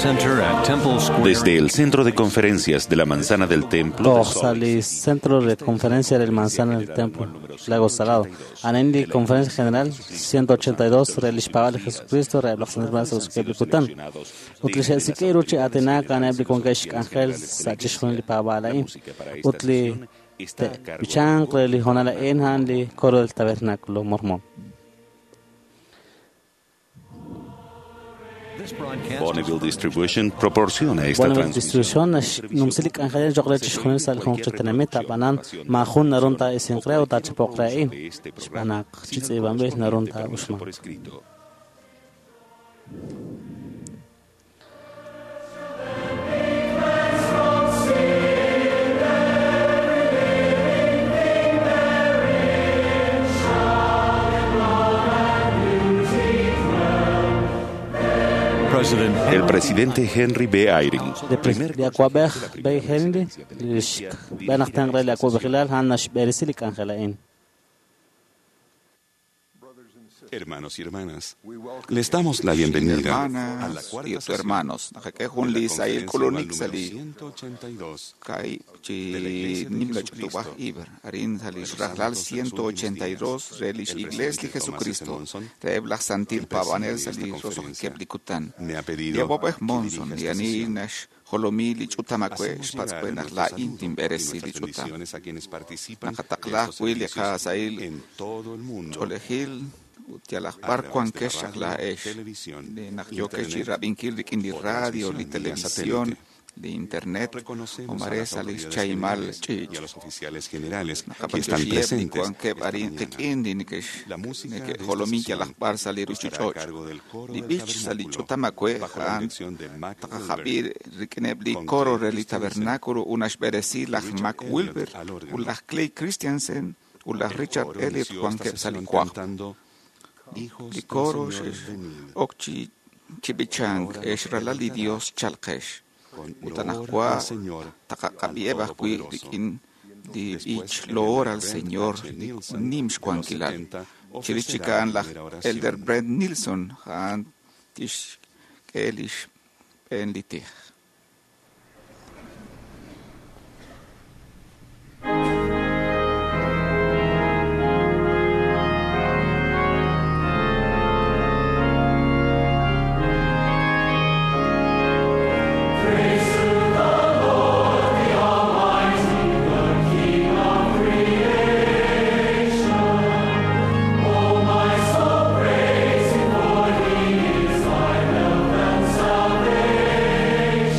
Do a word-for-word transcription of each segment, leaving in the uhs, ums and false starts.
Center at Temple Square. Desde el Centro de Conferencias de la Manzana del Templo de Toj Salt sa Lake li City, Centro de Conferencia del Manzana del Templo, Lago Salado. Anen li Conferencia General ciento ochenta y dos, re lix paab'al li Jesucristo, re laj santil paab'anel sa' li kutan. Ut li xe'sik'i ru chi aatinak a'aneb' li wankeb' xk'anjel sa' chixjunil li paab'aal a'in. Ut li b'ichanq re li hoonal a'in a'an li coro del Tabernáculo Mormón. This broadcast Bonneville Distribution proporciona esta Bonneville transmisión. Distribution numsi li k'anjel choq' re chixjunil sa' li junq chi tenamit ab'anan maajun narun taa'isinq re ut taachapoq re a'in xb'aan naq chi tz'iib'anb'il narun taa'uxmanq. Por escrito. President El presidente Henry B. Eyring, De primer li awa'b'ej B. Henry li xb'een aj tenq re li awa'b'ejilal a'an naxb'eresi li k'anjel a'in. Hermanos y hermanas, les damos la bienvenida a la Hermanas cuarta y sesión hermanos, de la li sahil conferencia anual kulunik número sali ciento ochenta y dos kai de la chi Iglesia de nimla Jesucristo chutubaj iber arin sali de los rajlal Santos de los ciento ochenta y dos Últimos Días. relish El iglesia presidente Thomas S. Jesucristo Monson, reblaj santil el presidente pabanel de esta sali conferencia, rosojeplikutan me ha pedido Diabobej que Monson dirija esta yani sesión. nash jolomi li chutamakwe Hacemos llegar xpatzkwe nuestro la saludo intim y beresi li nuestras chutam bendiciones a quienes participan de Nakatakla estos wi li servicios qasail en todo el mundo cholejil utialaj a bar través de la cuankesh radio, la esh televisión, li naq yokesh internet rab'inkil rik'in li o radio li transmisión vía televisión satélite. li internet Reconocemos a omare las salis autoridades chaimal generales chich y a los oficiales generales que están naqapantioxieb li presentes cuankeb esta arin mañana. qik'in li nekex La música de neke esta jolomi sesión yalaj bar sali estará a ruchich'och cargo del coro li del b'ich sa li tabernáculo, ch'utamakwe bajo la ja'an dirección de Mac Wilber, taqajab'ir rik'ineb li con coro Clay re li Christensen tabernáculo unaxb'eresi laj Richard Mac Elliot Wilber al órgano. u laj Clay Christensen u laj El Richard coro Elliot inició esta wankeb sa li sesión kwaj cantando Hijos li del coro Señor, xex venid, ok chi chib'ichank Ahora ex nos ralal li deleitará Dios chalqex con ut loor anajwa al Señor, al taqaqab'ieb ajwi' Todopoderoso. rik'in li Después, b'ich el loor elder al Brent Señor H. li Nielsen, nim de los xwankilal setenta, chirix ofrecerá chik a'an la laj primera oración. Elder Brent Nielsen ja'an tixk'e lix b'een li tij. Salvation.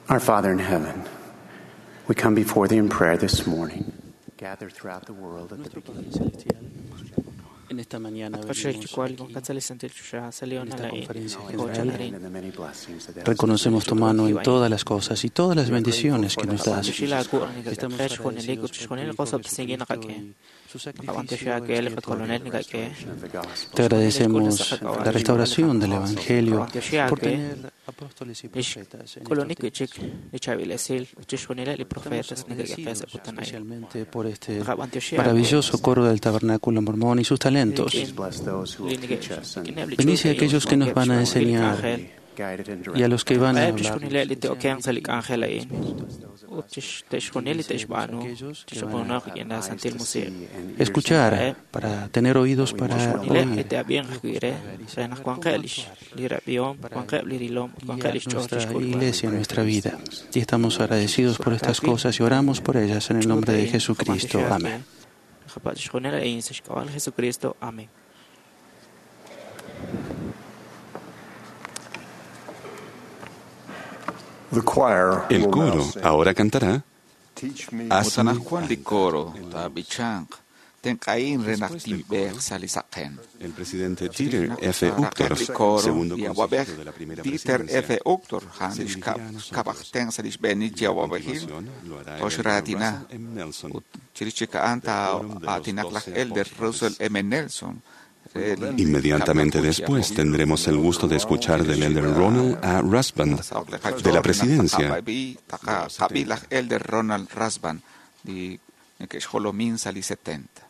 Our Father in heaven, we come before thee in prayer this morning, gathered throughout the world at the Nuestro beginning. Padre Celestial, en esta mañana At venimos qaxaychukwal aquí qatzalisantil chuxa salió en esta nalain conferencia Acknowledge general. thy hand and the many blessings that thou hast Reconocemos tu mano en todas las cosas y todas las bendiciones que nos das. Estamos agradecidos por tu Hijo Jesucristo y su sacrificio expiatorio. of the gospel. Te agradecemos la restauración del Evangelio por tener apóstoles y profetas en estos Kolonik tiempos. chik lichavilesil uchishunila li Estamos profetas agradecidos nikakaqesa putanay. especialmente por este Qabantioxia maravilloso coro del Tabernáculo Mormón y sus talentos. Bless those who will teach us and Bendice a aquellos que nos van a enseñar guide and y a direct. los que van a Eb hablar. chixjunileb li te'okenq sa' li k'anjel a'in ut chix- te'xjunil li te'xb'aanu chixoponaq rik'in la Eyes Santil to Musiq see and ears to Escuchar hear. para tener oídos para chixjunileb li oír. te'ab'inq ajwi' re re naq wanqeb' lix li rab'ihom wanqeb' li rilom ut wanqeb' Guiar lix ch'ool nuestra chixk'ulb'al iglesia, nuestra vida. Y estamos agradecidos por estas cosas y oramos por ellas en el nombre de Jesucristo. Amén. Qapa' chixjunil a'in sa' xk'ab'a' li Jesucristo. Amén. The choir El will now coro sing, ahora cantará Teach me Ut Hazme anaqwan li coro taab'ichanq tenq'ahin re naq Después del tinb'eeq coro, sa' li saqen. El presidente Dieter F. Raqeb' Uchtdorf, li coro segundo li consejero awab'ej de la primera Dieter F. presidencia, Uchtdorf a'an se li dirigirá xkab' a nosotros. xkab' aj tenq sa' li xb'eenil Y a awab'ejil continuación lo hará el elder toxraatina Russell M. Nelson. ut chirix chik a'an del Quórum de los taa'aatinaq laj Doce Elder Apóstoles. Russell M. Nelson re li Inmediatamente kab'laju chi después awab'ej. tendremos el gusto de escuchar del elder Ronald A. Rasband de la presidencia Taqab'i laj Elder Ronald Rasband li neke'xjolomin sa' li setenta.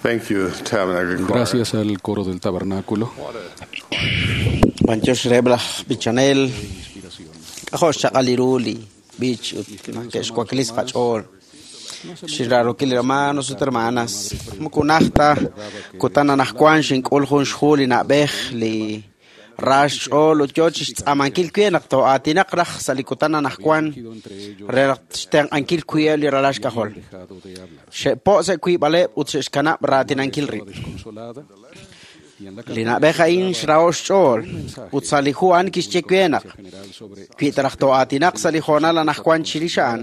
Thank you, Tabernacle Choir. Gracias al coro del tabernáculo. B'antiox reheb' laj b'ichanel k'ajo' xchaq'al li ru li b'ich ut ke'xwaklis qach'ool. Xinraarokil li hermanos ut hermanas. Moko naj ta kutan anaqwan xink'ul jun xhu li na'b'ej li ra xch'ool ut yo chixtz'aamankil we naq too'aatinaq raj sa' li kutan anaqwan re naq xtenq'ankil wi'eb' li ralal xk'ajol. Xe'po' sa' wiib'aleb' ut xe'xkanab' raatinankil rib'. Li na'b'ej a'in xraho' xch'ool ut sa' li hu a'an kixye we naq wi ta raj too'aatinaq sa' li hoonal anaqwan chirix a'an,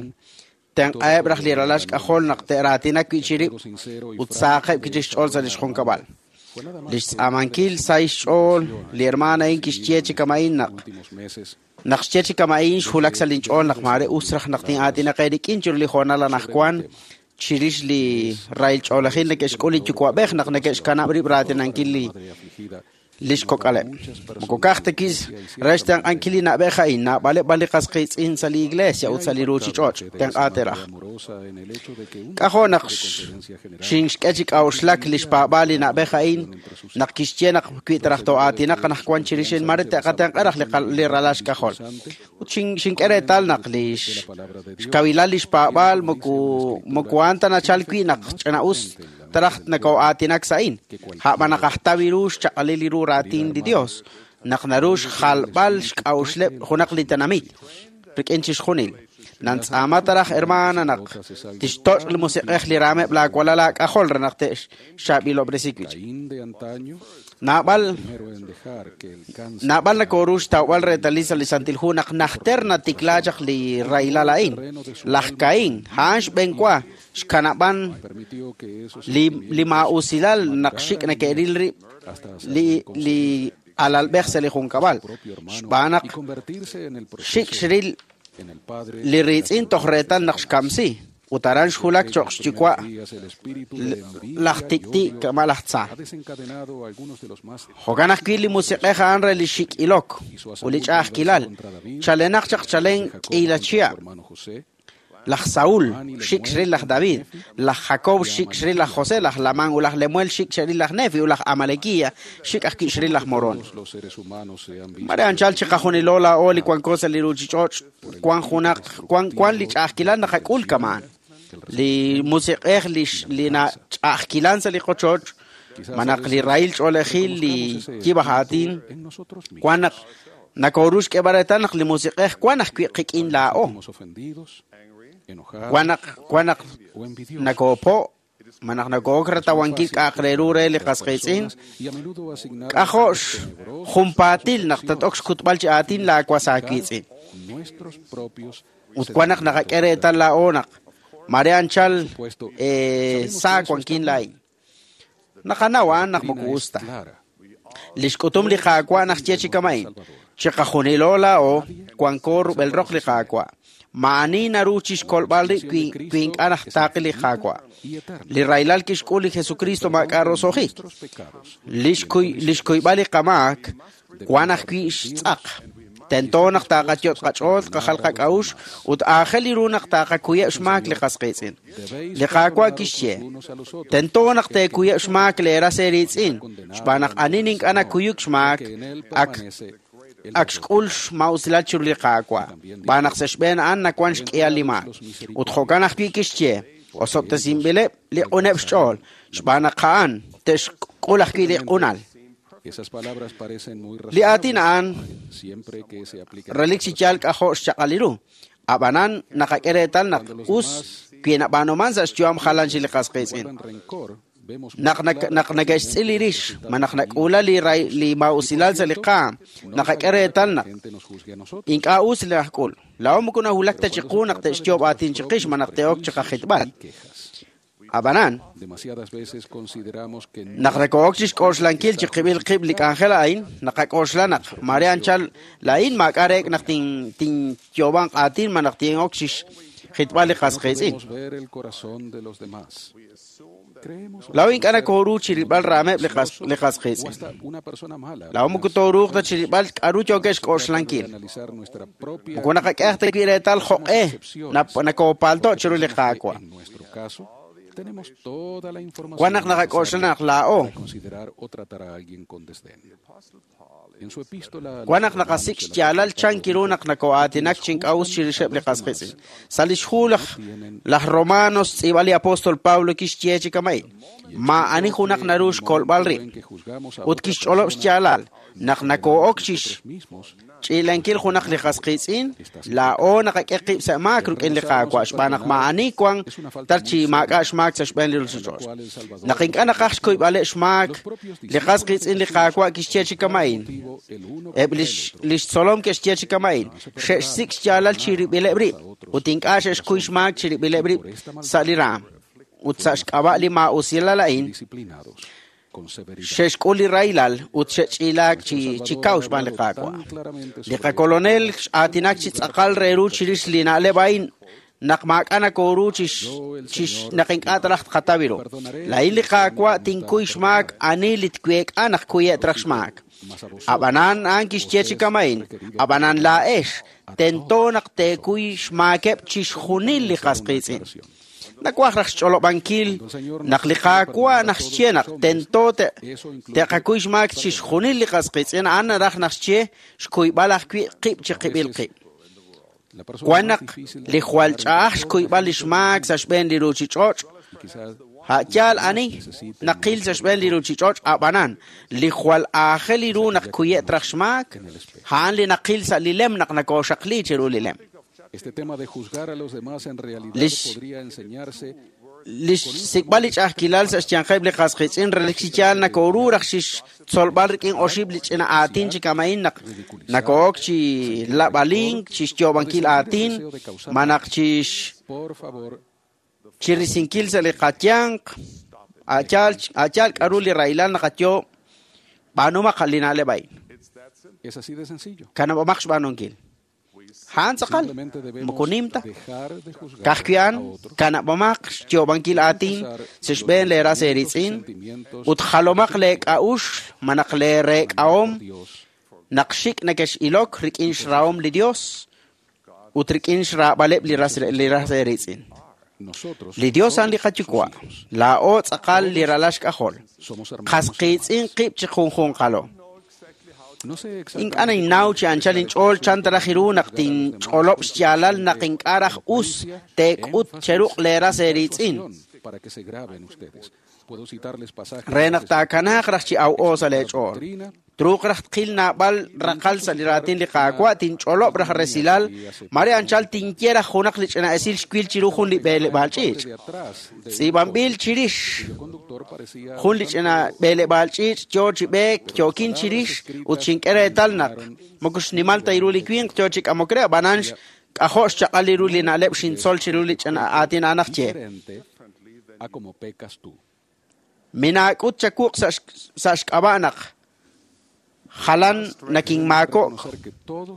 tenq'aheb' raj li ralal xk'ajol naq te'raatinak wi' chirib' ut saaqeb' wi' chik xch'ool sa' li xjunkab'al. Li xtz'aamankil sa' xch'ool li hermana a'in kixye chi kama'in naq naq xye chi kama'in xwulak sa' linch'ool naq maare us raj naq tin'aatinaq eerik'in chiru li hoonal anaqwan chirix li rahil ch'oolejil neke'xk'ul li yuwa'b'ej naq neke'xkanab' rib' raatinankil li li xkok'aleb'. Moko ka'aj ta kis re xtenq'ankil li na'b'ej a'in, naab'aleb' b'an li qas qiitz'in sa' li iglesia ut sa' li ruuchich'och' tenq'aateraj. K'ajo' naq xinxk'e chi k'a'uxlak li xpaab'aal li na'b'ej a'in naq kixye naq wi ta raj too'aatinaq anaqwan chirix a'in mare te'qatenq'a raj li qal- li ralal xk'ajol. Ut xin- xink'e reetal naq li xkawilal li xpaab'aal moko moko a'an ta nachal wi' naq ch'ina'us taraj nakoo'aatinak sa' a'in. A'b'an naq ajtaw ru xchaq'alil li ru raatin li Dios, naq naru xjalb'al xk'a'uxleb' junaq li tenamit rik'in chixjunil. Nantz'aama taraj hermana naq tixtoch' li musiq'ej li raameb' laawalal laak'ajol re naq te'xxaab'ilob'resi wi' chik. Naab'al naab'al nakooru xtawb'al reetalil sa' li Santil Hu naq najter natiklaa chaq li rahilal a'in. Laj Caín, a'an xb'enwa xkanab'an li li maa'usilal naq xik' neke'ril rib' li li alalb'ej sa' li junkab'al. Xb'aan naq xik' xril li riitz'in toj reetal naq xkamsi ut aran xwulak cho'q xyuwa' laj tik'ti' kama' laj tza. Jo'kan ajwi' li musiq'ej a'an re li xik'ilok ut li ch'a'ajkilal chalenaq chaq chalen k'iila chihab'. Laj Saúl xik' xril laj David, laj Jacob xik' xril laj José, laj Lamán ut laj Lemuel xik' xril laj Nefi ut laj Amalequia xik' ajwi' xril laj Moroni. Mare anchal chiqajunilo laa'o li wanko sa' li ruuchich'och' wan junaq wan wan li ch'a'ajkilal naqak'ul kama'an. Li musiq'ej li li nach'a'ajkilan sa' li qochoch malaj li rahil ch'oolejil li yib' aj aatin wan naq nakooru xk'eeb'al reetal naq li musiq'ej wan ajwi' qik'in laa'o. Wan naq wan naq nakoopo' malaj nakook ratawankil k'a'aq re ru re li qas qiitz'in, k'ajo' xjunpaatil naq tat-ok xkutb'al chi aatin laawas aawiitz'in. Ut wan naq naqak'e reetal laa'o naq mare anchal saa wankin laa'in. Naqanaw a'an naq moko us ta. Li xk'utum li Qaawa' naxye chi kama'in, chiqajunilo laa'o wanko rub'el roq li Qaawa'. Ma'ani naru chixkolb'al rib' wi wi ink'a' najtaaqi li Qaawa'. Li rahilal kixk'ul li Jesucristo maak'a' roso'jik. Li xkuy li xkuyb'al li qamaak wan ajwi' xtz'aq. Tento naq taaqayot' qach'ool, qajal qak'a'uxl ut aajel li ru naq taaqakuyeb' xmaak li qas qiitz'in. Li Qaawa' kixye, tento naq teekuyeb' xmaak leeras eeriitz'in, xb'aan naq anin ink'a' nakuyuk xmaak ak ak xk'ul xma'usilal chiru li Qaawa', xb'aan naq sa' xb'een a'an nawan xk'ihal li maak. Ut jo'kan ajwi' kixye, osob'tesinb'ileb' li q'uneb' xch'ool, xb'aan naq a'an te'xk'ul ajwi' li q'unal. Li aatin a'an relik chi yaal k'ajo' xchaq'al li ru. Ab'anan naqak'e reetal naq us wi nab'aanuman sa' xyu'am jalan chi li qas qiitz'in. Naq naq neke'xtz'il li rix, malaj nak'uula li li maa'usilal sa' li qaam, naqak'e reetal naq ink'a' us li ajk'ul. Laa'o moko nawulak ta chiqu naq te'xyoob' aatin chiqix malaj te'ok chiqajitb'al. Ab'anan, naq nako'ok chixk'oxlankil chiqib'il qib' li k'anjel a'in, naqak'oxla naq mare anchal laa'in maak'a' reek' naq tin tinyoob'anq aatin malaj tin'ok chixjitb'al li qas qiitz'in. Laa'o ink'a' nakooru chirilb'al raameb' li qas li qas qiitz'in. Laa'o moko tooruuq ta chirilb'al k'a'ru yookeb' xk'oxlankil. Moko naqak'e aj ta wi' reetal jo'q'e nakoopalto' chiru li Qaawa'. Wan naq naqak'oxla naq laa'o wan naq naqasik' xyaalal chan kiru naq nakoo'aatinak chi ink'a' us chirixeb' li qas qiitz'in. Sa' lix hu laj laj Romanos tz'iib'a li apóstol Pablo kixye chi kama'in maa'ani junaq naru xkolb'al rib' ut kixch'olob' xyaalal naq nakoo'ok chix ch'iilankil junaq li qas qiitz'in laa'o naqak'e qib' sa' maak rik'in li Qaawa' xb'aan naq maa'ani wan tar chi maak'a' xmaak sa' xb'een li ruuchich'och'. Naq ink'a' naqaj xkuyb'aleb' xmaak li qas qiitz'in li Qaawa' kixye chi kama'in eb' lix tzolom ke'xye chi kama'in xe'xsik' xyaalal chirib'ileb' rib' ut ink'a' xe'xkuy xmaak chirib'ileb' rib' sa' li raam ut sa' xk'ab'a' li maa'usilal a'in xe'xk'ul li rahilal ut xe'ch'iilaak chi chi kaw xb'aan li Qaawa'. Li qakolonel x'aatinak chi tz'aqal re ru chirix li na'leb' a'in naq maak'a' nakooru chix chix naq ink'a' taraj tqataw ru. Laa'in li Qaawa' tinkuy xmaak ani li tweek'a naq kuye' traj xmaak. Ab'anan a'an kixye chi kama'in ab'anan laa'ex tento naq teekuy xmaakeb' chixjunil li qas qiitz'in. Nakwaj raj xch'olob'ankil naq li Qaawa' naq xye naq tento te'qakuy xmaak chixjunil li qas qiitz'in a'an naraj naq xye xkuyb'al ajwi' qib' chi qib'il qib'. Wan naq li jwal ch'a'aj xkuyb'al li xmaak sa' xb'een li ruuchich'och' a'yaal ani naqil sa' xb'een li ruuchich'och' ab'anan li jwal aajel ru naq kuye' traj xmaak a'an li naqil sa' li lem naq nakooxaqli chiru li lem. Este tema de juzgar a los demás en realidad podría enseñarse lix sik'b'al li ch'a'ajkilal sa' xyanqeb' li qas qiitz'in relik chi yaal nakooru raj xixtzolb'al rik'in oxib' li ch'ina aatin chi kama'in naq nako'ok chi lab'alink chi xyoob'ankil aatin malaj chix chirisinkil sa' li qayanq a'yaal a'yaal k'aru li rahilal naqayoob' b'aanumaq li na'leb' a'in. Es así de sencillo. Kanab'omaq xb'aanunkil. A'an tz'aqal moko nim ta ka'ajwi' kanab'omaq xyoob'ankil aatin sa' xb'een leeras eeritz'in ut jalomaq leek'a'uxl malaj leereek'ahom naq xik' nakex'ilok rik'in xrahom li Dios ut rik'in xraab'aleb' li ras li ras eeritz'in. Li Dios a'an li qayuwa' laa'o tz'aqal li ralal xk'ajol qas qiitz'in qib' chi junjunqalo. Ink'a' ninnaw chi anchal inch'ool chan taraj ru naq tinch'olob' xyaalal naq ink'a' raj us teek'ut cheruq' leeras eeritz'in re naq taakanaaq raj chi aw'o sa' leech'ool. Truuq raj tqil naab'al raqal sa' li raatin li Qaawa' tinch'olob' raj resilal mare anchal tinye raj junaq li ch'ina esil xwil chiru jun li b'eleb'aal ch'iich'. Tz'iib'anb'il chirix jun li ch'ina b'eleb'aal ch'iich' yo chi b'eek yookin chirix ut xink'e reetal naq moko xnimal ta ru li winq yo chi k'amok re ab'anan k'ajo' xchaq'al ru li na'leb' xintzol chiru li ch'ina aatin a'an aj ye. Minaak'ut chakuq sa' xk'ab'a' naq jalan nakinmaako'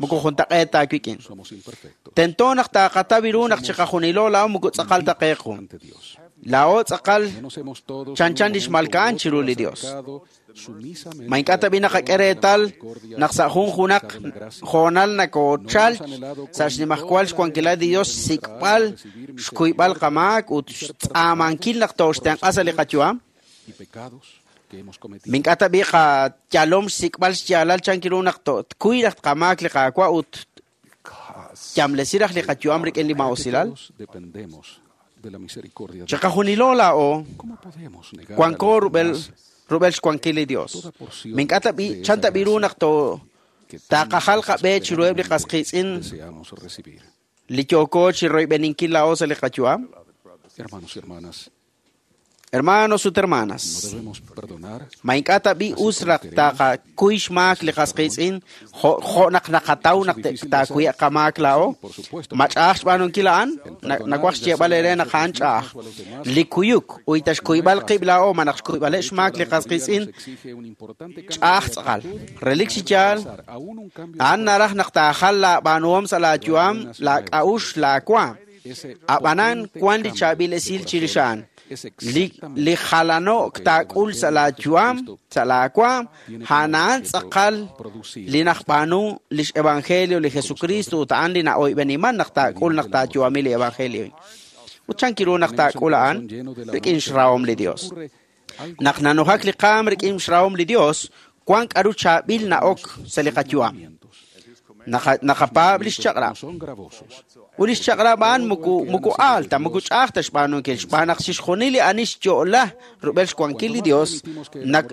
moko juntaq'eet taawik'in. Tento naq taaqataw ru naq chiqajunilo laa'o moko tz'aqal ta qeequ. Laa'o tz'aqal chanchan li xmalka'an chiru li Dios. Ma ink'a' tab'i naqak'e reetal naq sa' jun junaq hoonal nakoochal sa' xnimajwal xwankilal li Dios xsik'b'al xkuyb'al qamaak ut xtz'aamankil naq tooxtenq'a sa' li qayu'am. Mink'a' tab'i qayalom xsik'b'al xyaalal chan kiru naq tkuy raj tqamaak li Qaawa' ut yamlesi raj li qayu'am rik'in li maa'usilal. Chiqajunilo laa'o wanko rub'el rub'el xwankil li Dios. Mink'a' tab'i chan tab'i ru naq to taqajal qab'e chiruheb' li qas qiitz'in li yooko chi royb'eninkil laa'o sa' li qayu'am. Hermanos ut hermanas, ma ink'a' tab'i us raj taqakuy xmaak li qas qiitz'in jo' naq naqataw naq taakuye' qamaak laa'o. Ma ch'a'aj xb'aanunkil a'an nawaj xyeeb'al eere naq a'an ch'a'aj. Li kuyuk uyta xkuyb'al qib' laa'o ma naq xkuyb'aleb' xmaak li qas qiitz'in ch'a'aj tz'aqal. Relik chi yaal a'an naraj naq taajal laab'aanuhom sa' laayu'am laak'a'uxl laawaam. Ab'anan wan li chaab'il esil chirix a'an. Li li jalano'k taak'ul sa' laayu'am sa' laawaam a'an tz'aqal li najb'aanu lix evangelio li Jesucristo ut a'an li na'oyb'eniman naq taak'ul naq taayu'ami li evangelio. Ut chan kiru naq taak'ul a'an rik'in xrahom li Dios. Naq nanujak li qaam rik'in xrahom li Dios, wan k'aru chaab'il na'ok sa' li qayu'am. Naqapaab' li xchaq'rab'. Ut li xchaq'rab' a'an muku muku alta, muku ch'aj ta xb'aanunkil, xb'aan naq chixjunil li ani xyo'la rub'el xwankil li Dios,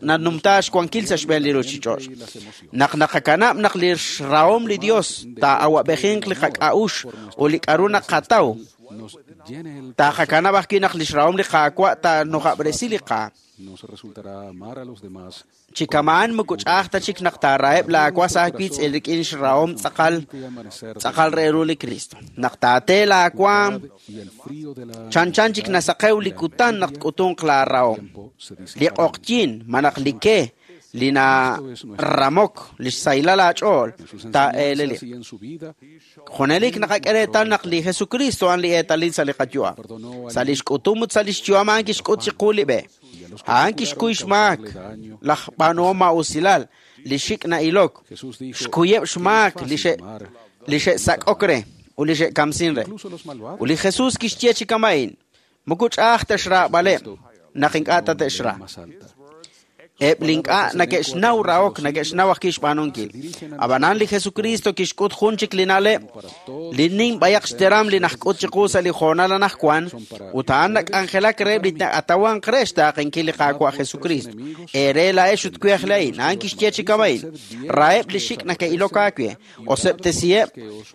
nanumta xwankil sa' xb'een li ruuchich'och'. Naq naqakanab' naq li xrahom li Dios taa'awab'ejinq li qak'a'ux ut li k'aru naqataw, taqakanab' ajwi' naq li xrahom li Qaawa' taanujab'resi li qaam. Chi kama'an muku ch'aj ta chik naq taaraheb' laawas aawiitz'in rik'in xrahom tz'aqal tz'aqal re ru li Cristo. Naq taate laawaam, chanchan chik nasaqew li kutan naq tk'utunq laarahom. Li q'oqyin malaj li ke li naramok li xsahilal aach'ool taa'eeleliq. Junelik naqak'e reetal naq li Jesucristo a'an li eetalil sa' li qayu'am. Sa' li xk'utum ut sa' li xyu'am a'an kixk'ut chiqu li b'e. A'an kixkuy xmaak laj b'aanuhom maa'usilal, li xik' na'ilok, xkuyeb' xmaak li xe' li xe'sak'ok re ut li xe'kamsin re. Ut li Jesús kixye chi kama'in, muku ch'aj ta xraab'aleb' naq ink'a' ta te'xra. Eb' li ink'a' neke'xnaw rahok neke'xnaw ajwi' xb'aanunkil. Ab'anan li Jesucristo kixk'ut jun chik li na'leb' li nim b'ayaq xteram li najk'ut chiqu sa' li hoonal anajwan ut a'an nak'anjelak reheb' li atawanq re xtaaqenkil li Qaawa' Jesucristo. Eere laa'ex ut wi aj laa'in, a'an kixye chi kama'in, raheb' li xik' neke'ilok aawe, oseb'tesiheb'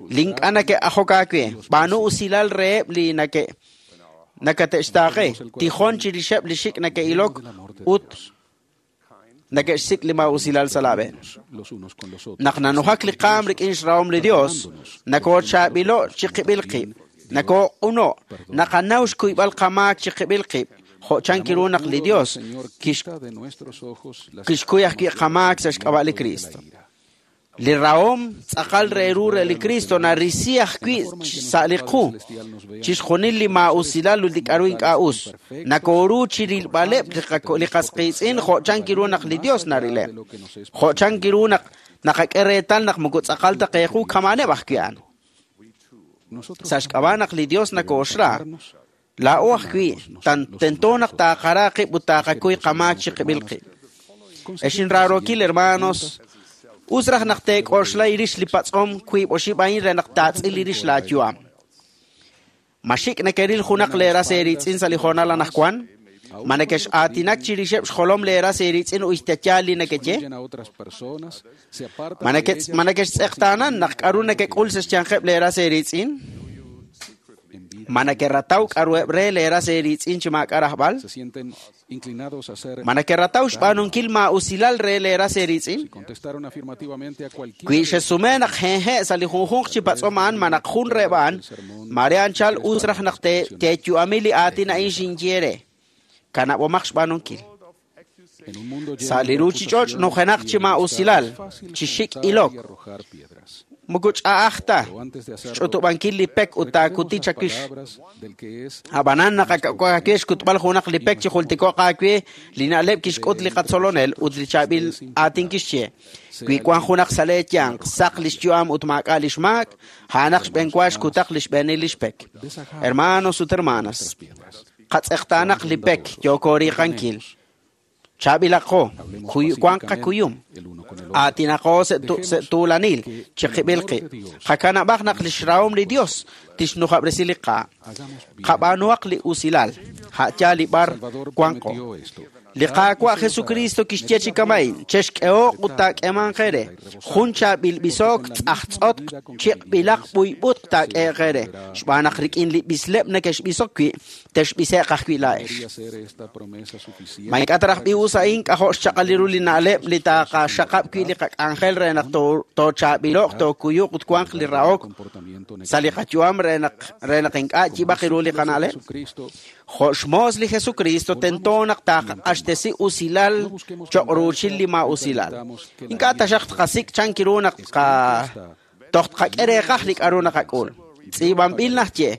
li ink'a' neke'ajok aawe, b'aanu usilal reheb' li nake' nakate'xtaaqe, tijon chirixeb' li xik' neke'ilok ut neke'xsik' li maa'usilal sa' laab'e. Naq nanujak li qaam rik'in xrahom li Dios, nakoochaab'ilo' chiqib'il qib', nakooq'uno', naqanaw xkuyb'al qamaak chiqib'il qib', jo' chan kiru naq li Dios kixkuy ajwi' qamaak sa' xk'ab'a' li Cristo. Li rahom tz'aqal re ru re li Cristo narisi ajwi' sa' li qu, chixjunil li maa'usilal ut li k'aru ink'a' us. Nakooru chirilb'aleb' li qas qiitz'in jo' chan kiru naq li Dios narileb'. Jo' chan kiru naq naqak'e reetal naq muku tz'aqal ta qeequ kama'aneb' ajwi' a'an. Sa' xk'ab'a' naq li Dios nakooxra, laa'o ajwi' tento naq taaqara qib' ut taaqakuy qamaak chiqib'il qib'. Ex inraarokil hermanos, us raj naq teek'oxla irix li patz'om wiib' oxib' a'in re naq taatz'il irix laayu'am. Ma xik' nekeril junaq leeras eeritz'in sa' li hoonal anajwan? Ma nekex-aatinak chirixeb' xjolom leeras eeritz'in uxtayaal li nekeye? Ma neke' ma nekextz'eqtaanan naq k'aru nekek'ul sa' xyanqeb' leeras eeritz'in? Ma nekerataw k'aruheb' re leeras eeritz'in chi maak'a' rajb'al? Ma nekerataw xb'aanunkil maa'usilal re leeras eeritz'in? Wi xesume naq jeje' sa' li junjunq chi patz'om a'an ma naq jun reheb' a'an, mare anchal us raj naq teeyu'ami li aatin a'in xinye re. Kanab'omaq xb'aanunkil. Sa' li ruuchich'och' nujenaq chi maa'usilal, chi xik' ilok. Muku ch'a'aj ta xch'utub'ankil li pek ut taakuti chakix. Ab'anan naqak'awe xkutb'al junaq li pek chi jultiko'q aawe li na'leb' kixk'ut li qatzolonel ut li chaab'il aatin kixye. Wi wan junaq sa' leeyanq saq li xyu'am ut maak'a' li xmaak, a'anaq xb'enwa xkutaq li xb'eenil li xpek. Hermanos ut hermanas, qatz'eqtaanaq li pek yookoriiqankil. Chaab'ilaqo, wanq qakuyum, aatinaqo sa' tuulanil, chiqib'il qib'. Qakanab'aq naq li xrahom li Dios tixnujab'resi li qaam. Qab'aanuhaq li usilal, ha'yaal li b'ar wanqo. Li Qaawa' Jesucristo kixye chi kama'in, chexk'ehoq ut taak'emanq eere. Jun chaab'il b'isook tz'ajtz'otq chiq'b'ilaq b'uyb'utq taak'eheq eere. Xb'aan naq rik'in li b'isleb' nekexb'isok wi', texb'ise'q ajwi' laa'ex. Ma ink'a' ta raj b'iwus a'in k'ajo' xchaq'al ru li na'leb' li taaqaxaqab' wi' li qak'anjel re naq toochaab'ilo'q, tookuyuq ut wanq li rahok sa' li qayu'am re naq re naq ink'a' yib'aq ru li qana'leb'. Jo' xmoos li Jesucristo tento naq taaq'axtesi usilal choq' ruuchil li maa'usilal. Ink'a' taxaq tqasik' chan kiru naq toj tqak'e reeqaj li k'aru naqak'ul. Tz'iib'anb'il najye,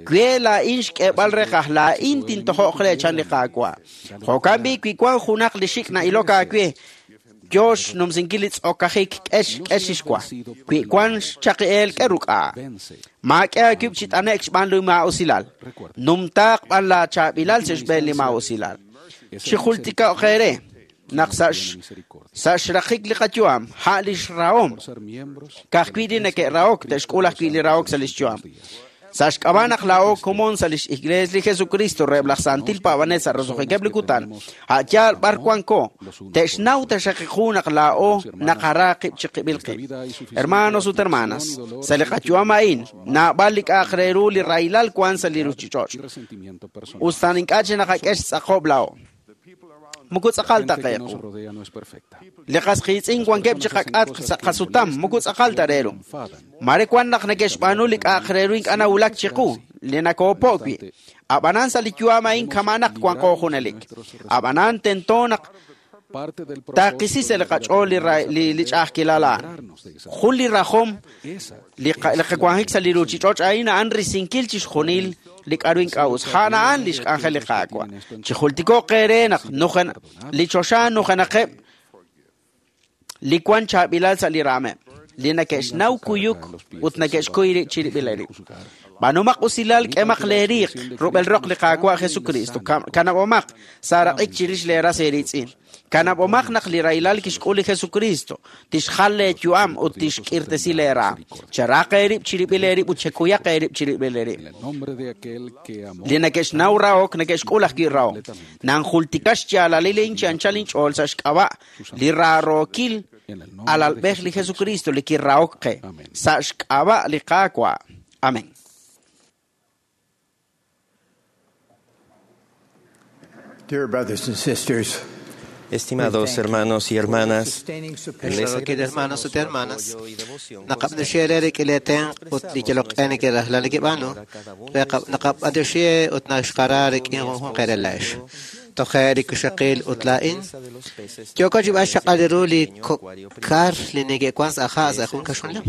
we laa'in xk'eeb'al reeqaj, laa'in tintojo'q re chan li Qaawa'. Jo'kan b'i' wi wan junaq li xik' na'ilok aawe, Yo xnumsinkil li tz'okajik k'ex k'ex xwa. Wi wan xchaqi'eel k'e ruk'a. Maak'e aakib' chi t'ane'k xb'aan li maa'usilal. Numtaaq b'an la chaab'ilal sa' xb'een li maa'usilal. Chijultiko'q eere naq sa' sa' xraqik li qayu'am ha' li xrahom. Ka'ajwi' li neke'rahok te'xk'ul ajwi' li rahok sa' li xyu'am. Sa' xk'ab'a' naq laa'o komon sa' lix Iglees li Jesucristo reheb' laj Santil Paab'anel sa' roso'jikeb' li kutan, a' yaal b'ar wanko, te'xnaw taxaqiqu naq laa'o naqara qib' chiqib'il qib'. Hermanos ut hermanas, sa' li qayu'am a'in, naab'al li k'a'aq re ru li rahilal wan sa' li ruchich'och'. Ustan ink'a' chi naqak'e xtz'aqob' laa'o. Muku tz'aqal ta qeequ. Li qasqiitz'in wankeb' chi qak'atq sa' qasutam, muku tz'aqal ta re ru. Mare wan naq neke'xb'aanu li k'a'aq re ru ink'a' nawulak chiqu, li nakoopo' wi'. Ab'anan sa' li yu'am a'in kama'naq wanqo junelik. Ab'anan tento naq taqisi sa' li qach'ool li li ch'a'ajkilal a'an. Jun li rajom li qawanjik sa' li ruchich'och' a'in a'an risinkil chixjunil li k'a'ru ink'a' us. A'an a'an li xk'anjel li Qaawa'. Chijultiko'q eere naq nujen li choxa nujenaqeb' li wan chaab'ilal sa' li raameb', li neke'xnaw kuyuk ut neke'xkuy rib' chirib'il rib'. B'aanumaq usilal k'emaq leeriiq rub'el roq li Qaawa' Jesucristo. Kanab'omaq saaraq'ik chirix leeras eeritz'in. Kanab'omaq naq li rahilal kixk'ul li Jesucristo tixjal leeyu'am ut tixk'irtesi leeraam. Cheraq eerib' chirib'il eerib' ut chekuyaq eerib' chirib'il eerib'. Li neke'xnaw rahok neke'xk'ul ajwi' rahok. Nanjultika xyaalalil chi anchal inch'ool sa' xk'ab'a' li raarookil alalb'ej li Jesucristo li kirahok qe. Sa' xk'ab'a' li Qaawa'. Amén. Dear brothers and sisters, Estimados hermanos y hermanas, les hermanos ut hermanas, naqab'anixie rik'ileten ut li yaloq'en kirajlal kib'anu, naqab'anixie ut naxqara rik'in junjun qerelax. Toje rikuxaqil ut la'in, yoko chib'ax xaq'aliru li kokkar li neke'wan sa' sa' jun kaxunlem.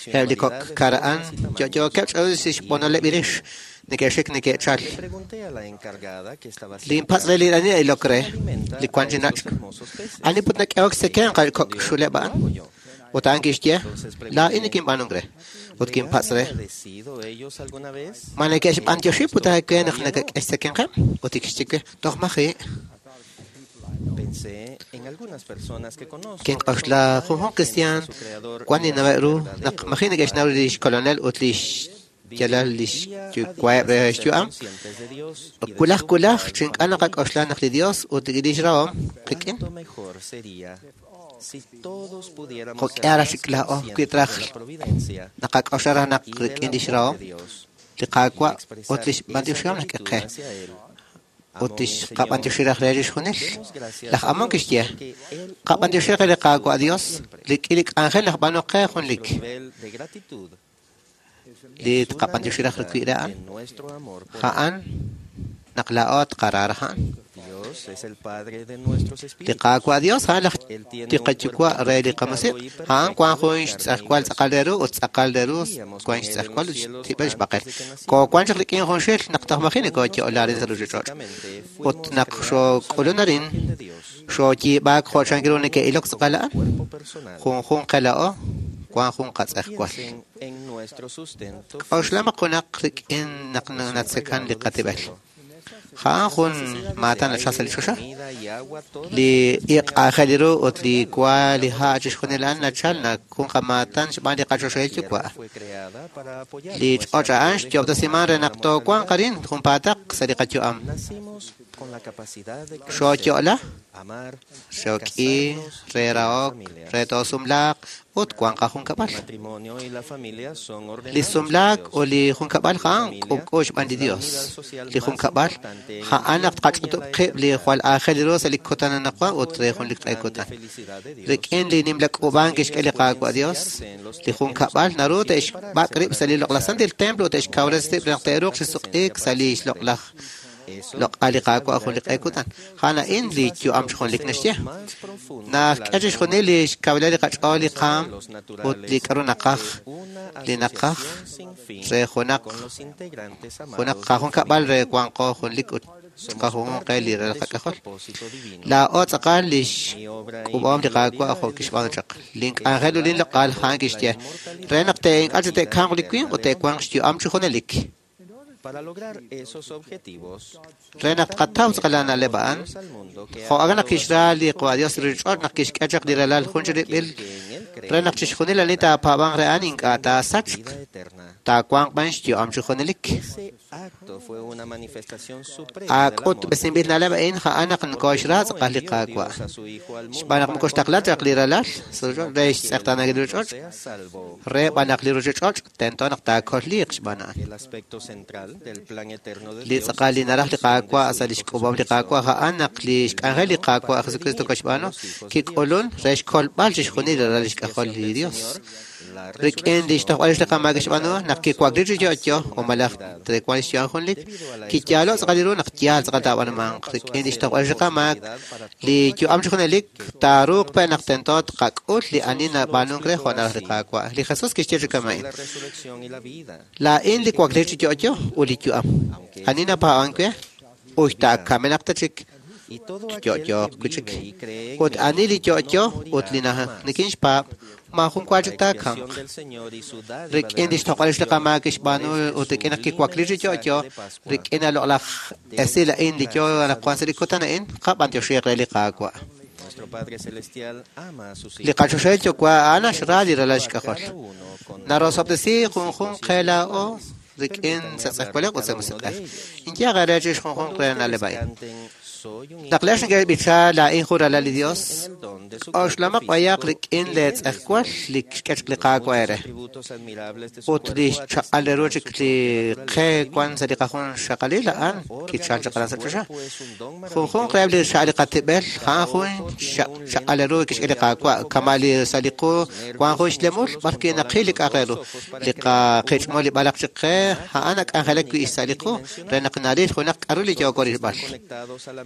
Eb' li kokkara'an yo'yookeb' ch'awis xb'onoleb' irix. Neke'xik neke'chal. Linpatz' re li ani ilok re, li wan chi nach'. Ani put nak'ehok seken kok xuleb' a'an. Ut a'an kixye, laa'in nikinb'aanunk re. Ut kinpatz' re. Ma neke'xb'antioxi put aawe naq nakak'e xsekenqeb'? Ut kixye we, toj maji'. Kink'oxla junjun cristian wan ninaweb' ru naq maji' neke'xnaw li xkolonel ut li yalal li xyuwa'eb' re xyu'am. Kulaj kulaj chink'a' naqak'oxla naq li Dios ut li xrahom qik'in. Jo'k'e raj chik laa'o wi traj naqak'oxla raj naq rik'in li xrahom li Qaawa' ut li xb'antioxihom nak'e qe. Ut tixqab'antioxi raj re chixjunil. Laj Amón kixye, qab'antioxi re li Qaawa' Dios rik'in li k'anjel naq b'aanu qe junlik. Li tqab'antioxi raj wi' re a'an, a'an naq laa'o tqara raj a'an. Li Qaawa' Dios a'an laj li qayuwa' re li qamusiq', a'an wan jun xtz'ajwal tz'aqal re ru ut tz'aqal re ru wan xtz'ajwal ut xtib'el xb'aqel. Koowan chaq rik'in jun xil naq toj maji' nakooyo'la arin sa' ruchich'och'. Ut naq xook'ulun arin, xooyiib'aak jo' chank ru neke'ilok tz'aqal a'an, junjun qe laa'o wan jun qatz'ajwal. K'oxlamaq junaq rik'in naq natzekan li qatib'el. Ja'an jun maatan nachal sa' li choxa. Li iq' aajel ru ut li wa li ha' chixjunil a'an nachal naq jun qamaatan xb'aan li qachoxahil yuwa'. Li ch'och' a'an xyo'ob'tesiman re naq toowanq arin junpaataq sa' li qayu'am. Xooyo'la, xook'i, re rahok, re toosumlaaq ut wan qajunkab'al. Li sumlaak ut li junkab'al ja'an k'ub'k'u xb'aan li Dios. Li junkab'al ja'an naq tqach'utub' qib' li jwal aajel ru sa' li kutan anaqwan ut re jun li q'e kutan. Rik'in li nimla k'uub'ank kixk'e li Qaawa' Dios, li junkab'al naru te'xb'ak' rib' sa' li loq'laj santil templo ut te'xkawresi rib' naq te'ruuq chi suq'iik sa' li xloq'laj loq'al li Qaawa' jun li q'e kutan. Ja'an a'in li yu'am xjunlik naxye. Nak'e chixjunil li xkawilal li qach'ool li qaam ut li k'a'ru naqaj li naqaj re junaq junaq qajunkab'al re wanqo junlik ut Tqajunjunq qe li ralal qak'ajol. Laa'o tz'aqal lix k'ub'om li Qaawa' jo' kixb'aanu chaq. Link'anjel ut linloq'al a'an kixye re naq te'ink'a' chik te'kamq li winq ut te'wanq xyu'am chi junelik. Re naq tqataw tz'aqal na'leb' a'an, jo' a'an naq kixra li Qaawa' Dios ruchich'och' naq kixk'e chaq li ralal jun chirib'il re naq chixjunil ani taapaab'anq re a'an ink'a' taasachq, taawanq b'an xyu'am chi junelik. Ak'utb'esinb'il na'leb' a'in a'an naq nokooxra tz'aqal li Qaawa'. Xb'aan naq moko xtaqla chaq li ralal re xtz'eqtaanankil li ruchich'och', re b'an naq li ruchich'och' tento naq taakolliiq xb'aan a'an. Li tz'aqal li naraj li Qaawa' sa' lix k'ub'om li Qaawa' a'an naq li xk'anjel li Qaawa' Jesucristo koxb'aanu kik'ulun re xkolb'al chixjunil li ralal xk'ajol li Dios. Rik'in li xtojb'al li qamaak xb'aanu naq kiwakli chi yo'yo o malaj trewan xyu'am junlik kiyaalo' tz'aqal li ru naq yaal tz'aqal taab'anumanq. Rik'in li xtojb'al li qamaak li yu'am chi junelik taaruuq pe' naq tento tqak'ul li ani nab'aanunk re jo' naraj li Qaawa'. Li Jesús kixye chi kama'in: Laa'in li wakli chi yo'yo ut li yu'am. Ani napaab'ank we uy taakamenaq ta chik yo'yooq wi' chik. Ut ani li yo'yo ut li nikinxpaab' maajun wa chik taakamq. Rik'in li xtoq'al li qamaak kixb'aanu ut rik'in naq kiwakli chi yo'yo, rik'in aloq'laj esil a'in li yo anaqwan sa' li kutan a'in, qab'antioxiiq re li Qaawa'. Li qachoxahil Yuwa' a'an naxra li ralal xk'ajol. Narosob'tesi junjunq qe laa'o rik'in sa' tz'ejwalej ut sa' musiq'ej. Inyaq re chi junjunq re na'leb' a'in. Naq le'x neke'b'icha laa'in jun ralal li Dios, k'oxlamaq b'ayaq rik'in leetz'ejwal li xk'e chaq li Qaawa' eere. Ut li xchaq'al ru chik li qe wan sa' li qajun xaqalil a'an kichal chaq aran sa' choxa. Junjunq reheb' li xa'al li qatib'el a'an jun xchaq'al ru kixk'e li Qaawa' kama' li sa' li qu wan jun xlemul b'arwi' naqil li k'a'aq re ru. Li qaqich'mul li b'alaq chik qe a'an nak'anjelak wi' sa' li qu re naq naril junaq k'aru li yooko rilb'al.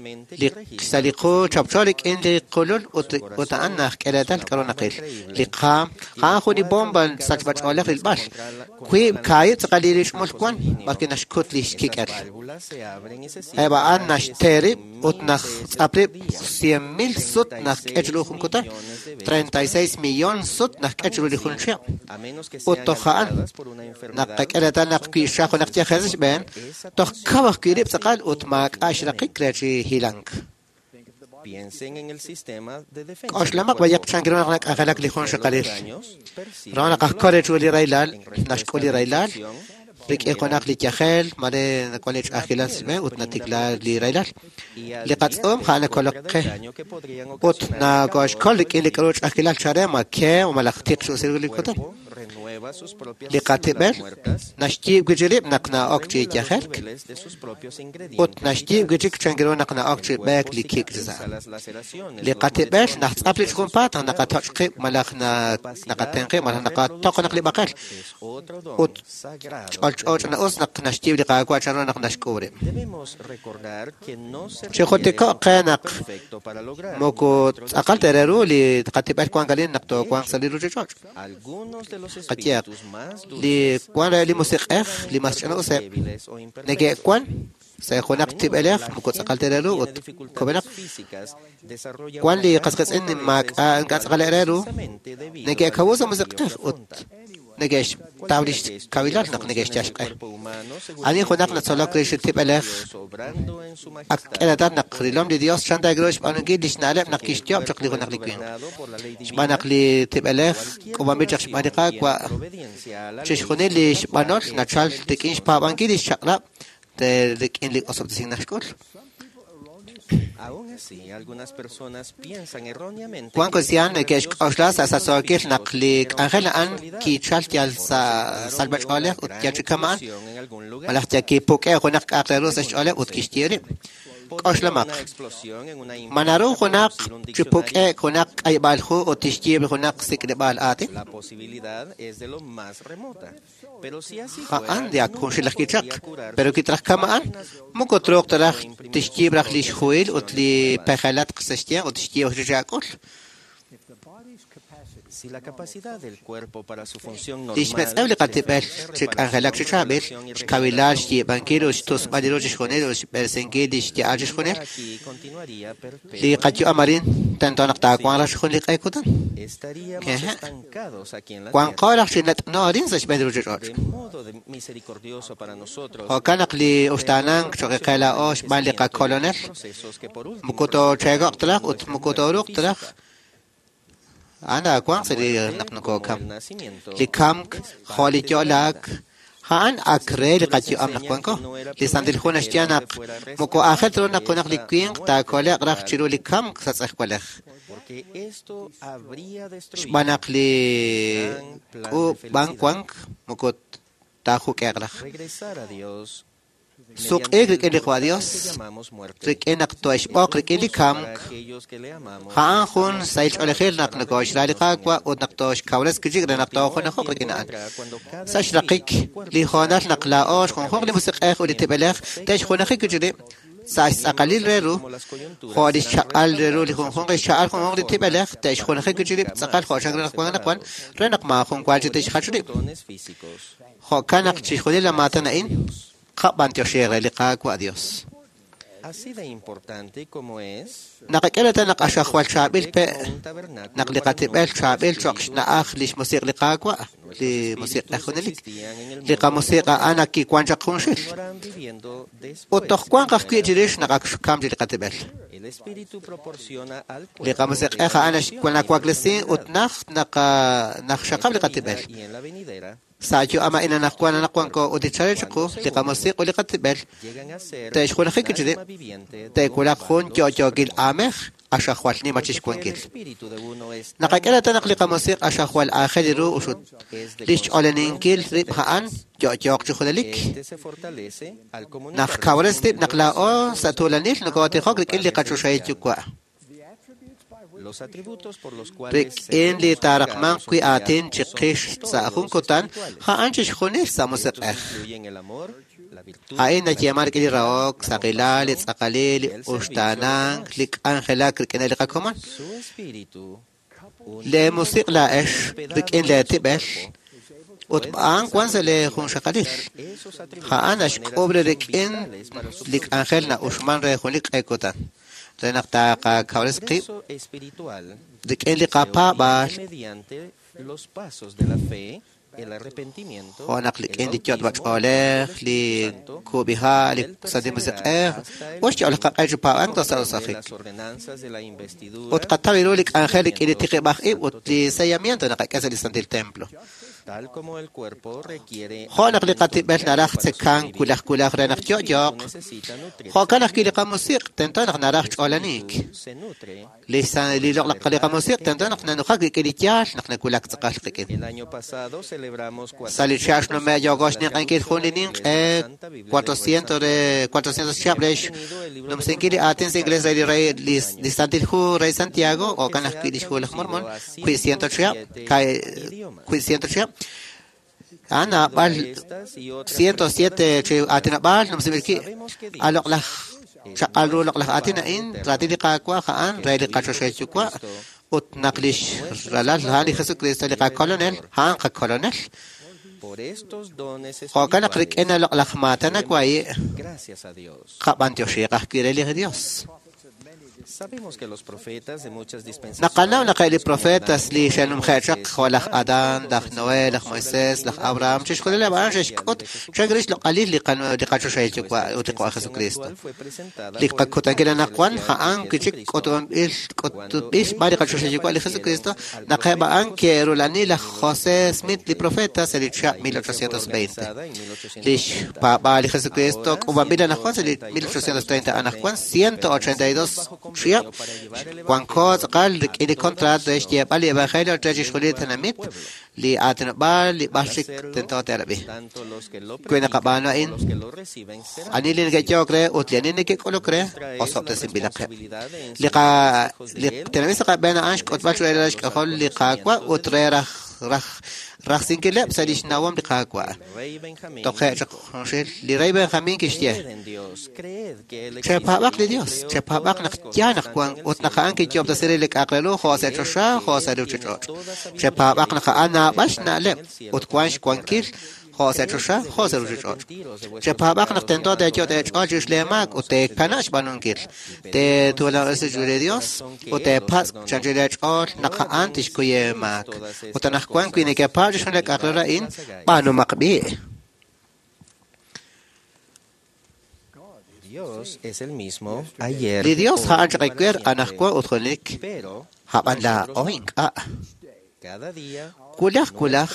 Li sa' li qu chapcho rik'in li qulul ut ut a'an najk'e reetal k'aru naqil. Li qaam a'an jun li bomba sachb'ach'oolej rilb'al. Wiib' kaahib' tz'aqal li rich'mul wan b'arwi' naxkut li xkik'el. Eb' a'an naxte rib' ut naxtz'ap rib' cien mil sut najk'e chiru jun kutan, treinta y seis millón sut najk'e chiru li jun chihab'. Ut toj a'an naqak'e reetal naq wi' xaj junaq yajel sa' xb'een, toj kaw ajwi' rib' tz'aqal ut maak'a' xraqik re chi hilank. K'oxlamaq b'ayaq chan ru naq nak'anjelak li jun xaqalil. Ro naq ajkol chiru li rahilal, naxk'ul li rahilal, rik'in junaq li yajel, mare nawan li ch'a'ajkilal sa' xb'een ut natikla li rahilal. Li qatz'uum a'an nakolok qe ut nakoxkol rik'in li k'aru ch'a'ajkilal chare ma ke o malaj tiq x'usil li kutan. Li qatib'el naxyiib' wi' chik rib' naq na'ok chi yajelk ut naxyiib' wi' chik chan ru naq na'ok chi b'eek li kik' chi sa'. Li qatib'el naxtz'ap li junpaat naq naqatoch' qib' malaj naqaten qib' malaj naqatoq naq li b'aqel ut ch'olch'o ch'ina'us naq naxyiib' li Qaawa' chan ru naq naxk'ub' rib'. Chijultiko'q qe naq moko tz'aqal ta re ru li qatib'el wank alin naq toowanq sa' li ruchich'och'. Qayehaq, li wan re li musiq'ej li mas ch'ina'useb' neke'wan sa' junaq tib'elej moko tz'aqal ta re ru ut kub'enaq. Wan li qasqitz'in maak'a' ink'a' tz'aqal re ru neke'kawu sa' musiq'ej ut neke'xtaw li xkawilal naq neke'xyal xq'e. Ani junaq natzolok rix li tib'elej ak k'e reetal naq rilom li Dios chan ta ru xb'aanunkil li xna'leb' naq kixyoob' chaq li junaq li winq. Xb'aan naq li tib'elej k'ub'anb'il chaq xb'aan li Qaawa' chixjunil li xb'anol nachal rik'in xpaab'ankil li xchaq'rab' rik'in li osob'tesink naxk'ul. Wan kristiaan neke'xk'oxla sa' sachsookil naq li k'anjel a'an kichal yal sa' salb'ach'oolej ut yal chi kama'an malaj yal kipuk'e junaq k'a'aq re ru sa' xch'ooleb' ut kixye rib'. K'oxlamaq, ma naru junaq chi puk'e'k junaq k'ayb'al hu ut tixyiib' junaq sik'leb'aal aatin? A'an li ak junxilaj kichaq, pero kitraj kama'an, moko truuq ta raj tixyiib' raj li xhuhil ut li pejelatq sa' xyanq ut tixyiib' raj chi ak'ul. Lix metz'ew li qatib'el chi k'anjelak chi chaab'il, xkawilal xyiib'ankil ut xtusb'al li ru chixjunil ut xb'eresinkil li xya'al chixjunil. Li qayu'am arin tento naq taawanq raj jun li q'e kutan. Wanqo raj chi nat'no arin sa' xb'een li ruuchich'och'. Jo'kan naq li uxtaanank cho'q qe laa'o xb'aan li qakolonel, moko toocheeko'q traj ut moko tooruuq traj. A'an aawanq sa' li naq nokokam. Li kamk jo' li yo'laak a'an ak re li qayu'am naq wanko. Li Santil Hu naxye naq moko aajel ta ru naq junaq li winq taakole'q raj chiru li kamk sa' tz'ejwalej. Xb'aan naq li k'uub'ank wank moko taajuk'e'q raj. Suq'iik rik'in li Qwa Dios, rik'in naq to'exb'oq rik'in li kamk, a'an jun sahil ch'oolejil naq nokoxra li Qaawa' ut naq toxkawres kichik re naq toojunajoq rik'in a'an. Sa' xraqik li hoonal naq laa'o xjunjunq li musiq'ej ut li tib'elej te'xjunaji kichik rib' sa' xtz'aqalil re ru, jo' li xchaq'al re ru li junjunq li xcha'al junjunq li tib'elej te'xjunaji kichik rib' tz'aqal jo' xan naq wan naq wan re naq maajun waal chi te'xjach rib'. Jo'kan naq chixjunil la maatan a'in qab'antioxi re li Qaawa' Dios. Naqak'e naq axajwal chaab'il pe' naq li qatib'el chaab'il cho'q xna'aj li xmusiq li Qaawa' li musiq'ej junelik. Li qamusiq a'an ak kiwan chaq junxil. Ut toj wanq ajwi' chirix naq ak xkam chi li qatib'el. Li qamusiq'ej a'an nawaklesi ut naj naq xaqab' li qatib'el. Sa' yu'am a'in anaqwan anaqwanko ut li chalel chiqu li qamusiq ut li qatib'el te'xjunaji kichirib' te'wulaq jun yo'yookil aamej axajwal nima chixwankil. Naqak'e reetal naq li qamusiq axajwal aajel ru uxut li xch'oleninkil rib' a'an yo'yooq chi junelik. Naq kawres rib' naq laa'o sa' tuulanil nokotijok rik'in li qachoxahil yuwa'. Rik'in li taaraqmanq wi' aatin chiqix sa' jun kutan, a'an chixjunil sa' musiq'ej. A'in nayeeman rik'in li rahok, saqilal, li tz'aqalil, li uxtaanank, li k'anjelak rik'in li qakomon. Le musiq laa'ex rik'in le tib'el ut b'aan wan sa' le junxaqalil. A'an naxk'ub' rik'in li k'anjel na'uxman re jun li q'e kutan. Re naq taqakawres qib' rik'in li qapaab'aal jo' naq rik'in li yot'b'a ch'oolej, li kub'iha', li Santil Musiq'ej, ut xya'ol qaq'e chi paab'ank toj sa' rosajik. Ut qataw ru li k'anjel rik'in li tiqib'aj ib' ut li sellamiento naqak'e sa' li Santil Templo. Jo' naq li qatib'el naraj tzekank wulaj wulaj re naq yo'yo'q, jo'kan ajwi' li qamusiq tento naq naraj ch'olaniik. Li li loq'laq li qamusiq tento naq nanujak rik'in li yaal naq nawulak tz'aqal qik'in. Sa' li chihab' xnume' yooko xninq'enkil jun li ninq'e cuatrocientos re cuatrocientos chihab' re xnumsinkil li aatin sa' inglés re li rey li Santil Hu Rey Santiago, jo'kan ajwi' li xhu laj Mormon, wi' ciento chihab', wi' ciento chihab'. A'an naab'al ciento siete chi aatinob'aal numsinb'il ki' aloq'laj chaq'al ru loq'laj aatin a'in raatin li Qaawa' a'an re li qachoxahil yuwa' ut naq li ralal a'an li Jesucristo li qakolonel a'an qakolonel. Jo'kan naq rik'in aloq'laj maatan nawai' qab'antioxiiq ajwi' re li Dios. Naqanaw naq li profetas li xe'numje'chaq jo' laj Adán, laj Noé, laj Moisés, laj Abraham, chixjunileb' a'an xe'xk'ut chan rix loq'alil li qachoxahil yuwa' ut li Qaawa' Jesucristo. Li qakutankil anaqwan a'an kichik k'utub'anb'il k'utub'il xb'aan li qachoxahil yuwa' li Jesucristo naq eb' a'an ke'rulani laj José Smith li profeta sa' li chihab' mil ochocientos veinte. Li xpaab'aal li Jesucristo k'uub'anb'il anaqwan sa' li mil ochocientos treinta anaqwan ciento ochenta y dos chihab' wanko tz'aqal rik'in li contrat re xyeeb'al li evangelio re chixjunil li tenamit Li aatinob'aal li b'ar chik tento te'rab'i. Wi naqab'aanu a'in, ani li neke'yo'ok re ut li ani neke'k'uluk re, osob'tesinb'ilaqeb'. Li qa li tenamit sa' qab'een a'an xk'utb'al re ralal xk'ajol li Qaawa' ut re raj raj rajsinkileb' sa' lix nawom li Qaawa'. Toje' chaq junxil, li rey Benjamín kixye, chepaab'aq li Dios, chepaab'aq naq yaal naq wan ut naq a'an kiyo'ob'tesi re li k'a'aq re ru jo' sa' choxa jo' sa' ruuchich'och'. Chepaab'aq naq a'an naab'al xna'leb' ut wan xwankil jo' sa' choxa jo' sa' ruuchich'och'. Chepaab'aq naq tento teeyo' teech'ool chirix lee maak ut teekana' xb'aanunkil. Teetuulanob'resi chiru li Dios ut teepatz' chanchil eech'ool naq a'an tixkuy eemaak. Ut anaqwan wi nekepaab' chixjunil li k'a'aq re ru a'in, b'aanumaq b'i'. Li Dios a'an chaq ewer anaqwan ut junelik, a'b'an laa'o ink'a'. Wulaj wulaj,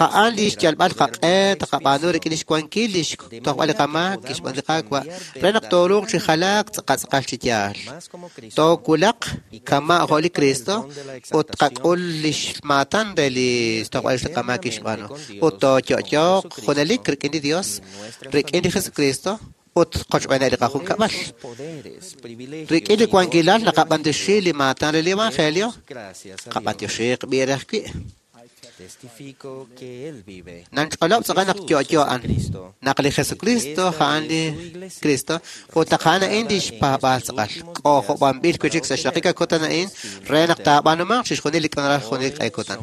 a'an li xyalb'al qaq'e taqab'aanu rik'in lix wankil lix tojb'al li qamaak kixb'aan li Qaawa' re naq tooruuq chi jalaak tz'aqal chi yaal. Toowulaq kama' jo' li Cristo ut tqak'ul lix maatan re li tojb'al li qamaak kixb'aanu ut tooyo'yo'q junelik rik'in li Dios, rik'in li Jesucristo ut qochb'eeneb' li qajunkab'al. Rik'in li wankilal naqab'antioxi li maatan re li Evangelio, qab'antioxiiq b'i re ajwi'. Nanch'olob' tz'aqal naq yo'yo a'an, naq li Jesucristo a'an li Cristo ut naq a'an a'in lix paab'aal tz'aqal. K'ojob'anb'il wi' chik sa' xraqik kutan a'in re naq taab'aanumanq chixjunil li k'anjel junelik q'e kutan.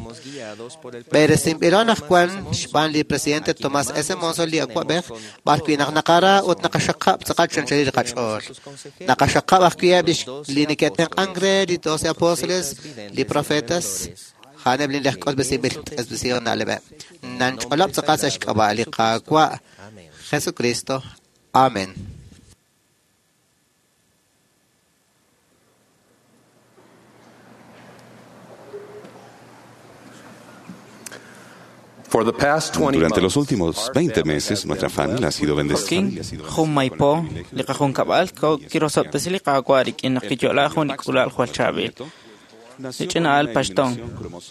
B'eresinb'ilo anaqwan xb'aan li presidente Tomás S. Monson li awa'b'ej, b'ar wi' naq naqara ut naqaxaqab' tz'aqal chanchalil li qach'ool. Naqaxaqab' ajwi' eb' li neke'tenq'ank re li doce apóstoles, li profetas, a'aneb' li k'utb'esinb'il k'utb'esihom na'leb'eb'. Nanch'olob' tz'aqal sa' xk'ab'a' li Qaawa' Jesucristo. Amén. Durante los últimos veinte meses, nuestra familia ha sido bendecida. Jun maypo, li qajunkab'al kirosob'tesi li Qaawa' rik'in naq kiyo'la jun li k'ulal jwal chaab'il. Li ch'ina'al paxton,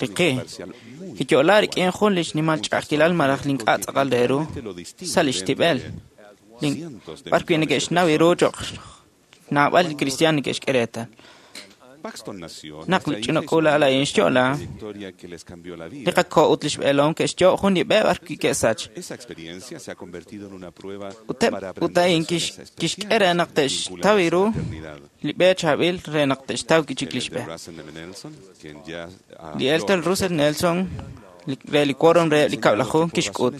riqi, kiyo'la rik'in jun li xnimal ch'a'ajkilal malaj li ink'a' tz'aqal re ru sa' lix tib'el. B'ar wi' neke'xnaw ru cho'q naab'al li kristiaan neke'xk'e reetal. Naq li ch'ina k'uula'al a'in xyo'la, li qako' ut lix b'eelom ke'xyo' jun li b'e b'ar wi' ke'sach. Ut a'in kixk'e re naq te'xtaw ru li b'e chaab'il re naq te'xtaw wi' chik lix b'e. Li Elder Russell Nelson re li quórum re li kab'laju kixk'ut.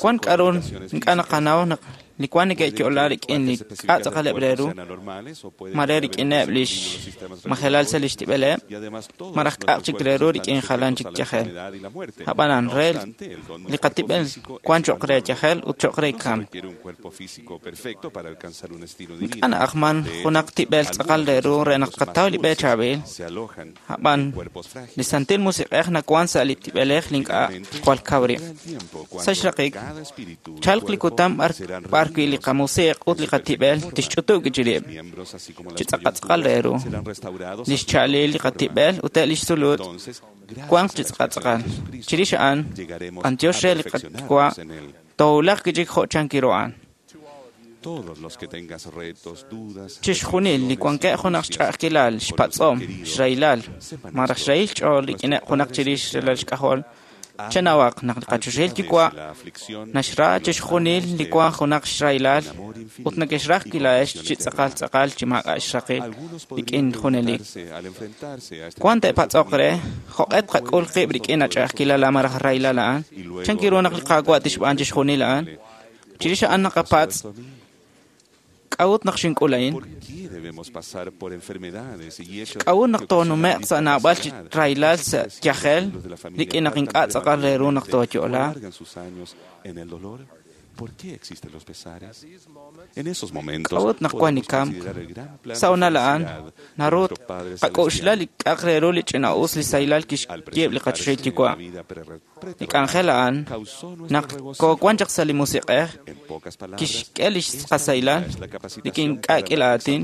Wan k'a'ru ink'a' naqanaw naq li wan neke'yo'la rik'in li k'a' tz'aqaleb' re ru, mare rik'ineb' lix majelal sa' lix tib'eleb', malaj k'a'aq chik re ru rik'in jalan chik yajel. Ab'anan re li qatib'el wan cho'q re yajel ut cho'q re kamk. Ink'a' na'ajman junaq tib'el tz'aqal re ru re naq tqataw li b'e chaab'il. Ab'an li Santil Musiq'ej nawan sa' li tib'elej li ink'a' jwal kaw rib'. Sa' xraqik, chalq li kutan b'ar wi' li qamusiq ut li qatib'el tixch'utub' wi' chi rib'. Chi tz'aqal re ru, lix cha'alil li qatib'el ut eb' lix sulut wanq chi tz'aqal. Chirix a'an, b'antiox re li Qaawa' toowulaq wi' chik jo' chan kiru a'an. Chixjunil li wankeb' junaq xch'a'ajkilal, xpatz'om, xrahilal, malaj xrahil xch'ool rik'ineb' junaq chirix ralal xk'ajol, chenawaq naq li qachoxahil Yuwa' naxra chixjunil li wan junaq xrahilal ut neke'xraj wi' laa'ex chi tz'aqal tz'aqal chi maak'a' xraqil rik'in junelik. Wan te'patz'oq re jo'q'e tqak'ul qib' rik'in ach'a'ajkilal malaj rahilal a'an, chan kiru naq li Qaawa' tixb'aan chixjunil a'an. Chirix a'an naqapatz' k'a'ut naq xink'ul a'in? K'a'ut naq toonume'q sa' naab'al chi rahilal sa' yajel rik'in naq ink'a' tz'aqal re ru naq tooyo'la? K'a'ut naq wan li kamk? Sa' honal a'an, naru qak'oxla li k'a'aq re ru li ch'ina'us li sahilal kixyiib' li qachoxahil Yuwa'. Li k'anjel a'an, naq koowan chaq sa' li musiq'ej, kixk'e li qasahilal rik'in k'a' k'ila aatin.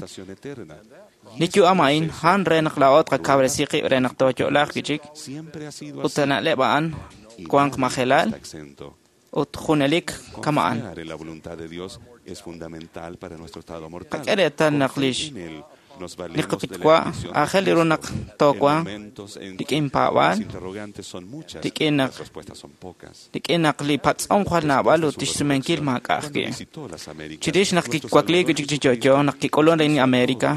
Li yu'am a'in a'an re naq laa'o tqakawresi qib' re naq tooyo'laaq wi'chik, ut sa' na'leb' a'an wanq majelal ut junelik kama'an. Qak'e reetal naq lix li qayuwa' aajel ru naq toowanq rik'in paab'aal, rik'in naq rik'in naq li patz'om jwal naab'al ut tixsumenkil maak'a' ajwi'. Chirix naq kiwakliik wi'chik chi yo'yo, naq kik'ulun re América,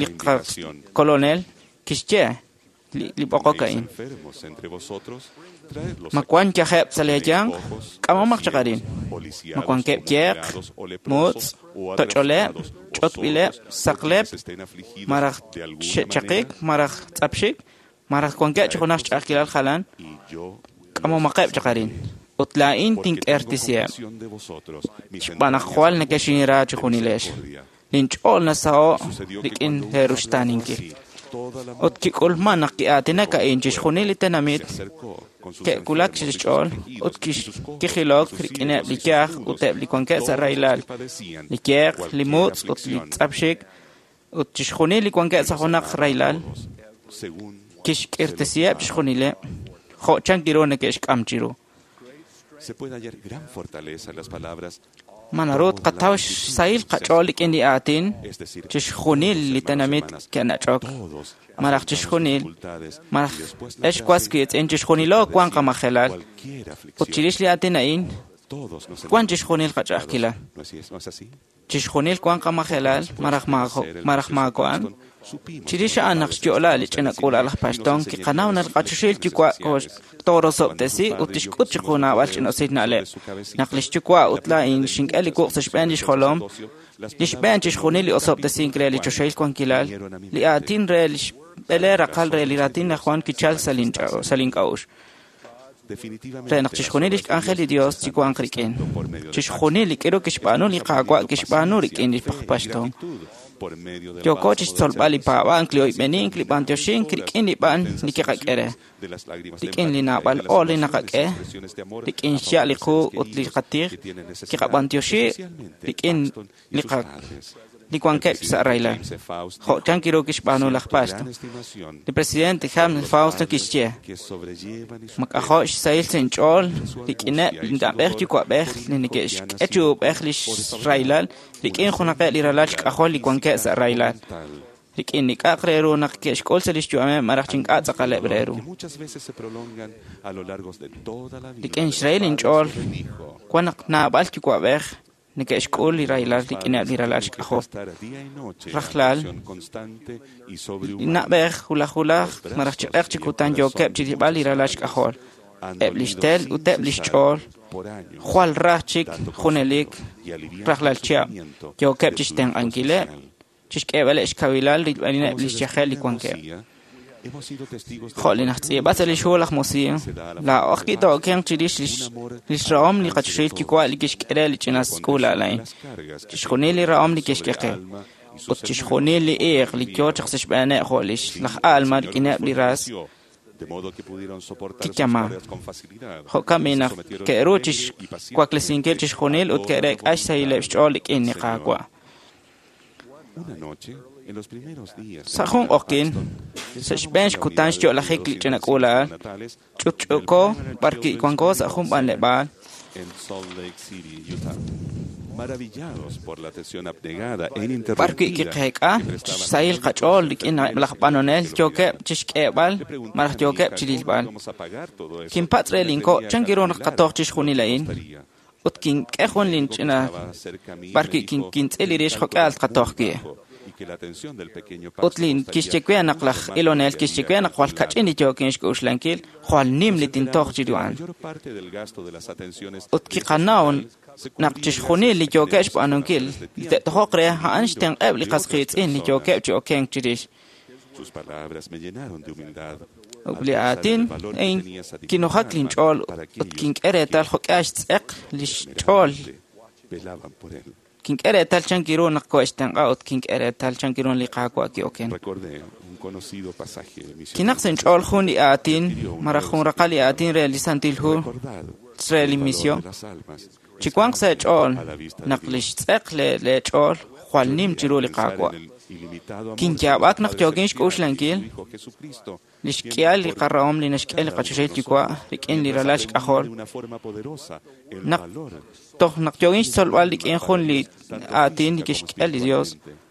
li qakolonel kixye li b'oqok a'in. Ma wan yajeb' sa' leeyanq, k'amomaq chaq arin. Ma wankeb' yeq, mutz', toch'oleb', ch'otb'ileb', saqleb', maraj xe'chaqik, maraj tz'apxik, maraj wankeb' chi junaq xch'a'ajkilal jalan, k'amomaqeb' chaq arin. Ut laa'in tink'ertisiheb'. Xb'aan naq jwal nekexinra chi junilex. Linch'ool nasaho' rik'in leeruxtaaninkil. Ut kik'ulman naq ki'aatinak a'in chixjunil li tenamit ke'wulak chixch'ool ut kijilok rik'ineb' li yaj ut eb' li wankeb' sa' rahilal, li yeq, li mutz' ut li tz'apxik, ut chixjunil li wankeb' sa' junaq rahilal kixk'irtesiheb' chixjunileb' jo' chan kiru neke'xk'am chiru. Ma naru tqataw xsahil qach'ool rik'in li aatin chixjunil li tenamit ke'nach'ok, malaj chixjunil, malaj ex was wiitz'in chixjunilo wan qamajelal, ut chirix li aatin a'in wan chixjunil qach'a'ajkilal. Chixjunil wan qamajelal, malaj malaj maako'an. Chirix a'an naq xyo'la li ch'ina k'uula'al aj Paxton kiqanaw naq qachoxahil Yuwa' toorosob'tesi ut tixk'ut chiqu naab'al ch'ina'usil na'leb'. Naq lix yuwa' ut laa'in xink'e li wuq' sa' xb'een lix jolom, li xb'een chixjunil li osob'tesink re li choxahil wankilal, li aatin re lix b'ele raqal re li raatin laj Juan kichal sa' link'a'uxl. Re naq chixjunil lix k'anjel li Dios chiwanq rik'in. Chixjunil li k'iru kixb'aanu li Qaawa' kixb'aanu rik'in li Paxton. Yooko chixtzolb'al li paab'ank, li oyb'enink, li b'antioxink rik'in li b'an li kiqak'e re, rik'in li naab'al ool li naqak'e, rik'in xya' li qu ut li qatij, kiqab'antioxi rik'in li qa li wankeb' sa' rahilal. Jo' chan kiru kixb'aanu laj Paxton. Li presidente James Fausto kixye, mak'ajo' xsahil sa' inch'ool rik'ineb' li na'b'ej yuwa'b'ej li neke'xk'e chi ub'ej lix rahilal rik'in junaqeb' li ralal xk'ajol li wankeb' sa' rahilal. Rik'in li k'a'aq re ru naq ke'xk'ul sa' lix yu'ameb' malaj chi ink'a' tz'aqaleb' re ru. Rik'in xrahil inch'ool, wan naq naab'al yuwa'b'ej neke'xk'ul li rahilal rik'ineb' li ralal xk'ajol. Rajlal, li na'b'ej hulaj hulaj malaj chi q'eq chi kutan yookeb' chirilb'al li ralal xk'ajol. Eb' lix tel ut eb' lix ch'ool jwal raj chik junelik rajlal chihab' yookeb' chixtenq'ankileb', chixk'eeb'aleb' xkawilal rilb'alineb' lix yajel li wankeb'. Jo' li najtz'iib'a sa' lix hu laj Mosiah, laa'o ki'to'kenq chirix lix rahom li qachoxahil Yuwa' li kixk'e re li ch'ina k'uula'al a'in, chixjunil li rahom li kixk'e qe, ut chixjunil li iiq li yoo chaq sa' xb'eeneb' jo' lix laj Alma rik'ineb' li ras kiyamaa. Jo'kan b'i naq ke'ru chixwaklesinkil chixjunil ut ke'reek'a xsahileb' xch'ool rik'in li Qaawa'. Sa' jun q'oqin, sa' xb'een xkutan xyo'lajik li ch'ina k'uula'al, ch'utch'uko b'ar wanko sa' jun b'anleb'aal. B'ar wi' kiqeek'a xsahil qach'ool rik'in laj b'anonel yookeb' chixk'eeb'al malaj yookeb' chirilb'al. Kinpatz' re linko' chan kiru naq qatoj chixjunil a'in. Ut kink'e jun linch'ina b'ar wi' kintz'il rix jo'k'ihal tqatoj wi'. Ut li kixye we naq laj ilonel kixye we naq jwal kach'in li yookin xk'uxlankil, jwal nim li tintoj chiru a'an. Ut kiqanaw naq chixjunil li yookeb' xb'aanunkil li te'tojoq re a'an xtenq'eb' li qas qiitz'in li yookeb' chi okenk chirix. Ut li aatin a'in kinujak linch'ool ut kink'e reetal jo'k'ihal xtz'eq li xch'ool Velaban por él. Kink'e reetal chankiru naq ko'extenq'a ut kink'e reetal chankiru li Qaawa' ki'oken. Recordé un conocido pasaje misionero. Kinaq sa' inch'ool jun li aatin malaj jun raqal li aatin re li Santil Hu Recordad re li el valor misión. de las almas Chiwanq sa' eech'ool a la vista de naq Dios. li xtz'eq le- leech'ool jwal nim chiru li Pensar Qaawa'. en el ilimitado amor Kinyaab'ak de naq nuestro yookin Padre xk'uxlankil Celestial y su Hijo Jesucristo, li quien xk'ihal li por qarahom li naxk'e li cada uno de qachoxahil Yuwa' nosotros, rik'in li mientras ralal aprendía xk'ajol. de una forma poderosa el Naq valor toj naq yookin xtzolb'al rik'in jun li tanto aatin li física como kixk'e li Dios espiritualmente.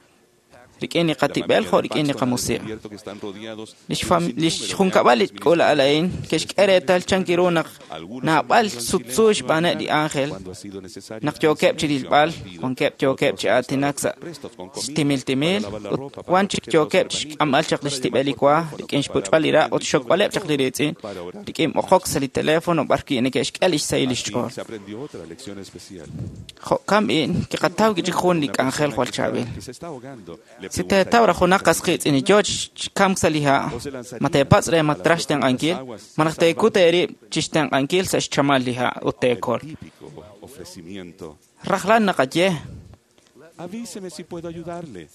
rik'in li La qatib'el familia jo' de rik'in li Paxton ha qamusiq. descubierto que están rodeados Li de un xfam- li sinnúmero de xjunkab'al li ángeles k'uula'al a'in ministrantes. ke'xk'e reetal chankiru naq Algunos naab'al han vivido en sutsu silencio xb'aaneb' li ángel cuando ha sido necesario naq en yookeb' chi silencio rilb'al han partido. wankeb' yookeb' Otros chi han aatinak estado sa' prestos con comida xtimil timil para lavar la ut ropa, para wan chik recoger los yookeb' chi hermanitos, xk'amb'al chaq li para xtib'el li llamar por wa teléfono, rik'in para xpuch'b'al li ra' hablar ut xxokb'aleb' chaq li riitz'in para orar. rik'in b'oqok sa' li teléfono b'arwi' neke'xk'e li xsahil li Así xch'ool. se aprendió otra lección especial. Jo'kan b'i' kiqataw chik jun li Una k'anjel persona jwal que está- chaab'il. que se está ahogando, le Si pregunta teetaw raj junaq qasqiitz'in li yoo chi kamk sa' li ha', O se lanzaría ma teepatz' re ma a las traj profundas xtenq'ankil, aguas ma naq teekut eerib' chi xtenq'ankil sa' xchamal li ha' ut El teekol. típico ofrecimiento. Rajlal naqaye, Avíseme si puedo ayudarle.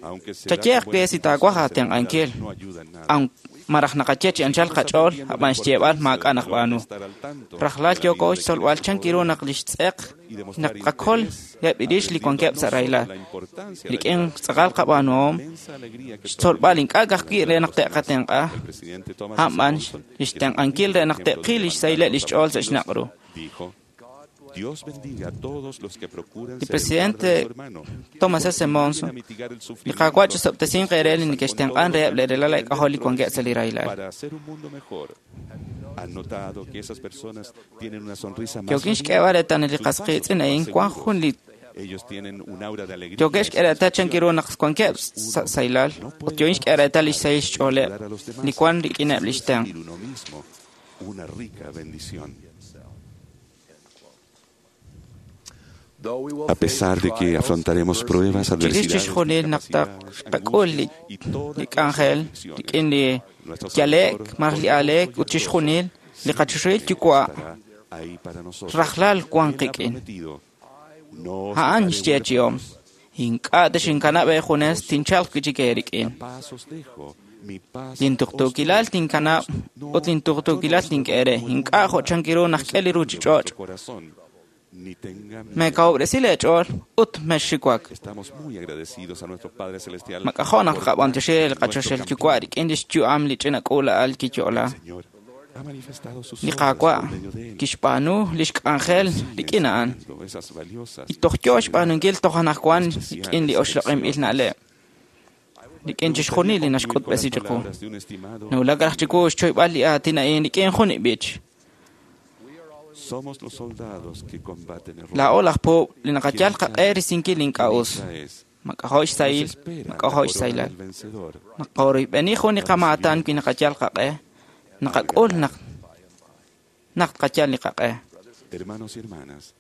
Aunque se da chayeaq con we buenas si taawaj intenciones, en aatenq'ankil, realidad no ayuda en nada. aun malaj naqaye chi anchal qach'ool, Estamos ab'an aprendiendo la xyeeb'al importancia maak'a' del naq valor de b'aanu. estar al tanto Rajlal de la yooko vida de xtzolb'al quienes nos chankiru rodean naq li xtz'eq y naq demostrar qakol interés, eb' irix li aprendiendo wankeb' no sa' solo rahilal. la importancia de Rik'in ayudar, tz'aqal sino la qab'aanuhom, inmensa alegría que xtzolb'al proviene ink'a' de ka'ajwi' ayudar re a naq los demás. te'qatenq'a, El presidente Thomas S. a'b'an Monson, li que es un xtenq'ankil re naq ejemplo de te'qil li levantar xsahileb' li los xch'ool sa' abatidos, xnaq' ru. dijo, Dios bendiga a todos los que procuran Li ser el guarda de presidente su hermano, Thomas que S. contribuyen Monson, a mitigar el li sufrimiento Qaawa' y chisob'tesinq eere li esfuerzan con neke'xtenq'an todo lo reheb' que li relal tienen k'ajol li dentro de wankeb' sí sa' li rahilal. para hacer un mundo mejor. Han notado que esas personas tienen una sonrisa más Yookin radiante, xk'eeb'al reetal li sus pasos qasqiitz'in más a'in wan seguros. jun li Ellos tienen un aura de alegría yookeb' y xk'e reetal chankiru naq wankeb' satisfacción. sa' sahilal No ut puede yookin xk'e reetal li participar xsahil en xch'ooleb' ayudar a los demás li wan rik'ineb' li sin xtenq'. recibir uno mismo una rica bendición. A pesar de que afrontaremos pruebas, Chirix adversidades, chixjunil naq discapacidades, taqak'ul li angustias y toda li clase de k'anjel aflicciones, rik'in li nuestro yale'k Salvador malaj li aleek poderoso ut y chixjunil glorioso li qachoxahil siempre Yuwa' estará ahí para nosotros. rajlal wan Él ha qik'in. prometido, "No os A'an dejaré xyeechi'om huérfanos, ink'a' texinkanab' eejunes tinchalq wi' chik eerik'in. la paz os dejo, mi paz Lintuqtuukilal os doy. tinkanab' No, ut lintuqtuukilal yo no os tink'e eere doy como el ink'a' mundo jo' da. chankiru naq No se k'e li turbe ruuchich'och'. vuestro corazón, ni tenga miedo. Meekawub'resi leech'ool ut mexxiwak. Estamos muy agradecidos a nuestro Padre Celestial Mak'ajo' naq por qab'antioxi li nuestro qachoxel campeón. Yuwa' rik'in li xyu'am li ch'ina k'uula'al kiyo'la. El Señor ha manifestado sus Li obras Qaawa' por medio de él. kixb'aanu li xk'anjel Sigue rik'in a'an. enseñando esas valiosas Y toj yoo xb'aanunkil toj anaqwan especiales rik'in li oxloq'inb'il na'leb'. Rik'in Me chixjunil li gustaría concluir con las naxk'utb'esi chiqu. palabras de un estimado Nawulak raj chiwu xchoyb'al li aatin a'in rik'in jun ib'ich. Somos los soldados que combaten el Laa'o robo. laj puub' li naqayal qaq'e risinkil Qué ink'a' us. dicha es. Mak'ajo' Nos xsahil, espera la mak'ajo' corona xsahilal. del vencedor. Naqoroyb'eni jun li qamaatan wi naqayal qaq'e, naqak'ul naq naq tqayal li qaq'e. Hermanos y hermanas,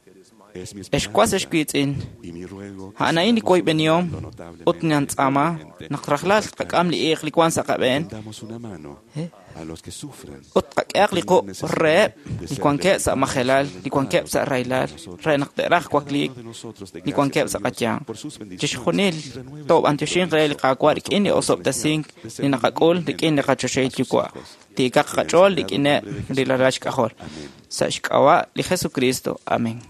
es mi Ex was ex esperanza wiitz'in, y mi ruego que a'an a'in li sigamos woyb'enihom orando ut notablemente nantz'aama diariamente naq rajlal nuestra tqak'am li iiq li wan sa' qab'een Tendamos una mano Eh? a los que sufran ut tqak'ehaq li tengan quq' necesidad reheb' de li ser wankeb' sa' levantados, majelal, li wankeb' sa' alentados rahilal, por nosotros. re naq te'raj Cada wakliik uno de nosotros dé li gracias wankeb' a sa' Dios qayanq. por sus bendiciones Chixjunil y renueve su toob'antioxinq re li compromiso Qaawa' a nuestro rik'in li Padre osob'tesink Celestial de li servir naqak'ul rik'in li humildemente qachoxahil a sus Yuwa'. hijos. Tiikaq En el qach'ool sagrado rik'ineb' nombre de li ralal Jesucristo. xk'ajol. Amén. Sa' xk'ab'a' li Jesucristo. Amén.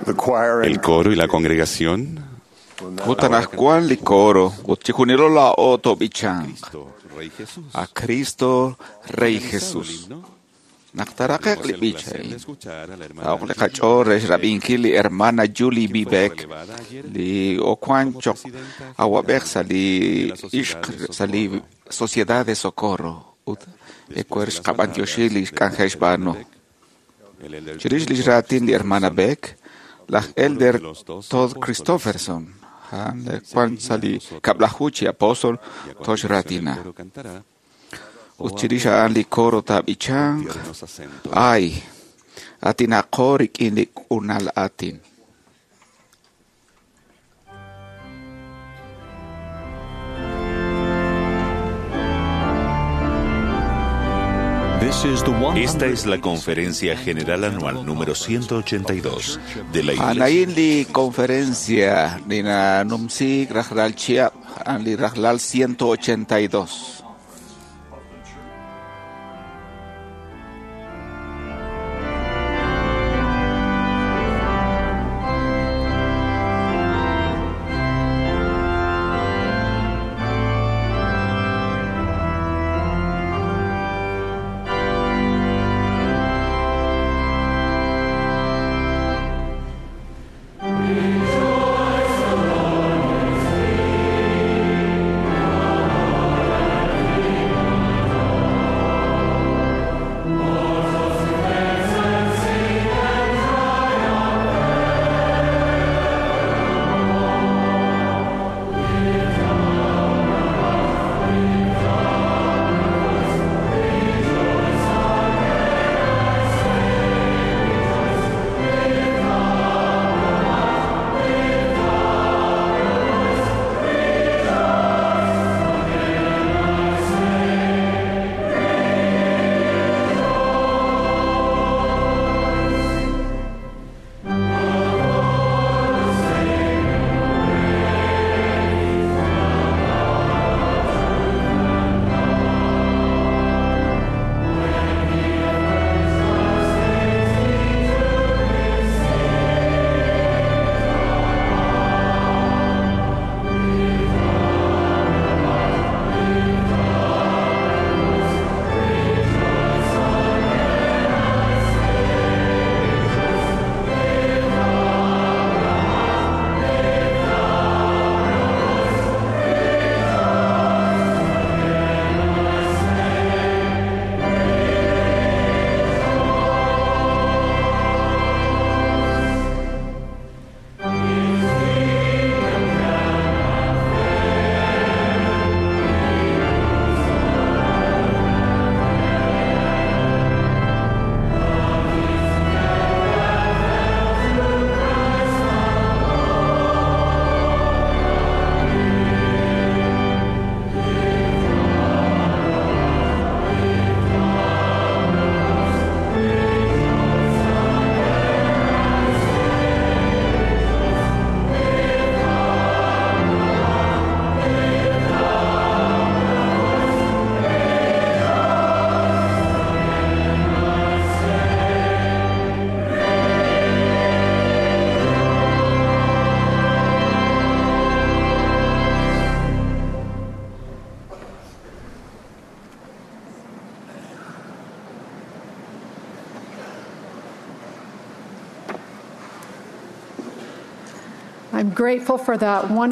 The choir El and coro y la congregación Ut anaqwan li coro ut chixjunilo laa'o toob'ichanq Cristo, Rey Jesús. a Cristo Rey Finalizado el Jesús. himno, Naq taraqeq tuvimos li el b'ich placer de a'in. escuchar a la hermana Aoq li Julie qach'ool re Beck, xrab'inkil li hermana Julie quien B. fue Beck relevada ayer li okuan como choq presidenta awab'ej general sa' li de la Sociedad ixq de sa' li Socorro. Sociedad de Socorro ut Después de ecuer las xqab'antioxi palabras li de la xk'anjel hermana xb'aanu. Beck, el elder Chirix li Todd xraatin li hermana Christopherson, Beck, laj del coro elder de los doce Todd apóstoles, Christopherson a'an li se kuan dirigirá sa' a li nosotros kab'laju chi apóstol y a toj continuación el xraatina. coro cantará Ut Oh chirix amor, a'an li coro con taab'ichanq tiernos acentos. ay atinaqo rik'in li k'unal aatin. Esta es la Conferencia General Anual número ciento ochenta y dos de la Iglesia. Anayin li conferencia nina numsik rajlal chiap an li rajlal ciento ochenta y dos.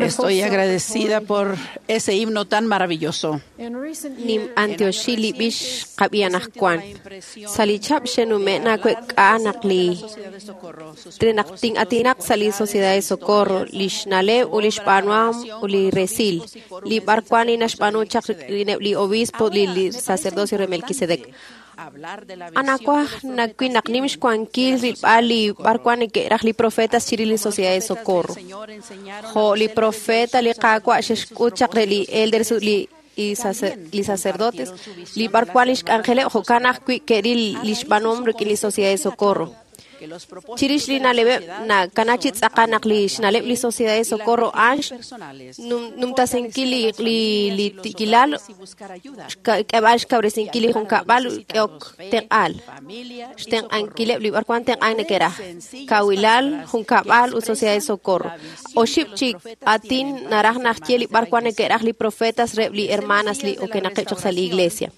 Estoy agradecida por ese himno tan maravilloso. Nim antioxili bix qab'ianajkuan. Salichab xenume' nakuek'a naqli trinaqtin atinaq sali Sociedad de Socorro lixnaleb u lixb'anuam u li resil li b'arkuan inaxb'anu chaq li obispo li li sacerdocio re Melquisedec. Anakuaj nakui naq nim xkuankil rilb'al li b'arkuan neke'raj li profetas chirij li Sociedad de Socorro. Jo li profeta li qaawa' xexk'ut chaq re li elders li li sacerdotes li b'arkuan li xk'anjeleb' jo'kan ajwi' ke'ril li xb'aanuhom rik'in li Sociedad de Socorro. Chirix li na'leb'eb' nakana chi tz'aqal naq li xna'leb' li Sociedad de Socorro a'an numtasinkil li li li tikilal k'eb'al xkawresinkil li junkab'al k'eok tenq'al xtenq'ankileb' li b'arwan tenq'an neke'raj kawilal junkab'al ut Sociedad de Socorro. Oxib' chik atin naraj najye li b'arwan neke'raj li profetas reb' li hermanas li okenaqeb' chaq sa' li iglesia.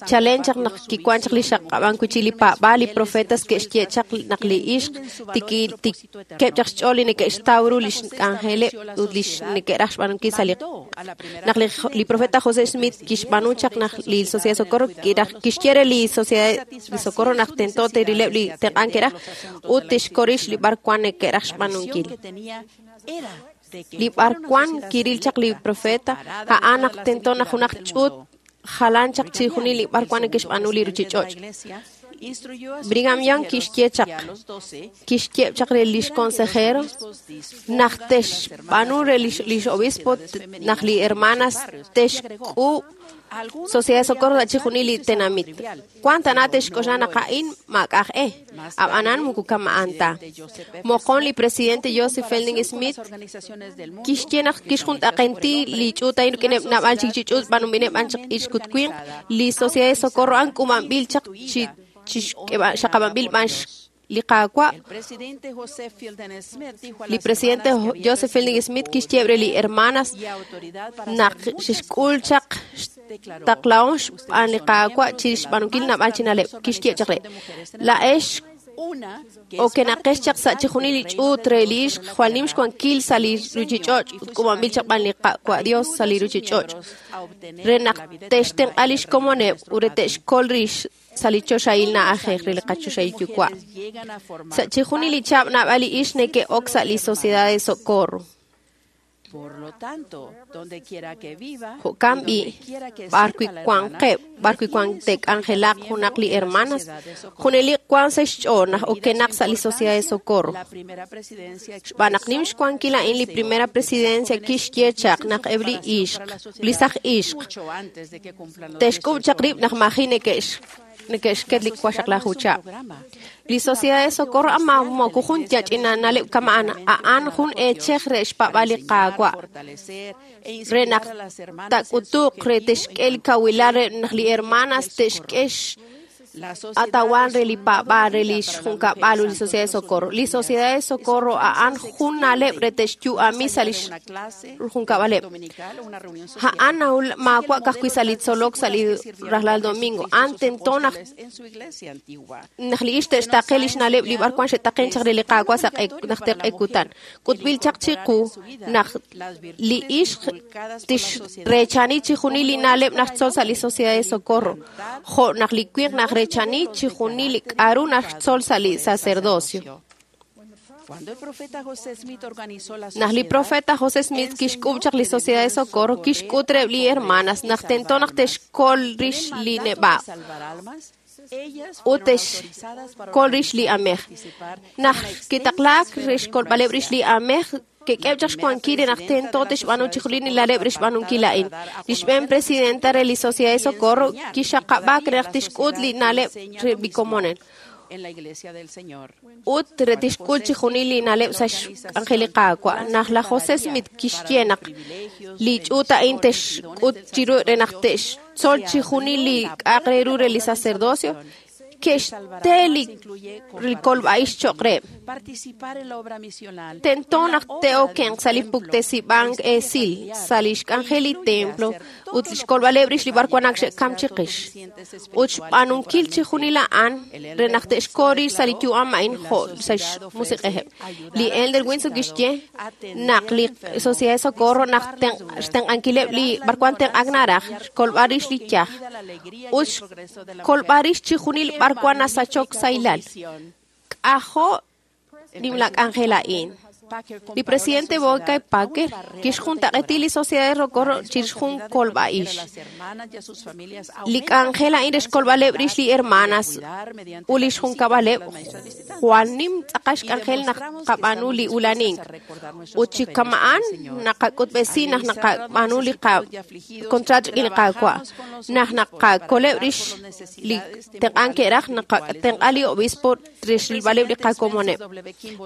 Chalen chaq naq kikuan chaq li xaqab'an kuchi li pa'b'al li profetas ke'xye chaq naq li ixq tikeb' chaq xch'ool li neke'xtaw ru li xk'anjeleb' ut li neke'raj xb'aanunkil sa' li naq li profeta José Smith kixb'aanu chaq naq li Sociedad de Socorro kiraj kixye re li Sociedad de Socorro naq tento te'rileb' li tenq'an ke'raj ut tixkorix li b'arwan neke'raj xb'aanunkil. Li b'arwan kiril chaq li profeta a'an naq tento naq junaq ch'uut jalan chaq chi junil li b'arwan neke'xb'aanu li ruchich'och'. Brigham Young kixye chaq kixye chaq re lix consejero naq texb'aanu re lix obispo naq li hermanas texk'uub' Sociedad de Socorro sa' chixjunil li tenamit. Wan tana texk'oxla naq a'in maak'aj e, ab'anan muku kama'an ta. Moqon li presidente Joseph Fielding Smith kixye naq kixjuntaq'enti li ch'uut a'in rik'ineb' naab'al chik chi ch'uut b'anub'ineb' b'an chaq ixkutwinq li Sociedad de Socorro a'an k'uub'anb'il chaq chi xaqab'anb'il b'an li Qaawa'. Li presidente Joseph Fielding Smith kixye re li hermanas naq xixk'ul chaq xtaqlahom xb'aan li Qaawa' chirix xb'aanunkil naab'al chi na'leb'. Kixye chaq re laa'ex okenaqex chaq sa' chixjunil li ch'uut re li ixq jwal nim xwankil sa' li ruchich'och' ut k'uub'anb'il chaq b'an li Qaawa' Dios sa' li ruchich'och' re naq te'xtenq'a lix komoneb' ut re te'xkol rix sa' li choxahil na'ajej re li qachoxahil yuwa'. Sa' chixjunil li chab' naab'al li ixq neke'ok sa' li Sociedad de Socorro. Jo'kan b'i' b'arwi' wanqeb' b'arwi' wan te'k'anjelaq junaq li hermanas junelik wan sa' xch'ool naq okenaq sa' li Sociedad de Socorro. Xb'aan naq nim xwankil a'in li primera presidencia kixye chaq naq eb' li ixq li saj ixq te'xk'ub' chaq rib' naq maji' neke'x neke'xket li waxaqlaju chab'. Li Sociedad de Socorro ama moku jun yach'ina na'leb' kama'an a'an jun eechej re xpab'al li Qaawa' re naq tak'utuq re te'xk'e li kawilal re naq li hermanas te'xk'e atawan re li paab'aal re li xjunkab'al ut li Sociedad de Socorro. Li Sociedad de Socorro a'an jun na'leb' re te'xyu'ami sa' li xjunkab'aleb'. A'an maawa' ka'ajwi' sa' li tzolok sa' li rajlal domingo. A'an tento naq naq li ixq te'xtaqe lix na'leb' li b'arwan xe'taqen chaq re li Qaawa' sa' naq te'q'ekutan. K'utb'il chaq chiqu naq li ixq tixreechani chixjunil li na'leb' naq xtzol sa' li Sociedad de Socorro, jo' naq li winq naq rechani chixjunil li k'a'ru naxtzol sa' li sacerdocio. Naq li profeta José Smith kixk'ub' chaq li Sociedad de Socorro, kixk'ut reheb' li hermanas naq tento naq te'xkol rix li neb'a' ut te'xkol rix li amej. Naq kitaqlaak re xkolb'aleb' rix li amej, ke'k'eb' chaq xwankil re naq tento te'xb'aanu chixjunil li na'leb' re xb'aanunkil a'in. Li xb'een presidenta re li Sociedad de Socorro kixxaqab'aak re naq tixk'ut li na'leb' re li komonel ut re tixk'ul chixjunil li na'leb' sa' xk'anjel li Qaawa'. Naq laj José Smith kixye naq li ch'uut a'in te'xk'ut chiru re naq te'xtzol chixjunil li k'a'aq re ru re li sacerdocio, ke'xte li kolb'a'ix cho'q reheb'. Tento naq te'okenq sa' li puktesib'ank esil sa' li xk'anjel li templo ut li xkolb'aleb' rix li b'arwan ak xe'kam chiqix. Ut xb'aanunkil chixjunil a'an re naq te'xkol rix sa' li yu'am a'in jo' sa' xmusiq'ejeb'. Li Elder Windsor kixye naq li Sociedad de Socorro naq xtenq'ankileb' li b'arwan tenq'ak naraj xkolb'al rix li yaj ut xkolb'al rix chixjunil b'arwan nasachok sahilal. K'ajo' nimla k'anjel a'in. Li presidente Boyd Packer kixjuntaq'eti li Sociedad de Socorro chirix jun kolb'a'ix. Li k'anjel a'in re xkolb'aleb' rix li hermanas ut li xjunkab'aleb' jwal nim tz'aqal xk'anjel naq qab'aanu li ulanink. Ut chi kama'an naqak'utb'esi naq naqab'aanu li qakontrato rik'in li Qaawa'. Naq naqakoleb' rix li tenq'ank ke'raj naqatenq'a li obispo re xrilb'aleb' li qakomoneb'.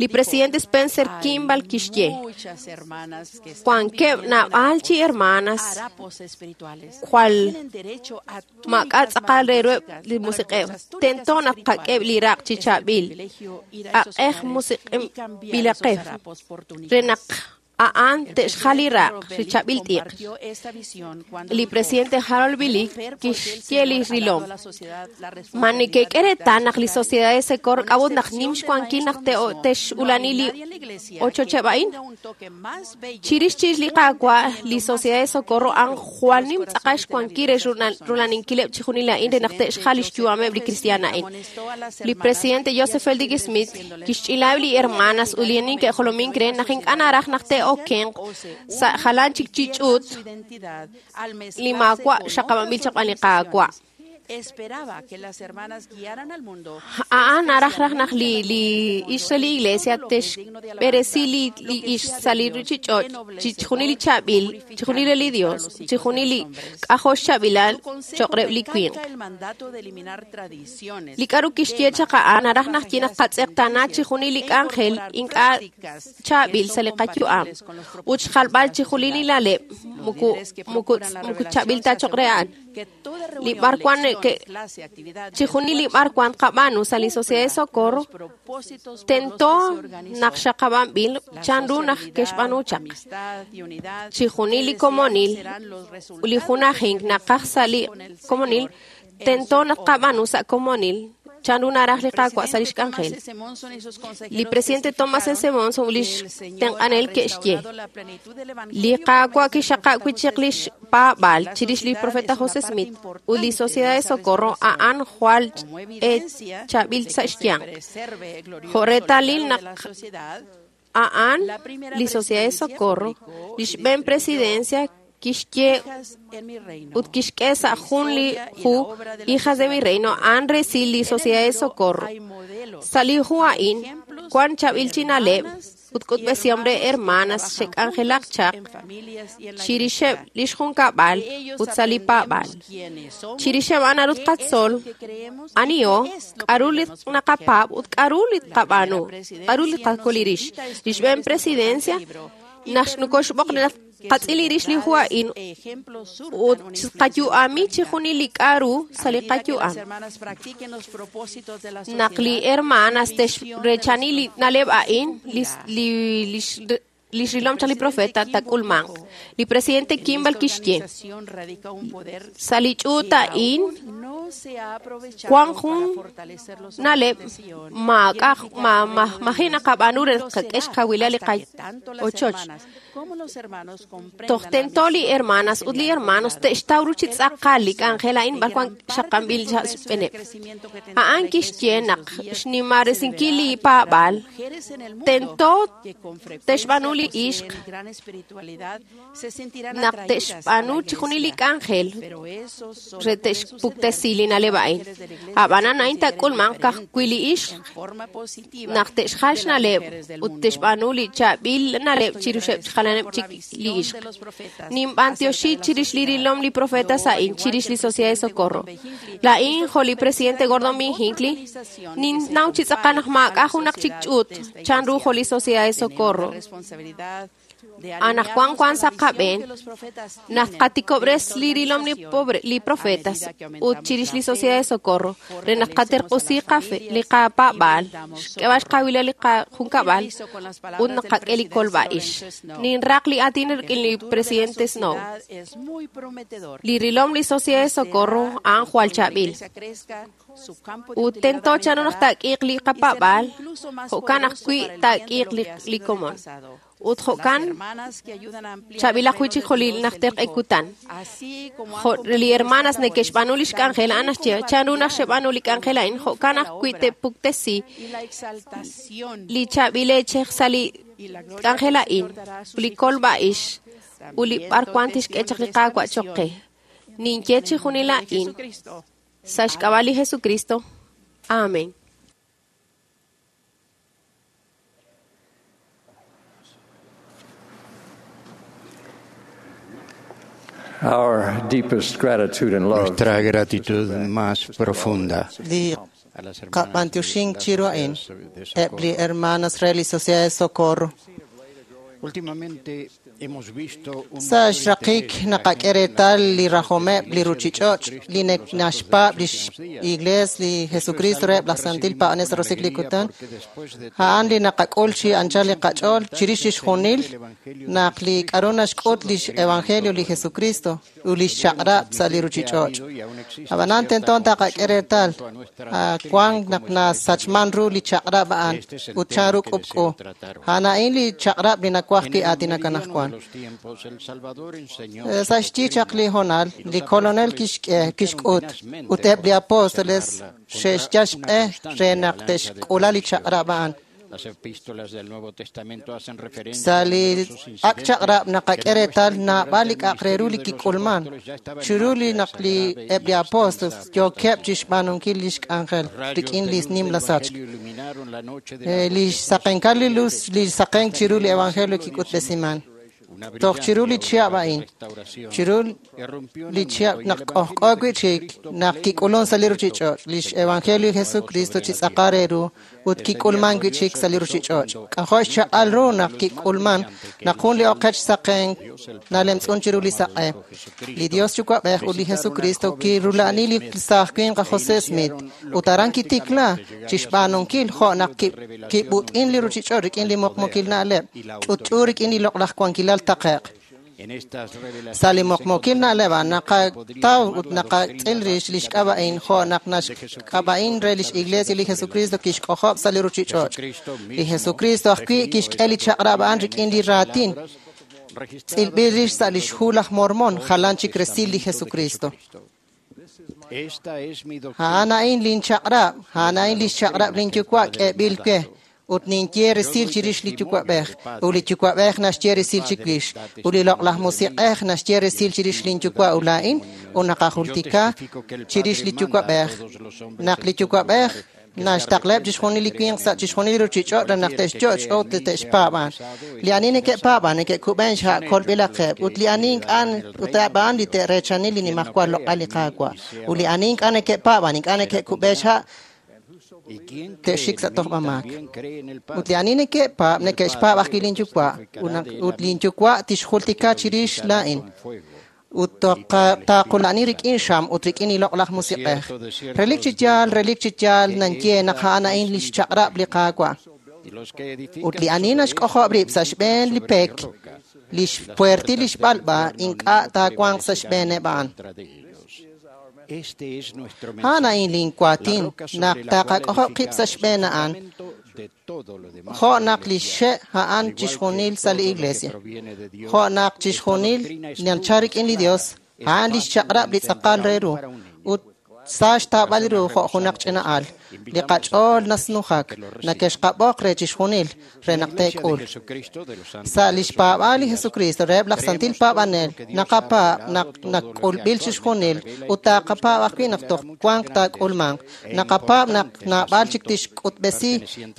Li presidente Spencer Kimball kixye wankeb' naab'al chi hermanas jwal maak'a' tz'aqal re ruheb' li musiq'ej. Tento naq qak'eb' li raq' chi chaab'il aq'ej musiq'inb'ilaqej re naq a'an te'xjal li raq' li chaab'il t'iq. Li presidente Harold Billy kixye li rilom. Ma neke'k'e reetal naq li Sociedad de Socorro k'a'ut naq nim xwankil naq te'xulani li ochocheb' a'in? Chirix chirix li Qaawa', li Sociedad de Socorro a'an jwal nim tz'aqal xwankil re rulaninkileb' chixjunil a'in re naq te'xjal li xyu'ameb' li kristiaan a'in. Li presidente Joseph Fielding Smith kixch'ilaheb' li hermanas ut li neke'jolomink re naq ink'a' naraj naq te'okenq sa' jalan chik chi ch'uut li maawa' xaqab'anb'il chaq b'an li Qaawa'. A'an naraj raj naq li li ixq re li iglesia texb'eresi li li ixq sa' li ruchich'och' chixjunil li chaab'il, chixjunil re li Dios, chixjunil li k'ajo' xchaab'ilal cho'q reheb' li winq. Li k'aru kixye chaq a'an naraj naq ye naq qatz'eqtaana chixjunil li k'anjel ink'a' chaab'il sa' li qayu'am ut xjalb'al chixjunil li na'leb' muku muku muku chaab'il ta cho'q re a'an. Li b'arwan chixjunil li b'arwan qab'aanu sa' li Sociedad de Socorro tento naq xaqab'anb'il chanru naq ke'xb'aanu chaq. Chixjunil li komonil li junajink naqaj sa' li komonil tento naq qab'aanu sa' komonil chanru naraj li Qaawa' sa' lix k'anjel. Li presidente Thomas S. Monson li xtenq'anel ke'xye li Qaawa' kixaqab' wi' chaq lix paab'aal chirix li profeta José Smith ut li Sociedad de Socorro a'an jwal e chaab'il sa' xyanq. Jo' reetalil naq a'an li Sociedad de Socorro li xb'een presidencia kixye ut kixk'e sa' jun li hu Hijas de mi Reino a'an resil li Sociedad de Socorro. Sa' li hu a'in wan chaab'il chi na'leb' ut k'utb'esihom re hermanas xe'k'anjelaq chaq chirixeb' lix junkab'al ut sa' li paab'al. Chirixeb' a'an naru tqatzol aniho, k'aru li naqapaab' ut k'aru li tqab'aanu, k'aru li tqakolirix. Li xb'een presidencia naq nokoxb'oq naq qatz'il rix li hu a'in ut qayu'ami chixjunil li k'aru sa' li qayu'am. Naq li hermanas texrechani li na'leb' a'in li li li xrilom chaq li profeta tak'ulmanq. Li presidente Kimball kixye sa' li ch'uut a'in wan jun na'leb' maak'a' maji' naqab'aanu re qak'e xkawilal li qaochoch. Toj tento li hermanas ut li hermanos te'xtaw ru chi tz'aqal li k'anjel a'in b'arwan xaqanb'il xb'eeneb'. A'an kixye naq xnimaresinkil li paab'aal tento te'xb'aanu li ixq naq te'xb'aanu chixjunil li k'anjel re te'xpuktesi li na'leb' a'in. Ab'anan a'in tak'ulmanq ka'ajwi' li ixq naq te'xjal xna'leb' ut te'xb'aanu li chaab'il na'leb' chiruxeb' jalaneb' chik li ixq. Ninb'antioxi chirix li rilom li profeta a'in chirix li Sociedad de Socorro. La'in jo' li presidente Gordon B. Hinckley ninnaw chi tz'aqal naq maak'a' junaq chik ch'uut chanru jo' li Sociedad de Socorro. Anaqwan wan sa' qab'een naq qatikob'res li rilom li pobre li profetas ut chirix li Sociedad de Socorro re naq qaterq'usi qafe li qapaab'aal xk'eb'al xkawilal li qajunkab'al ut naq qak'e li kolb'a'ix. Ninraq li aatin rik'in li presidente Snow. Li rilom li Sociedad de Socorro a'an jwal chaab'il. Ut tento chanru naq taak'iiq li qapaab'aal jo'kan ajwi' taak'iiq li li komon. Ut jo'kan chaab'ilaq wi' chik jo' li najter q'e kutan. Jo' li hermanas neke'xb'aanu lix k'anjel a'an naxye chanru naq xeb'aanu li k'anjel a'in jo'kan ajwi' te'puktesi li chaab'il eechej sa' li k'anjel a'in li kolb'a'ix ut li b'arwan tixk'e chaq li Qaawa' cho'q qe. Ninye chixjunil a'in sa' xk'ab'a' li Jesucristo. Amén. Our deepest gratitude and love. Nuestra gratitud más profunda. Li qab'antioxink chiru a'in eb' li hermanas re li Sociedad de Socorro. Últimamente hemos visto un Sa' xraqik naqak'e reetal li rajomeb' li ruchich'och' li naxpaab' lix Iglees li Jesucristo reheb' laj Santil Paab'anel sa' roso'jik li kutan. A'an li naqak'ul chi anchal li qach'ool chirix chixjunil naq li k'aru naxk'ut lix Evangelio li Jesucristo ut lix chaq'rab' sa' li ruchich'och'. Ab'anan tento taqak'e reetal wan naq nasachman ru li chaq'rab' a'an ut chanru k'ub'k'u. A'an a'in li chaq'rab' li nawaj wi' aatinak anaqwan. Sa' xyi chaq li hoonal, li kolonel kixk'e kixk'ut ut eb' li apóstoles xe'xyal xq'e re naq te'xk'ula li chaq'rab' a'an. Sa' li ak' chaq'rab' naqak'e reetal naab'al li k'a'aq re ru li kik'ulman chiru li naq li eb' li apóstol yookeb' chixb'aanunkil lix k'anjel rik'in li nimla sachk. Li xsaqenkal li luz, li saqenk chiru li evangelio kik'utb'esiman. Toj chiru li chihab' a'in, chiru li chihab' naq k'ojk'o wi'chik naq kik'ulun sa' li ruchich'och' lix evangelio Jesucristo chi tz'aqal re ru ut kik'ulman wi'chik sa' li ruchich'och'. K'ajo' xchaq'al ru naq kik'ulman naq jun li oqech saqenk nalemtz'un chiru li saq'e. Li Dios Yuwa'b'ej ut li Jesucristo kirula'ani li saaj winq aj José Smith ut aran kitikla chixb'aanunkil jo' naq kib'ut'in li ruchich'och' rik'in li muqmukil na'leb' ch'utch'u rik'in li loq'laj wankilal taqe'q. Sa' li muqmukil na'leb' naqataw ut naqatz'il rix lix k'ab'a'in jo' naq naxk'ab'a'in re lix Iglesia li Jesucristo kixk'ojob' sa' li ruchich'och'. Li Jesucristo ajwi' kixk'e li chaq'rab' a'an rik'in li raatin tz'ilb'il rix sa' lix hu laj Mormon jalan chik resil li Jesucristo. A'an a'in lin chaq'rab', a'an a'in lix chaq'rab' lin yuwa' k'eeb'il we. Ut ninye resil chirix li Yuwa'b'ej, ut li Yuwa'b'ej naxye resil chiwix, ut li loq'laj Musiq'ej naxye resil chirix lin Yuwa' ut laa'in, ut naqajultika chirix li Yuwa'b'ej. Naq li Yuwa'b'ej naxtaqleb' chixjunil li winq sa' chixjunil li ruchich'och' re naq te'xyo'ch ut te'xpaab'an. Li ani neke'paab'an neke'kub'en xha' kolb'ilaqeb', ut li ani ink'a' ut a'an li te'reechani li nimajwal loq'al li Qaawa'. Ut li ani ink'a' neke'paab'an ink'a' neke'kub'en xha' te'xik sa' tojb'amaak. Ut li ani neke'paab' neke'xpaab' ajwi' lin Yuwa' ut lin Yuwa' tixjultika chirix laa'in. Ut taaqula'ani rik'in xam ut rik'in li loq'laj Musiq'ej. Relik chi yaal, relik chi yaal nanye naq a'an a'in lix chaq'rab' li Qaawa'. Ut li ani naxk'ojob' rib' sa' xb'een li pek, lix puertil lix b'alb'a ink'a' taawanq sa' xb'eeneb' a'an. A'an a'in lin waatin naq taqak'ojob' qib' sa' xb'een a'an, jo' naq li xe' a'an chixjunil sa' li iglesia, jo' naq chixjunil nachal rik'in li Dios, a'an lix chaq'rab' li tz'aqal re ru, ut sa xtaab'al ru jo' junaq ch'ina al. Li qach'ool nasnujak, nakexqab'oq re chixjunil re naq te'k'ul. Sa' lix paab'aal li Jesucristo reheb' laj santil paab'anel, naqapaab' naq nak'ulb'il chixjunil ut taqapaab' ajwi' naq toj wanq taak'ulmanq. Naqapaab' naq naab'al chik tixk'utb'esi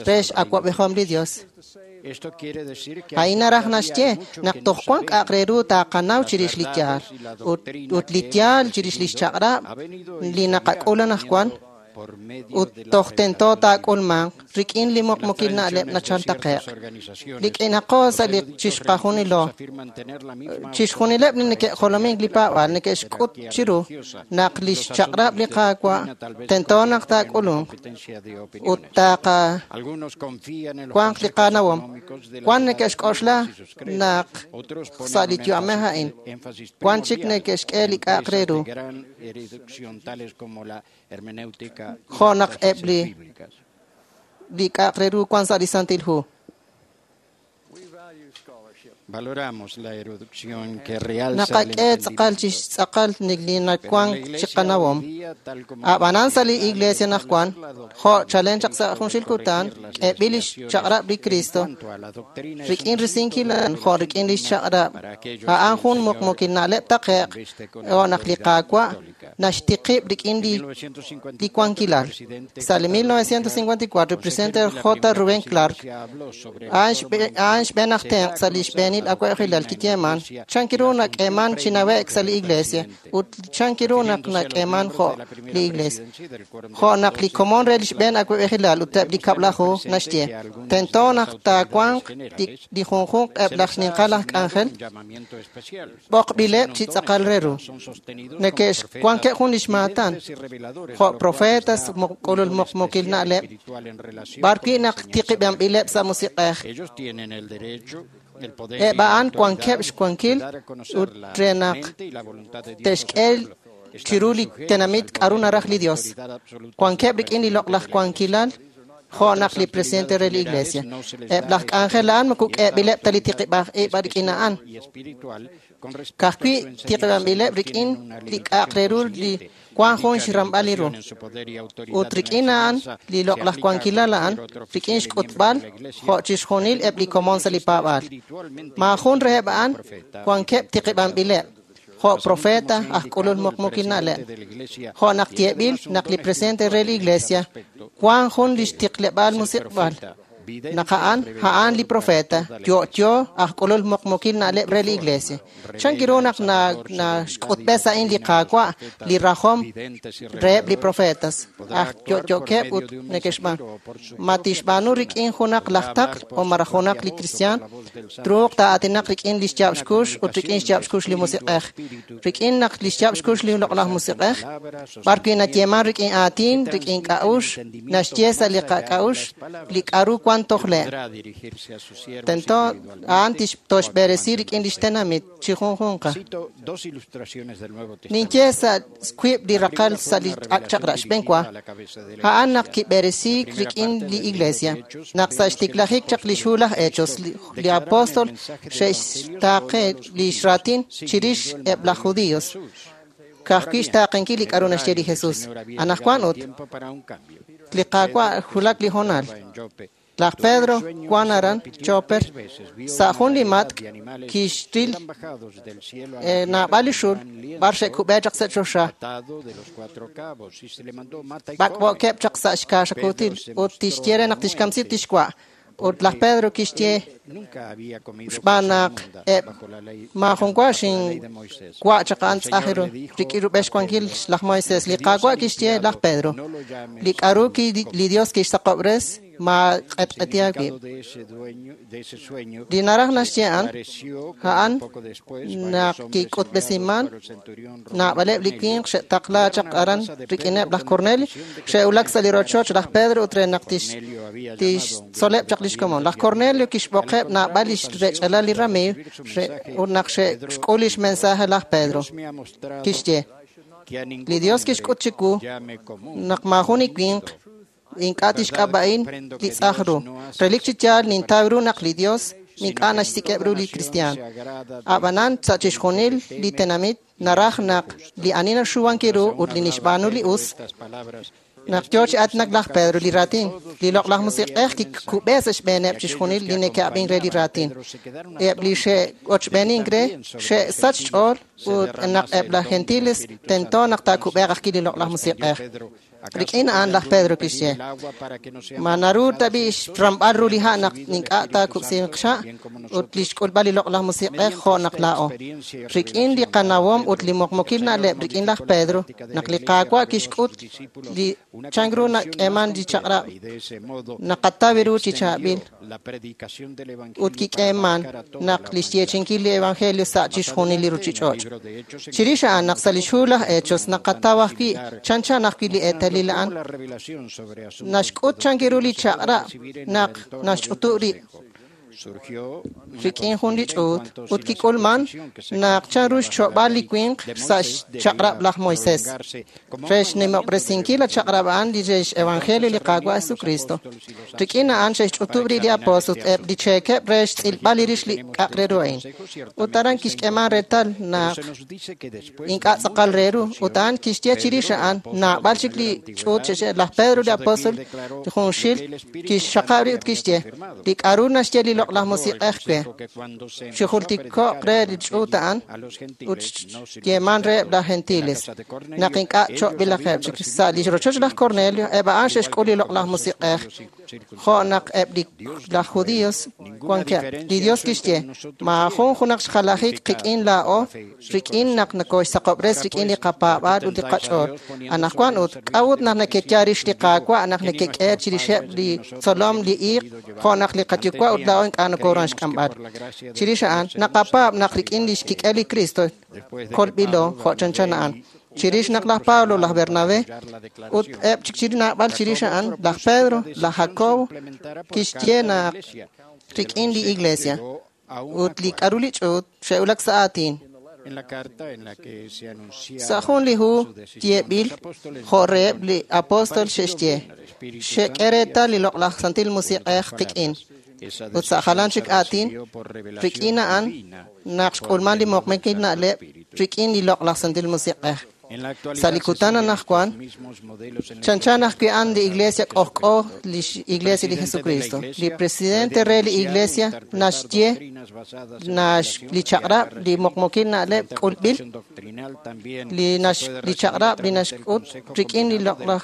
re x'awab'ejom li Dios. A'in naraj naxye naq toj wank k'a'aq re ru taqanaw chirix li yaal ut ut li yaal chirix lix chaq'rab' li naqak'ul anaqwan ut toj tento taak'ulmanq rik'in li muqmukil na'leb' nachal taqe'q. Li k'inaqo sa' li chixqajunilo, chixjunileb' li neke'jolomink li paab'aal neke'xk'ut chiru naq lix chaq'rab' li Qaawa' tento naq taak'ulunq ut taqa wanq li qanawom. Wan neke'xk'oxla naq sa' li yu'amej a'in, wan chik neke'xk'e li k'a'aq re ru. Jo' naq eb' li li k'a'aq re ru wan sa' li Santil Hu. Naqak'e tz'aqal chi tz'aqal li nawank chi qanawom. Ab'anan sa' li iglesia anaqwan, jo' chalen chaq sa' junxil kutan, k'eeb'il lix chaq'rab' li Cristo rik'in risinkil a'an jo' rik'in lix chaq'rab'. A'an jun muqmukil na'leb' taqe'q jo' naq li Qaawa' naxtiqib' rik'in li li wankilal. Sa' li mil novecientos cincuenta y cuatro, el presidente J. Rubén Clark a'an xb'een aj tenq' sa' li xb'eenil awa'b'ejilal kiyeeman chan kiru nak'eeman chi nawe'k sa' li iglesia ut chan kiru naq nak'eeman jo' li iglesia. Jo' naq li komon re li xb'een awa'b'ejilal ut eb' li kab'laju naxye tento naq taawanq li junjunq eb' laj xninqal aj k'anjel b'oqb'ileb' chi tz'aqal re ru. Neke'xwankeb' jun lix maatan jo' profetas k'ulul muqmukil na'leb' b'arwi' naq tiqib'anb'ileb' sa' musiq'ej. Eb' a'an wankeb' xwankil ut re naq te'xk'e chiru li tenamit k'aru naraj li Dios. Wankeb' rik'in li loq'laj wankilal jo' naq li presidente re li iglesia. Eb' laj k'anjel a'an moko k'eeb'ileb' ta li tiqib'aj ib' rik'in a'an. Ka'ajwi' tiqib'anb'ileb' rik'in li k'a'aq re ru li Wan jun xramb'al li ru. Ut rik'in a'an li loq'laj wankilal a'an rik'in xk'utb'al jo' chixjunil eb' li komon sa' li paab'aal. Maajun reheb' a'an wankeb' tiqib'anb'ileb' jo' profeta aj k'ulul muqmukil na'leb'. Jo' naq yeeb'il naq li presidente re li iglesia wan jun lix tiqleb'aal musiq'b'al. Naq a'an a'an li profeta yo'yo aj k'ulul muqmukil na'leb' re li iglesia. Chan kiru naq naxk'utb'es a'in li Qaawa' li rajom reheb' li profetas aj yo'yo'keb' ut neke'xb'aan. Ma tixb'aanu rik'in junaq laj taql o malaj junaq li kristiaan truuq taa'aatinaq rik'in li xyaab' xkux ut rik'in xyaab' xkux li musiq'ej. Rik'in naq li xyaab' xkux li loq'laj musiq'ej b'ar wi' nayeeman rik'in aatin rik'in k'a'uxl naxye sa' li qak'a'uxl li k'a'ru wan tojle'. Tento a'an toxb'eresi rik'in lix tenamit chi junjunqa. Ninye sa' wiib' li raqal sa' li ak' chaq'rab' xb'enwa a'an naq kib'eresiik rik'in li iglesia. Naq sa' xtiklajik chaq li xhu laj Hechos li apóstol xe'xtaaqe lix raatin chirix eb' laj judíos. Ka'ajwi' xtaaqenkil li k'a'ru naxye li Jesús. Anajwan ut li Qaawa' wulak li hoonal. Laj Pedro wan aran Choper sa' jun li matk' kixril naab'al li xul b'ar xe'kub'e chaq sa' choxa. B'ak'b'o'keb' chaq sa' xkaaxakuutil ut tixye re naq tixkamsi tixwa'. Ut laj Pedro kixye xb'aan naq eb' maajun wa xinwa' chaq a'an tz'aj ru rik'in rub'el xwankil laj Moisés. Li Qaawa' kixye laj Pedro li k'a'ru li Dios kixsaqob'res ma q'etq'eti aawib'. Li naraj naxye a'an a'an naq kik'utb'esiman naab'aleb' li winq xe'taqla chaq aran rik'ineb' laj Cornelio xe'wulak sa' li rochoch laj Pedro ut re naq tixtzoleb' chaq lix komon. Laj Cornelio kixb'oqeb' naab'al lix rech'alal li ramiiw ut naq xe'xk'ul lix mensaje laj Pedro kixye li Dios kixk'ut chiwu naq maajun li winq ink'a' tixk'ab'a'in li tz'aj ru. Relik chi yaal nintaw ru naq li Dios ink'a' naxsik'eb' ru li kristiaan. Ab'anan sa' chixjunil li tenamit naraj naq li ani naxuwankil ru ut li nixb'aanu li us. Naq yoo chi aatinak laj Pedro li raatin, li loq'laj musiq'ej kikub'e sa' xb'eeneb' chixjunil li neke'ab'in re li raatin. Eb' li xe'ochb'eenink re xe'sach xch'ool ut naq eb' laj gentiles tento naq taakub'eeq ajwi' li loq'laj musiq'ej. Rik'in a'an laj Pedro kixye ma naru tab'i' xramb'al ru li ha' naq ink'a' taakub'sinq xa' ut li xk'ulb'al li loq'laj musiq'ej jo' naq laa'o. Rik'in li qanawom ut li muqmukil na'leb' rik'in laj Pedro naq li Qaawa' kixk'ut li chan ru nak'eeman li chaq'rab' naqataw ru chi chaab'il ut kik'eeman naq li xyeechinkil li evangelio sa' chixjunil li ruchich'och'. Chirix a'an naq sa' li xhu laj Hechos naqataw ajwi' chanchan ajwi' li eetalil a'an naxk'ut chan ru li chaq'rab' naq naxch'utu' rib' rik'in jun li ch'uut ut kik'ulman naq chan ru xcho'b'al li winq sa' xchaq'rab' laj Moisés re xnimob'resinkil la chaq'rab' a'an li re x-evangelio li Qaawa' Jesucristo. Rik'in a'an xe'xch'utub' rib' li apóstol eb' li cheekeb' re xtz'ilb'al li rix li k'aq re ru a'in. Ut aran kixk'eeman reetal naq ink'a' tz'aqal re ru ut a'an kixye chirix a'an naab'al chik li ch'uut xe'xye laj Pedro li apóstol junxil kixxaqab' rib' ut kixye li k'a'ru naxye li loq'laj musiq'ej we xijultiko'q re li ch'uut a'an ut xyeeman reheb' laj gentiles naq ink'a' cho'b'ilaqeb' chik sa' li rochoch laj Cornelio eb' a'an xe'xk'ul li loq'laj musiq'ej jo' naq eb' li laj judíos wankeb'. Li Dios kixye maajun junaq xjalajik qik'in laa'o rik'in naq nakoxsaqob'res rik'in li qapaab'aal ut li qach'ool. Anajwan ut k'a'ut naq neke'ya rix li Qaawa' naq nekek'e chirixeb' li tzolom li iiq jo' naq li qayuwa' ut laa'o ink'a' nokoruhan xk'amb'al. Chirix a'an naqapaab' naq rik'in li xkik'el li Cristo kolb'ilo jo' chanchan a'an. Chirix naq laj Pablo, laj Bernabé ut eb' chik chiri naab'al chirix a'an laj Pedro, laj Jacobo kixye naq rik'in li iglesia ut li k'a'ru li ch'uut xe'wulak sa' aatin. Sa' jun li hu yeeb'il jo' reheb' li apóstol xe'xye xe'k'e reetal li loq'laj santil musiq'ej qik'in. Ut sa' jalan chik aatin rik'in a'an naq xk'ulman li muqmukil na'leb' rik'in li loq'laj santil musiq'ej. Sa' li kutan anaqwan, chanchan ajwi' a'an li Iglesia k'ojk'o lix Iglesia li Jesucristo. Li presidente re li Iglesia naxye nax li chaq'rab' li muqmukil na'leb' k'ulb'il, li nax li chaq'rab' li naxk'ut rik'in li loq'laj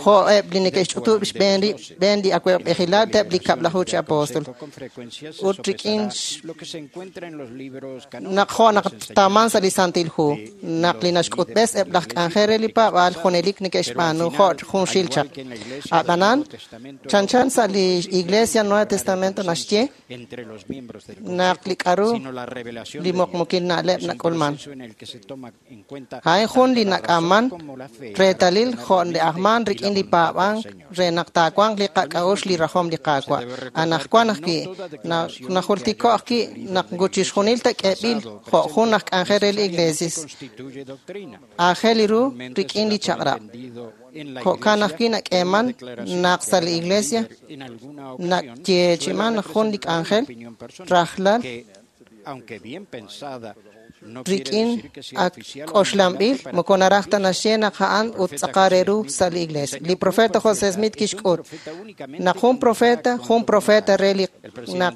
jo'eb' li neke'xch'utub' xb'een rib' xb'een li awab'ejilal eb' li kab'laju chi apóstol. Ut rik'in naq jo' naq taaman sa' li Santil Hu, naq li naxk'utb'es eb' laj k'anjel re li paab'aal junelik neke'xb'aanu jo' junxil chaq. Ab'anan, chanchan sa' li Iglesia Nuevo Testamento naxye naq li k'aru li muqmukil na'leb' nak'ulman. A'in jun li nak'aman reetalil jo' li ajman rik'in li paab'ank re naq taawanq li qak'a'uxl li rajom li Qaawa'. Anaqwan ajwi' najultiko' ajwi' naq chixjunil ta k'eb'il jo' jun aj k'anjel re li Iglesia. Aajel ru rik'in li chaq'rab'. Jo'kan ajwi' nak'eeman naq sa' li Iglesia nayeechi'iman jun li k'anjel rajlal rik'in ak k'oxlanb'il moko naraj ta naxye naq a'an ut tz'aqal re ru sa' li Iglesia. Li profeta José Smith kixk'ut naq jun profeta, jun profeta re li naq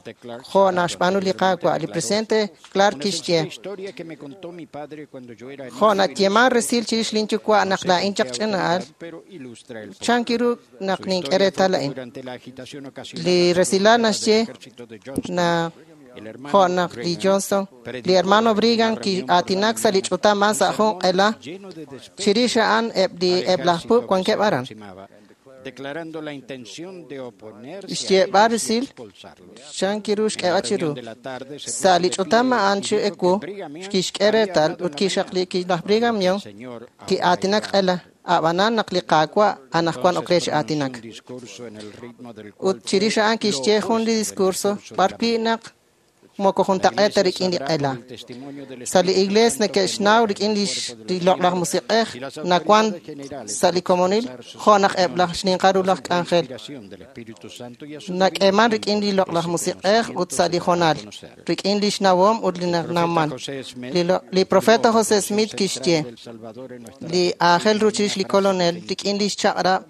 jo' naxb'aanu li Qaawa'. Li presidente Clark kixye jo' nayeeman resil chirix lin yuwa' naq laa'in chaq ch'ina'al, chan kiru naq nink'e reetal a'in. Li resilal naxye naq jo' naq li Johnson, li hermano Brigham ki'aatinak sa' li ch'utam sa' jun q'ela chirix a'an eb' li eb' laj puub' wankeb' aran. Xyeeb'al resil chan kiru xk'eeb'al chiru. Sa' li ch'utam a'an chi ewu kixk'e reetal ut kixaqli laj Brigham Young ki'aatinak q'ela. Ab'anan naq li Qaawa' anaqwan ok re chi aatinak. Ut chirix a'an kixye jun li discurso b'arwi' naq moko juntaq'eet ta rik'in li q'ela. Sa' li Iglesia neke'xnaw rik'in li loq'laj musiq'ej nawan sa' li komonil jo' naq eb' laj xninqal ru laj k'anjel. Nak'eeman rik'in li loq'laj musiq'ej ut sa' li honal, rik'in li xnawom ut li nawman. Li profeta José Smith kixye li aajel ru chirix li kolonel rik'in li xchaq'rab'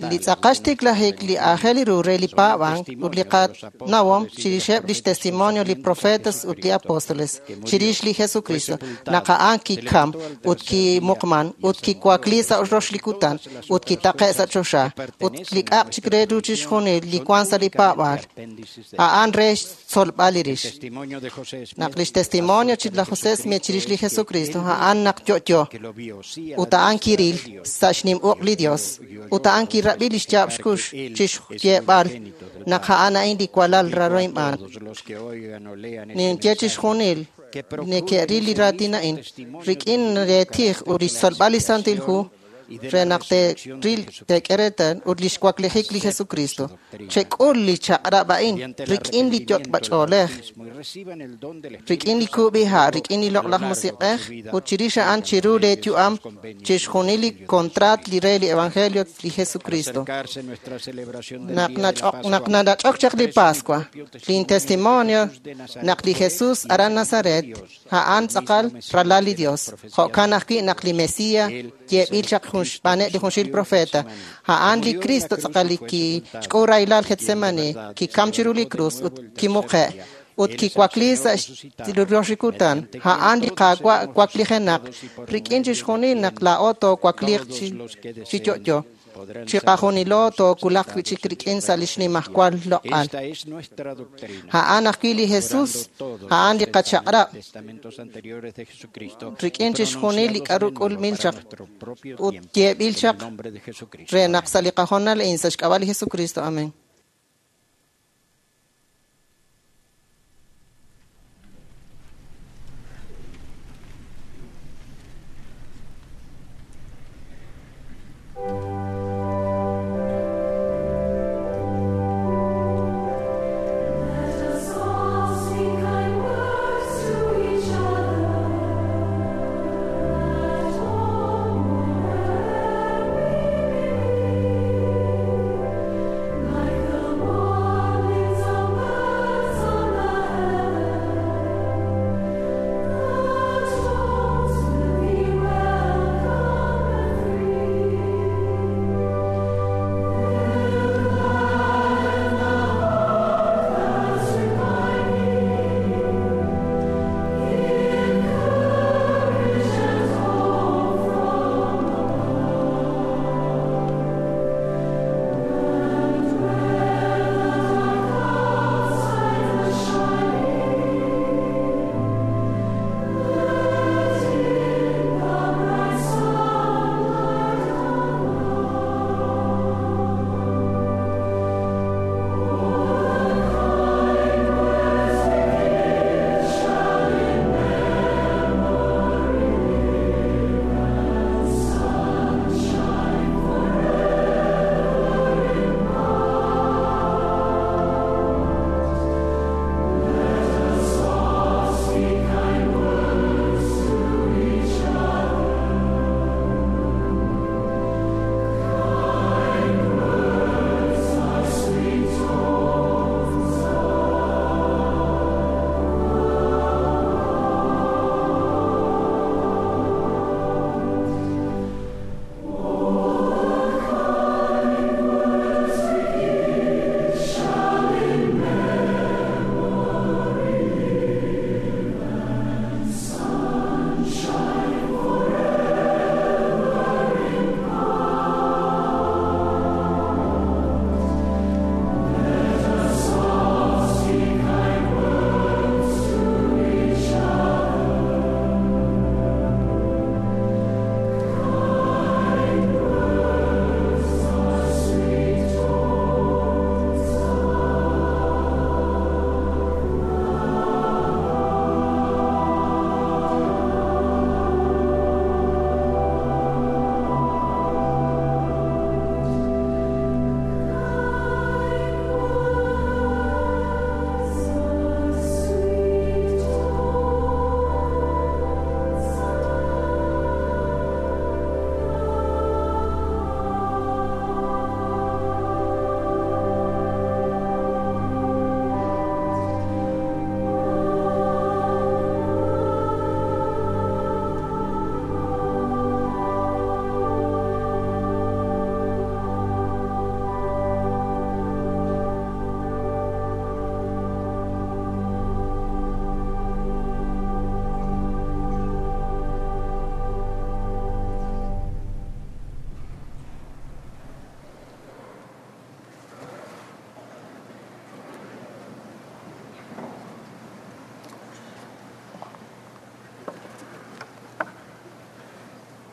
li tz'aqal xtiklajik li aajel ru re li paab'ank ut li qanawom chirixeb' lix testimonio li profetas ut li apóstoles chirix li Jesucristo naq a'an kikam ut kimuqman ut kiwakli sa' rox li kutan ut kitaqe' sa' choxa ut li k'aq chik re ru chixjunil li wan sa' li paab'aal a'an re xtzolb'al li rix. Naq lix testimonio laj José Smith chirix li Jesucristo a'an naq yo'yo ut a'an kiril sa' xnim uq' li Dios ut a'an kirab'i lix yaab' xkux chixyeeb'al naq a'an a'in li walal raro inb'aan. Ninye chixjunil neke'ril li raatin a'in rik'in reetij ut lix tzolb'al li Santil Hu re naq te'ril te'k'e reetal ut lix waklijik li Jesucristo. Chek'ul li chaq'rab' a'in rik'in li yot'b'ach'oolej, rik'in li kub'iha', rik'in li loq'laj musiq'ej ut chirix a'an chiru lee yu'am chixjunil li kontraat li re li Evangelio li Jesucristo. Naq nach'ok nach'ok chaq li Pascua, lin testimonio naq li Jesús aran Nazaret a'an tz'aqal ralal li Dios. Jo'kan ajwi' naq li Mesías yeeb'il chaq jun xb'aaneb' li junxil profeta, a'an li Cristo tz'aqal li kixk'ul rahilal Getsemani, kikam chiru li krus ut kimuqe' ut kiwakli sa' rox li kutan. A'an li Qaawa' waklijenaq rik'in chixjunil naq laa'o toowakliiq chi yo'yo. Chiqajunilo tookulaq wi'chik rik'in sa' li xnimajwal loq'al. A'an ajwi' li Jesús, a'an li qachaq'rab' rik'in chixjunil li k'aru k'ulmil chaq ut yeeb'il chaq re naq sa' li qajonal a'in sa' xk'ab'a' li Jesucristo. Amén. Like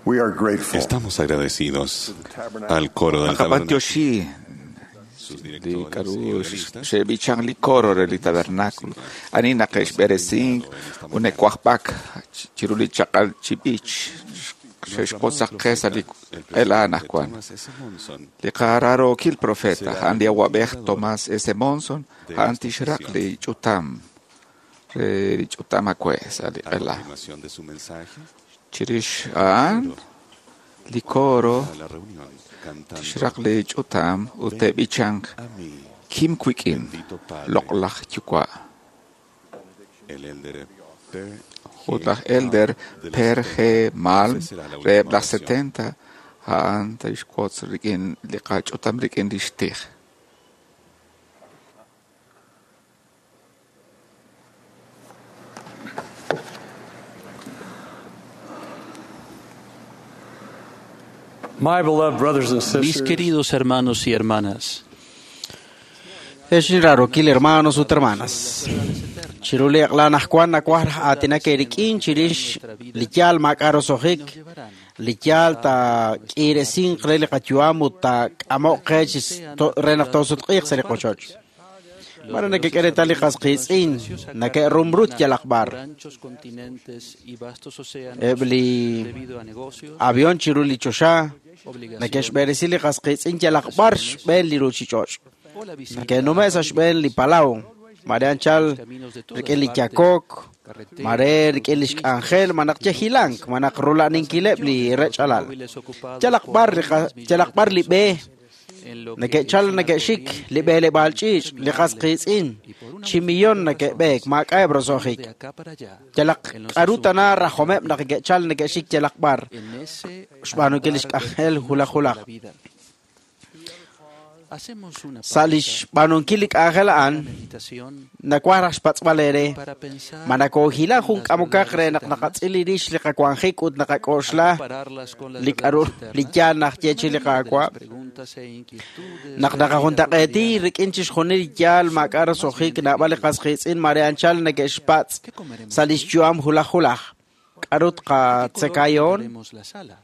We are grateful. Estamos agradecidos al coro del tabernáculo. Li k'aru xe'b'ichan li coro re li tabernáculo ani naq xb'eresink une'wajb'ak chiru li chaq'al chi b'ich xe'xwotzaq qe sa' li q'ela anaqwan. Li qaraarookil profeta a'an li awab'ej Thomas S. Monson a'an tixraq li ch'utam re li ch'utam awe' sa' li q'ela. Chirix a'an li coro tixraq li ch'utam ut te'b'ichanq Kim wik'in loq'laj yuwa'. Ut laj Elder Per G. Malm reheb' laj setenta a'an tixwotz rik'in li qach'utam rik'in lix tij. My beloved brothers and Mis sisters, queridos hermanos y hermanas, Ex inrarokil hermanos ut hermanas. Chiru li aq'lan ajwan nakwaj raj aatinak eerik'in chirix li yaal maak'a' roso'jik, li yaal taak'iresinq re li qayu'am ut taak'amo'q qe chi re naq toosutq'iiq sa' li qochoch. Mare nakek'e reetal li qas qiitz'in nake'rumrut yalaq b'ar. ranchos, continentes y vastos océanos Eb' li debido a negocios, avión chiru li choxa nake'xb'eresi li qas qiitz'in yalaq b'ar xb'een li ruuchich'och'. o la visita Nake'nume' sa' xb'een li palaw, mare anchal rik'in li yakok, mare rik'in li xk'anjel, manaq yejilank, manaq rula'ninkileb' li rech'alal. móviles ocupados Yalaq por b'ar li miles, qa- millones yalaq de b'ar li b'e personas en lo que nake'chal es una nake'xik corriente li b'eleb'aal ch'iich', li qas qiitz'in, chi millón nake'b'eek maak'a'eb' roso'jik. de acá para allá, Yalaq en los k'aru tana asuntos rajomeb' naq ke'chal nake'xik yalaq b'ar en ese xb'aanunkil li andar xk'anjel vertiginoso hulaj de hulaj. la vida. Hacemos una Sa' li pausa xb'aanunkil li k'anjel a'an, una meditación nakwaj raj xpatz'b'al eere para pensar ma nakoohilan jun en las k'amokaq re verdades naq eternas, naqatz'il li rix li qawanjik ut naqak'oxla al compararlas con las li k'aru verdades li eternas. yaal najye chi li La mayoría de las Qaawa'. preguntas e inquietudes Naq de la vida naqajuntaq'eeti cotidiana rik'in chixjunil li yaal maak'a' roso'jik naab'al li qas qiitz'in mare anchal neke'xpatz' ¿Qué comeremos sa' li hoy? xyu'am hulaj hulaj. K'aru ¿De qué color tqatzekayoon? pintaremos la sala?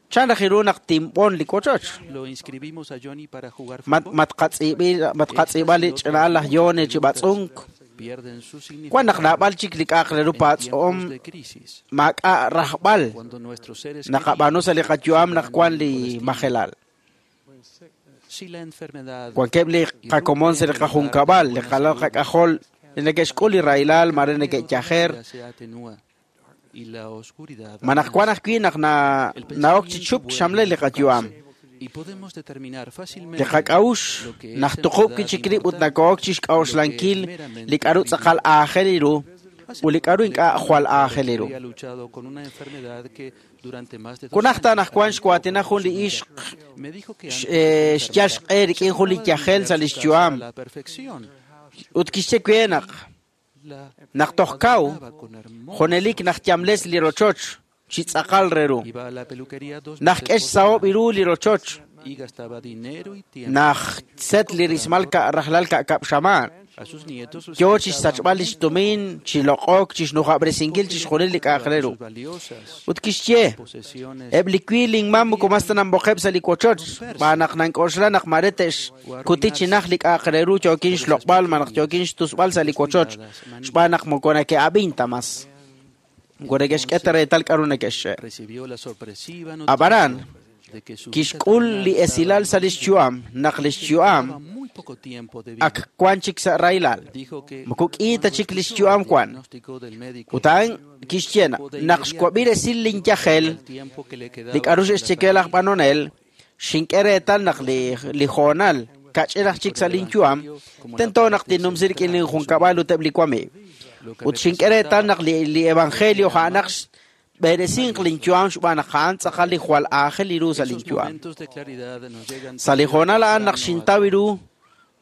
Chan raj iru naq tinb'on li wochoch? ¿Lo inscribimos a Johnny para jugar Mat fútbol? matqatz'iib'i matqatz'iib'a li Estas y ch'ina'al otras laj Yone chi preguntas b'atz'unk. pierden su Wan naq significado naab'al chik li k'a'aq re ru en patz'om tiempos de crisis, maak'a' rajb'al cuando nuestros seres naqab'aanu sa' li queridos qayu'am se naq van wan por li destino. majelal. Si la enfermedad Wankeb' li irrumpe qakomon sa' en li el hogar de qajunkab'al, li buena qalal salud, qak'ajol, li neke'xk'ul li rahilal el mare camino de la neke'yajer. vida se atenúa y la oscuridad Manaq wan amenaza. ajwi' naq na El na'ok chi pensamiento chup vuelve xamle a li qayu'am. enfocarse y podemos determinar Li fácilmente qak'a'ux lo que es naq en tuqub' verdad kichik rib' ut importante nako'ok chi y lo que es xk'a'uxlankil li meramente k'aru tz'aqal primitivo. aajel iru Hace ut li poco k'aru hablé ink'a' con una jwal mujer aajel que iru. había luchado con una enfermedad que durante más de dos Kunajta años anaqwan había xwaatina ocupado jun su li vida. ixq Me dijo que x- antes de eh, su xyal enfermedad xq'e se rik'in jun li encargaba de yajel limpiar sa' li su casa a xyu'am la perfección ut kixye we naq y la naq toj kaw adornaba con hermosos junelik naq yamles li rochoch chi tz'aqal re ru. Iba a la peluquería dos Naq veces k'ex por saob semana iru li rochoch y gastaba dinero y tiempo naq set li rismal ka rajlal ka'kab' xamaan. A sus nietos los Yo chi trataba xsachb'al li muy xtumin, chi loq'ok, chi xnujab'resinkil poco, chixjunil li porque k'a'aq re le ru. sus valiosas Ut kixye, posesiones eb' li wi linmam moko mas ta nanb'oqeb' sa' li wochoch, xb'aan naq nank'oxla naq mare te'xkuti chi naj li k'a'aq re ru yookin por esas xloq'b'al malaj pequeñas yookin xtusb'al sa' li wochoch, descuidadas xb'aan naq moko nake'ab'in ta mas. Moko neke'xk'e ta Entonces reetal k'aru neke'xxe'. recibió la sorpresiva Ab'anan, noticia de que su vida kixk'ul terrenal li estaba esilal en sa' li peligro xyu'am, naq li y que le xyu'am quedaba muy poco tiempo de vida. ak wan chik sa' rahilal. Dijo que Moko k'i ta cuando chik li escuchó xyu'am el wan. diagnóstico del médico, Ut a'an kixye supo de naq inmediato xwab'i resil linyajel, el tiempo que le li quedaba k'aru con la xe'xcheke laj familia. b'anonel, xink'e reetal naq li li hoonal kach'inaj chik Con sa' el linyu'am, Evangelio como la tento naq parte tinnumsi rik'in central de su linjunkab'al vida, ut eb' li wamiiw. lo que Ut xink'e reetal representaba naq li li evangelio era a'anaq más xb'eresinq valioso. linyu'am xb'aan naq a'an tz'aqal li jwal aajel iru sa' Esos linyu'am. momentos de claridad nos llegan Sa' li tarde o hoonal a'an naq temprano a xintaw todos. iru,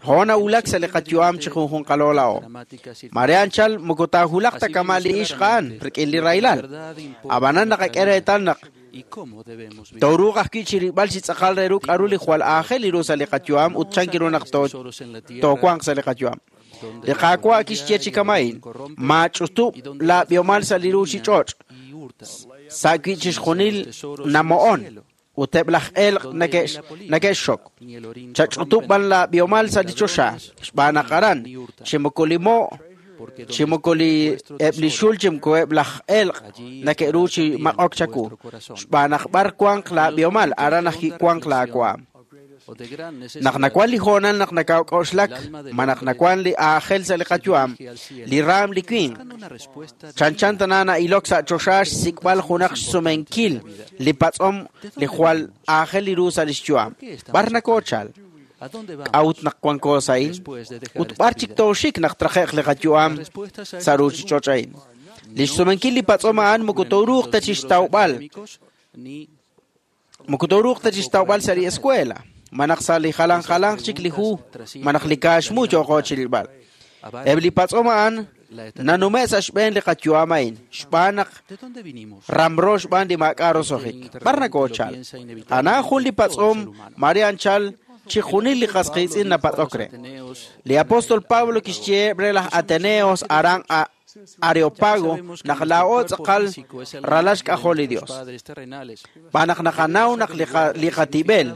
hoon Que no nawulak sa' li siempre qayu'am chi mediante junjunqaloo laa'o. dramáticas Mare anchal circunstancias. moko taahulaq ta Así kama vemos li ixq a'an claramente rik'in li lo que en rahilal. verdad importa Ab'anan en nuestra naqak'e vida reetal naq y cómo debemos vivir. tooruuq ajwi' chi rilb'al chi tz'aqal re ru k'aru li jwal aajel iru sa' li qayu'am ut No os chan kiru naq hagáis too tesoros en la tierra toowanq sa' li qayu'am. Li Qaawa' kixye chi kama'in, maach'utub' laab'ihomal sa' li ruuchich'och', sa' wi' chixjunil namo'on, ut eb' laj elq' neke'xxok. Chach'utub' b'an laab'ihomal sa' li choxa, xb'aan naq aran, chi moko li mo', chi moko li eb' li xul chi moko eb' laj elq' neke'ru chi maq'ok chaku. Xb'aan naq b'ar wanq laab'ihomal, aran ajwi' wanq laawaam. Naq nawan li hoonal naq nakawk'oxlak, ma naq nawan li aajel sa' li qayu'am, li raam li winq, chanchan tana na'ilok sa' choxa xsik'b'al junaq xsumenkil li patz'om li jwal aajel li ru sa' lix yu'am. B'ar nakoochal? K'a'ut naq wanko sa'in? Ut b'ar chik tooxik naq traje'q li qayu'am sa' ruuchich'och' a'in? Li xsumenkil li patz'om a'an moko tooruuq ta chixtawb'al, moko tooruuq ta chixtawb'al sa' li escuela, manaq sa' li jalan jalan chik li hu, manaq li kaaxmu yooqo chilb'al. Eb' li patz'om a'an nanume' sa' xb'een li qayu'am a'in, xb'aan naq ramro xb'aan li maak'a' rosojik. B'ar nakoochal? Ana jun li patz'om mare anchal chi junil li qas qiitz'in napatz'ok re. Li apóstol Pablo kixyeeb' re laj Ateneos aran a Areopago naq laa'o tz'aqal ralal xk'ajol li Dios. B'aan naq naqanaw naq li qatib'el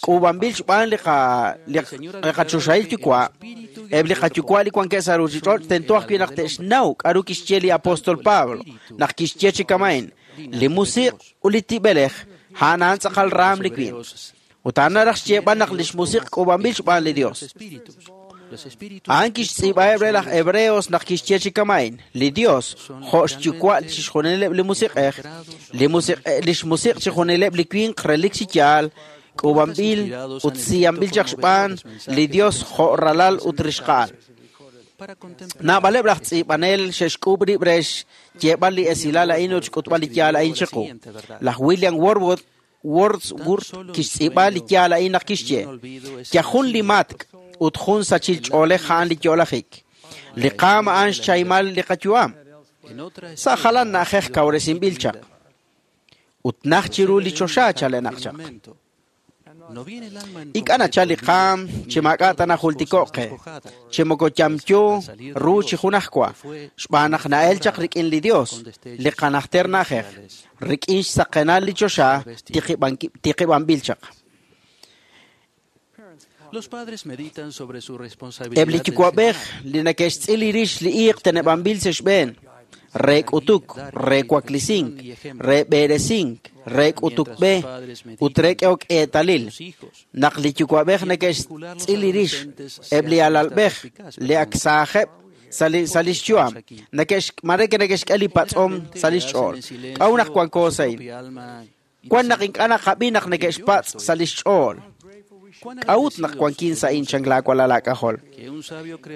k'uub'anb'il xb'aan li qachoxahil yuwa', eb' li qayuwa' li wankeb' sa' ruuchich'och' tento ajwi' naq te'xnaw k'aru kixye li apóstol Pablo naq kixye chi kama'in, li musiq' ut li tib'elej a'an a'an tz'aqal raam li winq. Ut a'an naraj xyeeb'al naq lix musiq' k'uub'anb'il xb'aan li Dios. A'an kixtz'iib'aheb' re laj Hebreos naq kixye chi kama'in, li Dios jo' xyuwa' chixjunileb' li musiq'ej, li musiq' lix musiq' chixjunileb' li winq relik chi yaal, k'uub'anb'il ut siyanb'il chaq xb'aan li Dios jo' ralal ut rixqa'al. Naab'aleb' laj tz'iib'anel xe'xk'uub' rib' re xyeeb'al li esilal a'in ut xk'utb'al li yaal a'in chiqu. Laj William Wordsworth Wordsworth kixtz'iib'a li yaal a'in naq kixye, yajun li matk' ut jun sachil ch'oolej a'an li yo'lajik. Li qaam a'an xchaymal li qayu'am. Sa' jalan na'ajej kawresinb'il chaq. Ut naj chiru li choxa chalenaq chaq. Ink'a' nachal li qaam chi maak'a' ta najultiko'q qe, chi moko yamyo ru chi junajwa, xb'aan naq na'el chaq rik'in li Dios, li qanajter na'ajej, rik'in xsaqenal li choxa tiqib'anb'il chaq. Eb' li yuwa'b'ej li neke'xtz'il li rix li iiq teneb'anb'il sa' xb'een, re k'utuk, re waklisink, re b'eresink, re k'utuk b'e ut re k'ehok eetalil. Naq li yuwa'b'ej neke'xtz'il li rix eb' li alalb'ej li ak saajeb' sa' lix yu'am, mare neke'xk'e li patz'om sa' lix ch'ool. K'a'ut naq wanko sa'in? Wan naq ink'a' naqab'i naq neke'xpatz' sa' lix ch'ool. K'a'ut naq wankin sa'in chan laawalal laak'ajol?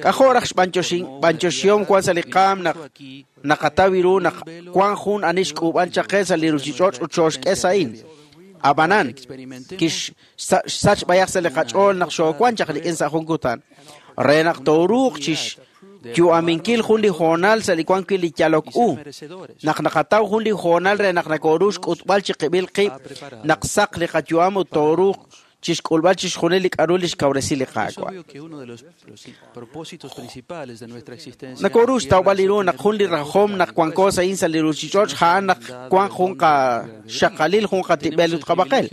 K'ajo' raj xb'anyoxihom wan sa' li qaam naq naqataw ru naq wan jun ani xk'uub'an chaq qe sa' li ruuchich'och' ut xooxk'e sa'in. Ab'anan, kixsach b'ayaq sa' li qach'ool naq xoowan chaq rik'in sa' jun kutan, re naq tooruuq chixyu'aminkil jun li hoonal sa' li wan wi' li yalok u, naq naqataw jun li hoonal re naq nakooru xk'utb'al chiqib'il qib' naq saq li qayu'am ut tooruuq chixk'ulb'al chixjunil li k'aru li xkawresi li Qaawa'. Nakoru xtawb'al li ru naq jun li rajom naq wanko sa'in sa' li ruuchich'och' a'an naq wan jun qaxaqalil jun qatib'el ut qab'aqel.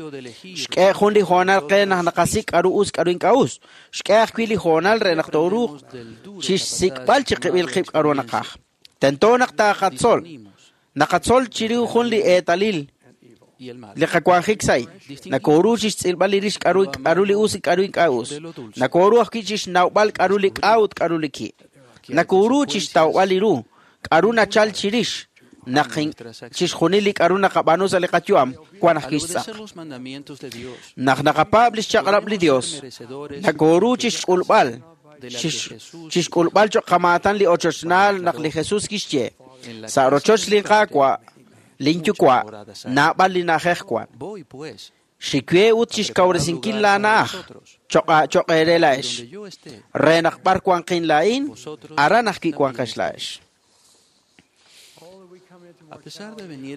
Xk'e jun li hoonal qe naq naqasik' k'aru us k'aru ink'a' us. Xk'e ajwi' li hoonal re naq tooruuq chixsik'b'al chiqib'il qib' k'aru naqaj. Tento naq taaqatzol. Naqatzol chiru jun li eetalil li qawanjik sa'in. Nakoru chixtz'ilb'al li rix k'aru k'aru li us k'aru ink'a' us. Nakoru ajwi' chixnawb'al k'aru li k'a ut k'aru li ki'. Nakoru chixtawb'al li ru k'aru nachal chirix naq chixjunil li k'aru naqab'aanu sa' li qayu'am wan ajwi' xtz'aq. Naq naqapaab' li xchaq'rab' li Dios, nakoru chixk'ulb'al chixk'ulb'al cho'q qamaatan li ochochnaal naq li Jesus kixye, sa' rochoch li Qaawa' lin yuwa' naab'al li na'ajej wan. Xikwe ut chixkawresinkil laana'aj choq' eere laa'ex, re naq b'ar wanqin laa'in, aran ajwi' wanqex laa'ex.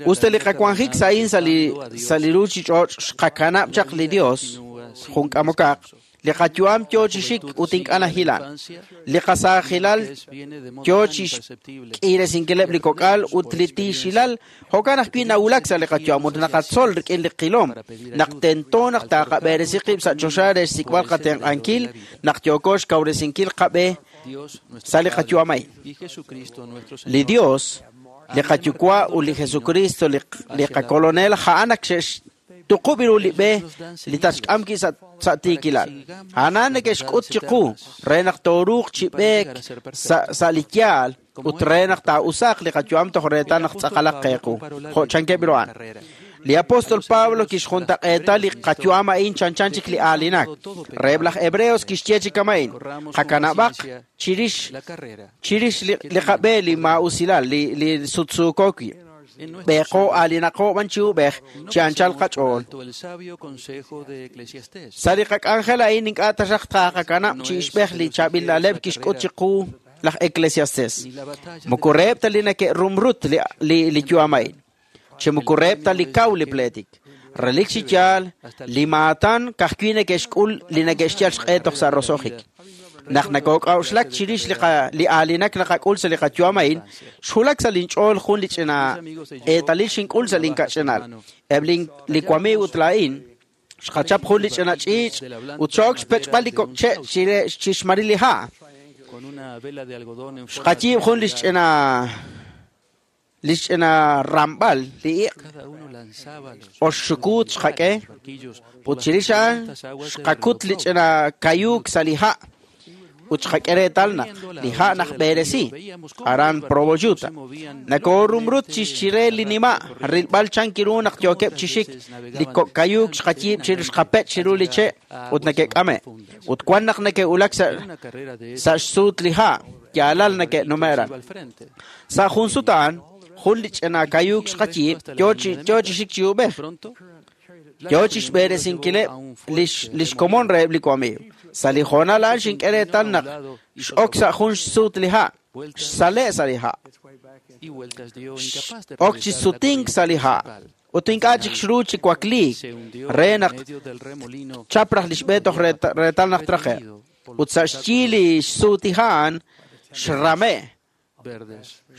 Usta li qawanjik sa'in sa' li sa' li ruuchich'och' xqakanab' chaq li Dios, jun k'amokaq, Li qayu'am yo chi xik ut ink'a' nahilan. Li qasaajilal yo chi xk'iresinkileb' li kok'al ut li tiixilal jo'kan ajwi' nawulak sa' li qayu'am ut naqatzol rik'in li qilom. Naq tento naq taaqab'eresi qib' sa' choxa re xsik'b'al qatenq'ankil naq yooko xkawresinkil qab'e sa' li qayu'am a'in. Li Dios, li qayuwa' ut li Jesucristo li qakolonel a'an ak xe'xtuqub' ru li b'e li taxk'am ki' sa' tiikilal. A'an neke'xk'ut chiqu re naq tooruuq chi b'eek sa' li yaal ut re naq taa'usaaq li qayu'am toj reetal naq tz'aqalaq qeequ. Jo' chankeb' ru a'an. Li apóstol Pablo kixjuntaq'eeta li qayu'am a'in chanchan chik li aalinak. Reheb' laj Hebreos kixye chi kama'in. Qakanab'aq chirix chirix li qab'e li maa'usilal li li sutsuuko wi'. B'eeqo aalinaqo b'an chi ub'ej chi anchal qach'ool. Sa' li qak'anjel a'in ink'a' taxaq taqakanab' chi ixb'ej li chaab'il na'leb' kixk'ut chiqu laj Eclesiastes. Moko reheb' ta li nake'rumrut li li li yu'am a'in. Chi moko reheb' ta li kaw li pleetik. Relik chi yaal li maatan ka'ajwi' neke'xk'ul li neke'xyal xq'e toj sa' roso'jik. Naq nakok'a'uxlak chirix li li aalinak naqak'ul sa' li qayu'am a'in, xwulak sa' linch'ool jun li ch'ina eetalil xink'ul sa' linkach'inal. Eb' li wamiiw ut laa'in xqachap jun li ch'ina ch'iich' ut xo'ok xpech'b'al li kok' che' chi xmaril li ha'. Xqayiib' jun li ch'ina li ch'ina ramb'al li iq' oxxukuut xqak'e ut chirix a'an xqakut li ch'ina kayuuk sa' li ha' ut xqak'e reetal naq li ha' naqb'eresi aran Provo Utah. Nakoorumrut chi xchire li nima' rilb'al chankiru naq yookeb' chi xik li kok' kayuuk xqayiib' chirix xqapech' chiru li che' ut neke'k'ame' ut wan naq neke'wulak sa' sa' xsuut li ha' yaalal neke'nume'ran. Sa' jun sut a'an jun li ch'ina kayuuk xqayiib' yo chi yo chi xik chi ub'ej. Yo chi xb'eresinkileb' li xkomon reheb' li wamiiw. Sa' li hoonal a'an xink'e reetal naq x'ok sa' jun xsuut li ha', xsale' sa' li ha'. Ok chi sutink sa' li ha' ut ink'a' chik xru chi wakliik re naq chap raj li xb'e toj reetal naq traje'. Ut sa' xyi li xsuut li ha' a'an xrame'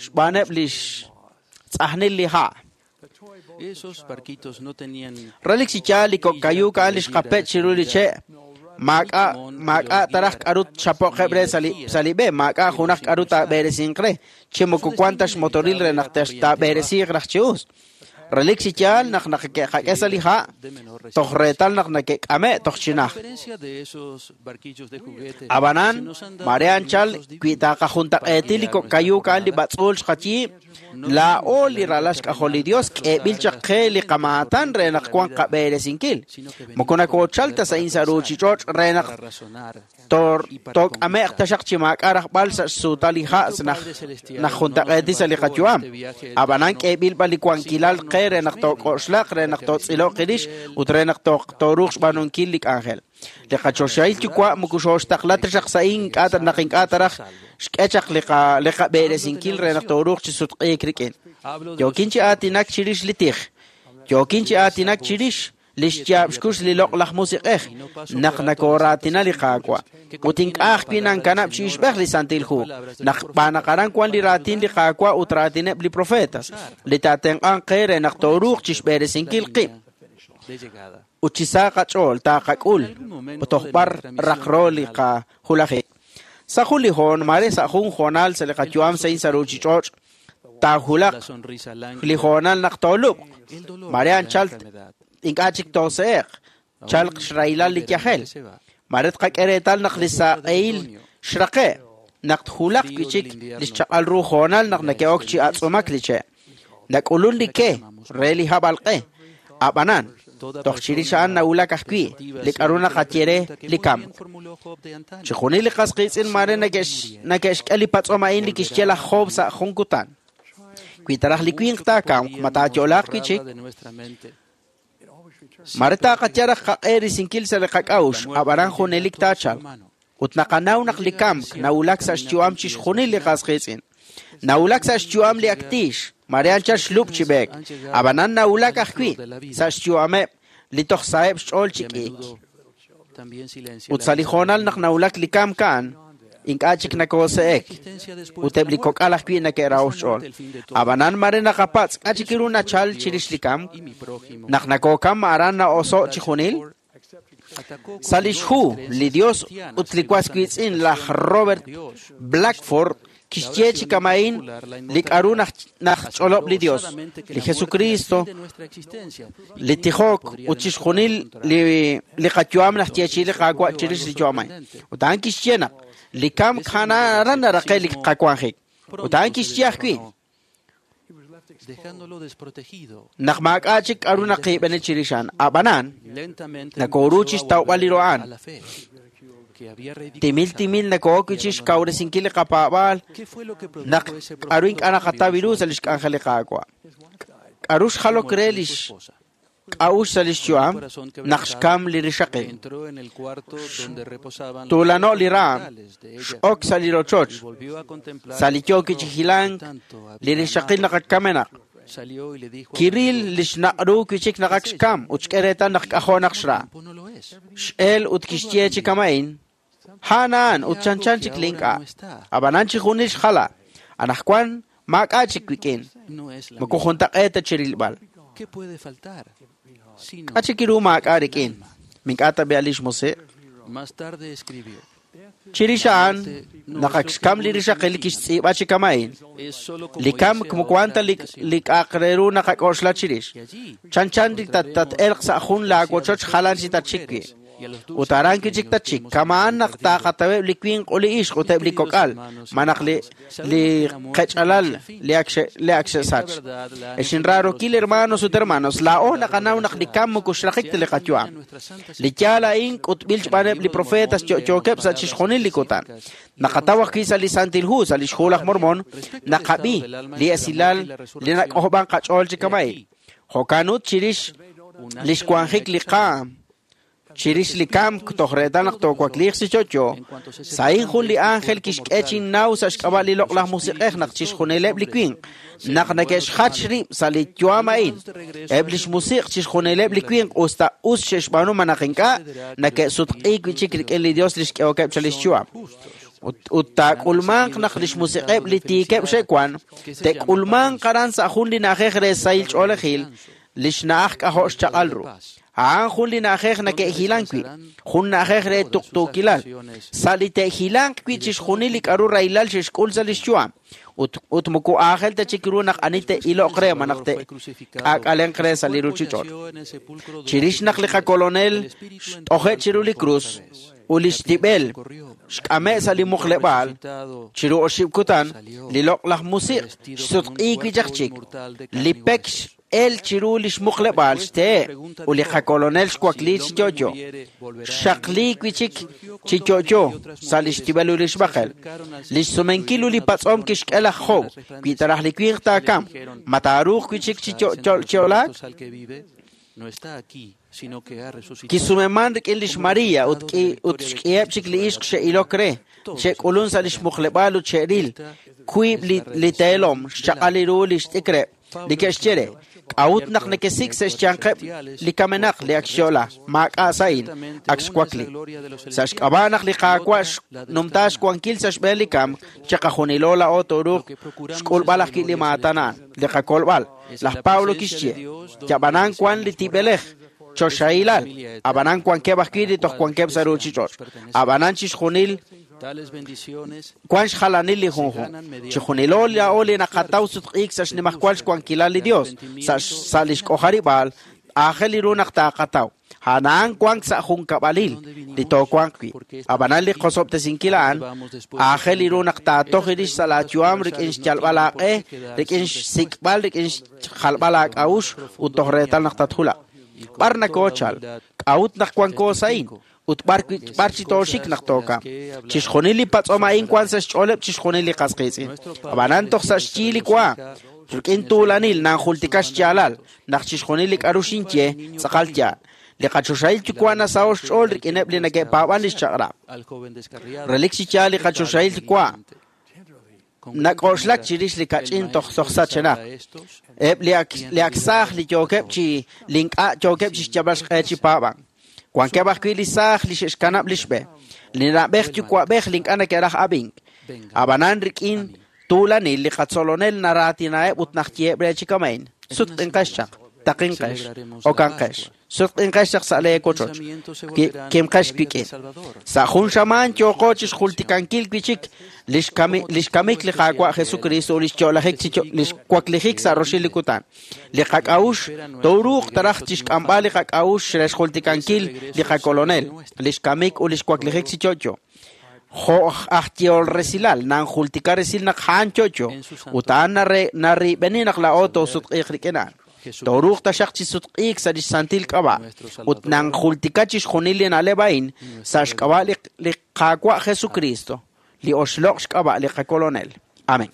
xb'aaneb' li xtz'ajnil li ha'. Relik chi yaal li kok' kayuuk a'an li xqapech' chiru li che' maak'a' maak'a' taraj k'aru tchapo'qeb' re sa' li sa' li b'e maak'a' junaq k'aru taab'eresinq re chi moko wan ta xmotoril re naq taab'eresiiq raj chi us. Relik chi yaal naq neke'qak'e sa' li ha' toj reetal naq neke'k'ame' toj chinaj. Ab'anan mare anchal wi taaqajuntaq'eeti li kok' kayuuk a'an li b'atz'uul xqayiib' laa'o li ralal xk'ajol li Dios k'eeb'il chaq qe li qamaatan re naq wan qab'eresinkil. Moko nakoochal ta sa' in sa' ruuchich'och' re naq took'ame'q taxaq chi maak'a' rajb'al sa' xsuutal li ha' naq juntaq'eeti sa' li qayu'am. Ab'anan k'eeb'il b'an li wankilal qe re naq took'oxlaq re naq tootz'iloq qirix ut re naq tooruuq xb'aanunkil li k'anjel. Li qachoxahil yuwa' moko xooxtaqla taxaq sa' ink'a' naq ink'a' taraj xk'e chaq li qab'eresinkil re naq tooruuq chi sutq'iik rik'in. Yookin chi aatinak chirix li tij. Yookin chi aatinak chirix li xyaab' xkux li loq'laj musiq'ej naq nakooraatina li Qaawa'. Ut ink'a' ajwi' nankanab' chi ixb'ej li Santil Hu naq b'aanaq aran wan li raatin li Qaawa' ut raatineb' li profetas li taatenq'anq qe re naq tooruuq chi xb'eresinkil qib'. Ut chi sa qach'ool taaqak'ul toj b'ar raqro li qajulajik. Sa' jun li hoon mare sa' jun hoonal sa' li qayu'am sa' in sa' ruuchich'och' taajulaq li hoonal naq toolub'q. Mare anchal ink'a' chik toose'eq chalq xrahilal li yajel. Mare tqak'e reetal naq li saq'ehil xraqe' naq tjulaq wi' chik li xchaq'al ru hoonal naq neke'ok chi atz'umak li che'. Nak'ulun li ke re li hab'alq'e. Ab'anan toj chirix a'an nawulak ajwi' li k'aru naqaye re li kamk. Chi junil li qas qiitz'in mare neke'xk'e li patz'om a'in li kixye laj Job sa' jun kutan. Wi taraj li winq taakamq ma taayo'laaq wi' chik. Mare taaqaye raj qaq'e risinkil sa' li qak'a'uxl ab'anan junelik taachalq. Ut naqanaw naq li kamk nawulak sa' xyu'am chixjunil li qas qiitz'in. Nawulak sa' xyu'am li aktiix mare anchal xlub' chi b'eek. Ab'anan nawulak ajwi' sa' xyu'ameb' li toj saheb' xch'ool chi k'iik. Ut sa' li hoonal naq nawulak li kamk a'an, ink'a' chik nakoose'ek. Ut eb' li kok'al ajwi' neke'raho xch'ool. Ab'anan mare naqapatz' k'a' chik ru nachal chirix li kamk, naq nakookam aran na'oso' chi junil. Sa' lix hu li Dios ut li was wiitz'in laj Robert Blackford kixye chi kama'in li k'aru naj ch'olob' li Dios, li Jesucristo, li tijok ut chixjunil li li qayu'am naj yechi li qaawa' chirix li yu'am a'in. Ut a'an kixye naq li kamk aran naraqe' li qawanjik. Ut a'an kixye ajwi' naq maak'a' chik k'aru naqiib'eni chirix a'an. Ab'anan nakooru chixtawb'al li ru a'an. Timil timil nakook chix kawresinkil li qapaab'aal naq k'aru ink'a' naqataw ru sa' lix k'anjel li Qaawa'. K'aru xjalok re lix k'a'ux sa' lix yu'am naq xkam li rixaqil. Tuulano' li raam, x'ok sa' li rochoch, sa' li yook chi hilank li rixaqil naq kamenaq. Kiril lix naq'ru wi'chik naq ak xkam ut xk'e reetal naq k'ajo' naq xra. X'el ut kixye chi kama'in, a'an a'an ut chanchan chik li ink'a'. Ab'anan chi junil xjala, anaqwan maak'a' chik wik'in, moko juntaq'eet ta chirilb'al. K'a' chik ru maak'a' rik'in, mink'a' ta b'e'al lix musiq'. Chirix a'an naq ak xkam li rixaqil kixtz'iib'a chi kama'in. Li kamk moko wan ta li k'a'aq re ru naqak'oxla chirix. Chanchan li tat-elq sa' jun laawochoch jalan chi tatxik wi'. Ut aran kichik tatxik, kama'an naq taaqataweb' li winq ut li ixq ut eb' li kok'al, manaq li li qech'alal li ak li ak xe'sach. Ex inraarokil hermanos ut hermanos, laa'o naqanaw naq li kamk moko xraqik ta li qayu'am. Li yaal a'in k'utb'il xb'aaneb' li profetas yo'yookeb' sa' chixjunil li kutan. Naqataw ajwi' sa' li Santil Hu, sa' li xhu laj Mormon, naqab'i li esilal li nak'ojob'an qach'ool chi kama'in. Jo'kan ut chirix li xwanjik li qaam, chirix li kamk toj reetal naq toowakliiq chi yo'yo, sa'in jun li ángel kixk'e chinnaw sa' xk'ab'a' li loq'laj musiq'ej naq chixjunileb' li winq, naq neke'xjach rib' sa' li yu'am a'in. Eb' lix musiq' chixjunileb' li winq us ta us xe'xb'aanu manaq ink'a' neke'sutq'iik wi'chik rik'in li Dios li xk'ehokeb' sa' lix yu'am. Ut taak'ulmanq naq lix musiq'eb' li tiikeb' xe'wan, te'k'ulmanq aran sa' jun li na'ajej re sahil ch'oolejil, lix na'aj k'ajo' xchaq'al ru. A'an jun li na'ajej neke'hilank wi', jun na'ajej re tuqtuukilal, sa' li te'hilanq wi' chixjunil li k'aru rahilal xe'xk'ul sa' lix yu'am. Ut ut moko aajel ta chik ru naq ani te'iloq re manaq te'k'aak'alenq re sa' li ruuchich'och'. Chirix naq li qakolonel xt'oje' chiru li krus ut li xtib'el xk'ame' sa' li muqleb'aal, chiru oxib' kutan, li loq'laj musiq' xsutq'iik wi' chaq chik, li pek el chiru lix muqleb'aal xtehe' ut li qakolonel xwakli chi yo'yo. Xaqli wi' chik chi yo'yo sa' lix tib'el ut lix b'aqel. Lix sumenkil ut li patz'om kixk'e laj Job, wi taraj li winq taakam, ma taaruuq wi' chik chi yo'laak? Kisumeman rik'in lix María ut ut xk'iheb' chik li ixq xe'ilok re, xe'k'ulun sa' lix muqleb'aal ut xe'ril, wiib' li teelom xchaq'al ru li xt'ikreb', li ke'xye re, k'a'ut naq nekesik sa' xyanqeb' li kamenaq li ak xyo'la, maak'a' sa'in, ak xwakli. Sa' xk'ab'a' naq li Qaawa' xnumta xwankil sa' xb'een li kamk, chiqajunilo laa'o tooruuq xk'ulb'al ajwi' li maatan a'an, li qakolb'al. Laj Pablo kixye, yab'anan wan li tib'elej, choxahilal, ab'anan wankeb' ajwi' li toj wankeb' sa' ruuchich'och', ab'anan chixjunil wan xjalanil li junjunq. Chixjunilo laa'o li naqataw sutq'iik sa' xnimajwal xwankilal li Dios, sa' sa' lix k'ojarib'aal, aajel li ru naq taaqataw. A'an wank sa' junkab'alil li toowanq wi'. Ab'anan li qosob'tesinkil a'an, aajel li ru naq taatoj irix sa' laayu'am rik'in xyalb'al aaq'e, rik'in xsik'b'al, rik'in xjalb'al aak'a'ux ut toj reetal naq tatjulaq. B'ar nakoochal, k'a'ut naq wanko sa'in, ut b'ar b'ar chi tooxik naq tookam. Chixjunil li patz'om a'in wan sa' xch'ooleb' chixjunil li qas qiitz'in. Ab'anan toj sa' xyi li wa, rik'in tuulanil nanjultika xyaalal, naq chixjunil li k'aru xinye tz'aqal yaal. Li qachoxahil yuwa' nasaho xch'ool rik'ineb' li neke'paab'an li xchaq'rab'. Relik chi yaal li qachoxahil yuwa' nak'oxlak chirix li kach'in toj toj sachenaq. Eb' li ak li ak saaj li yookeb' chi li ink'a' yookeb' chi xyalb'al xq'e chi paab'an. Wankeb' ajwi' li saaj li xe'xkanab' li xb'e, li na'b'ej yuwa'b'ej li ink'a' neke'raj ab'ink. Ab'anan rik'in tuulanil li qatzolonel naraatinaheb' ut najyeheb' re chi kamain. Sutq'inqex chaq, taqinqex, okanqex, sutq'inqex chaq sa' lee wochoch, kimqex wik'in. Sa' jun xamaan yooqo chi xjultikankil wi' li xkamik li Qaawa' Jesucristo ut li xyo'lajik li xwaklijik sa' roxil li kutan. Li qak'a'uxl tooruuq taraj chi xk'amb'al li qak'a'uxl re xjultikankil li qakolonel, li xkamik ut li xwaklijik chi yo'yo. Jo' aj yehol resilal nanjultika resil naq a'an yo'yo ut a'an narib'eni naq laa'o toosutq'iiq rik'in a'an. Tooruuq taxaq chi sutq'iik sa' li xsantil k'ab'a' ut nanjultika chixjunil li na'leb' a'in sa' xk'ab'a' li Qaawa' Jesucristo, li oxloq' xk'ab'a' li qakolonel. Amén.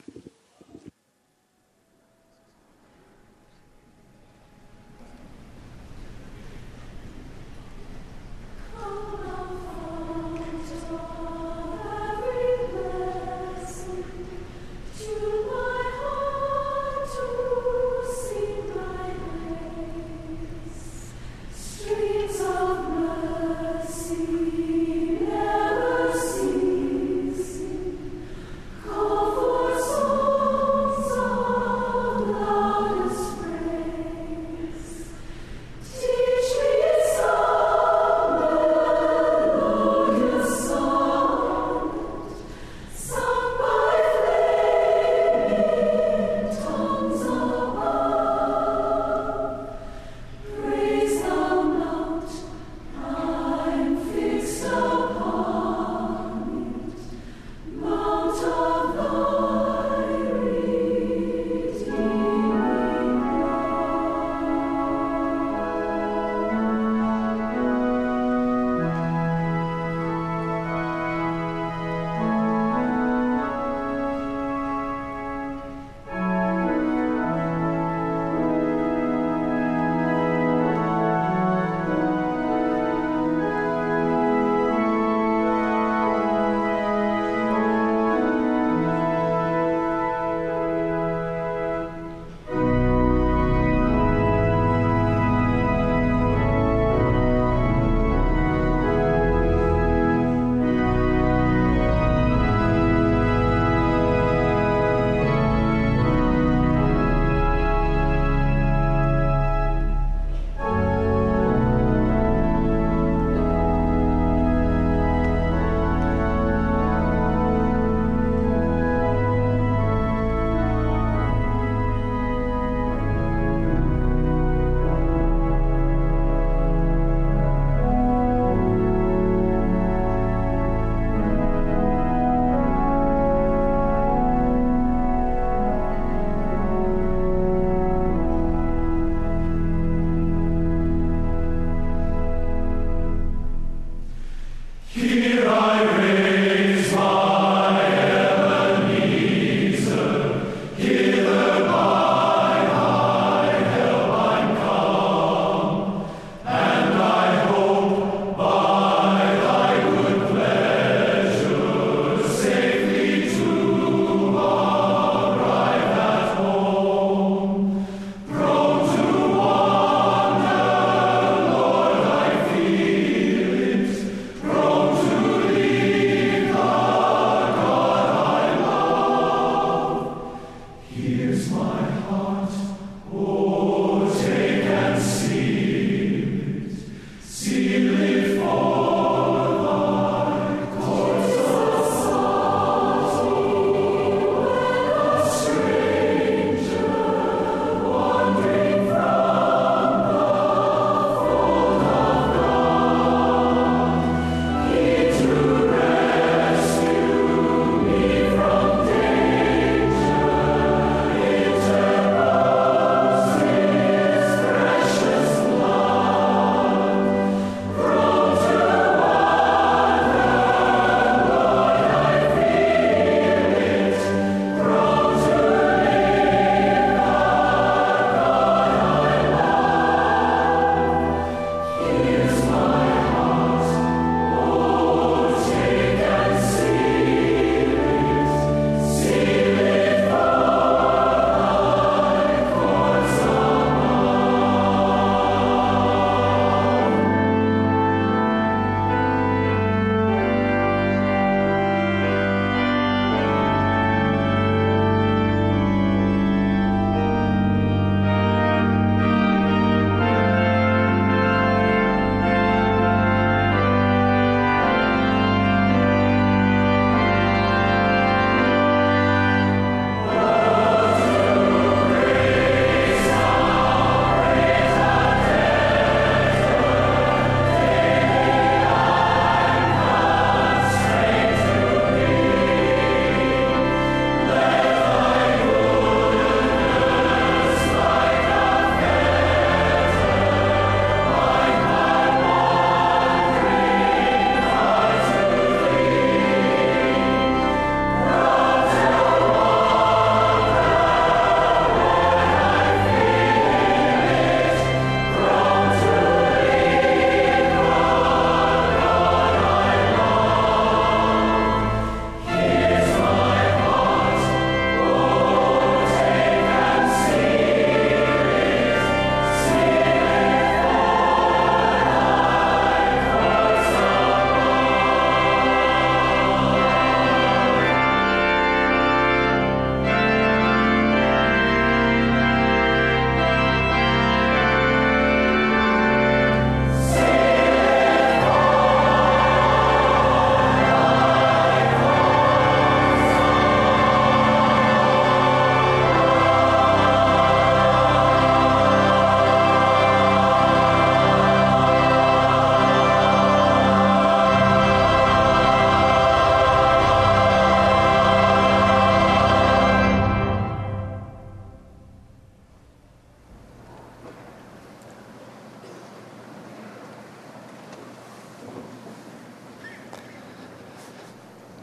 Call for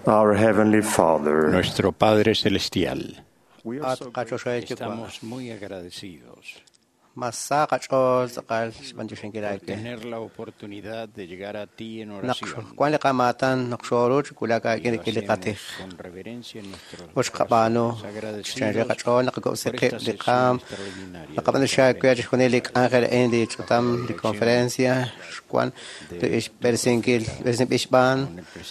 Our Heavenly Father, Nuestro Padre Celestial, Estamos muy agradecidos por tener la oportunidad de llegar a ti en oración. Con reverencia en nuestros corazones, agradecidos por esta sesión extraordinaria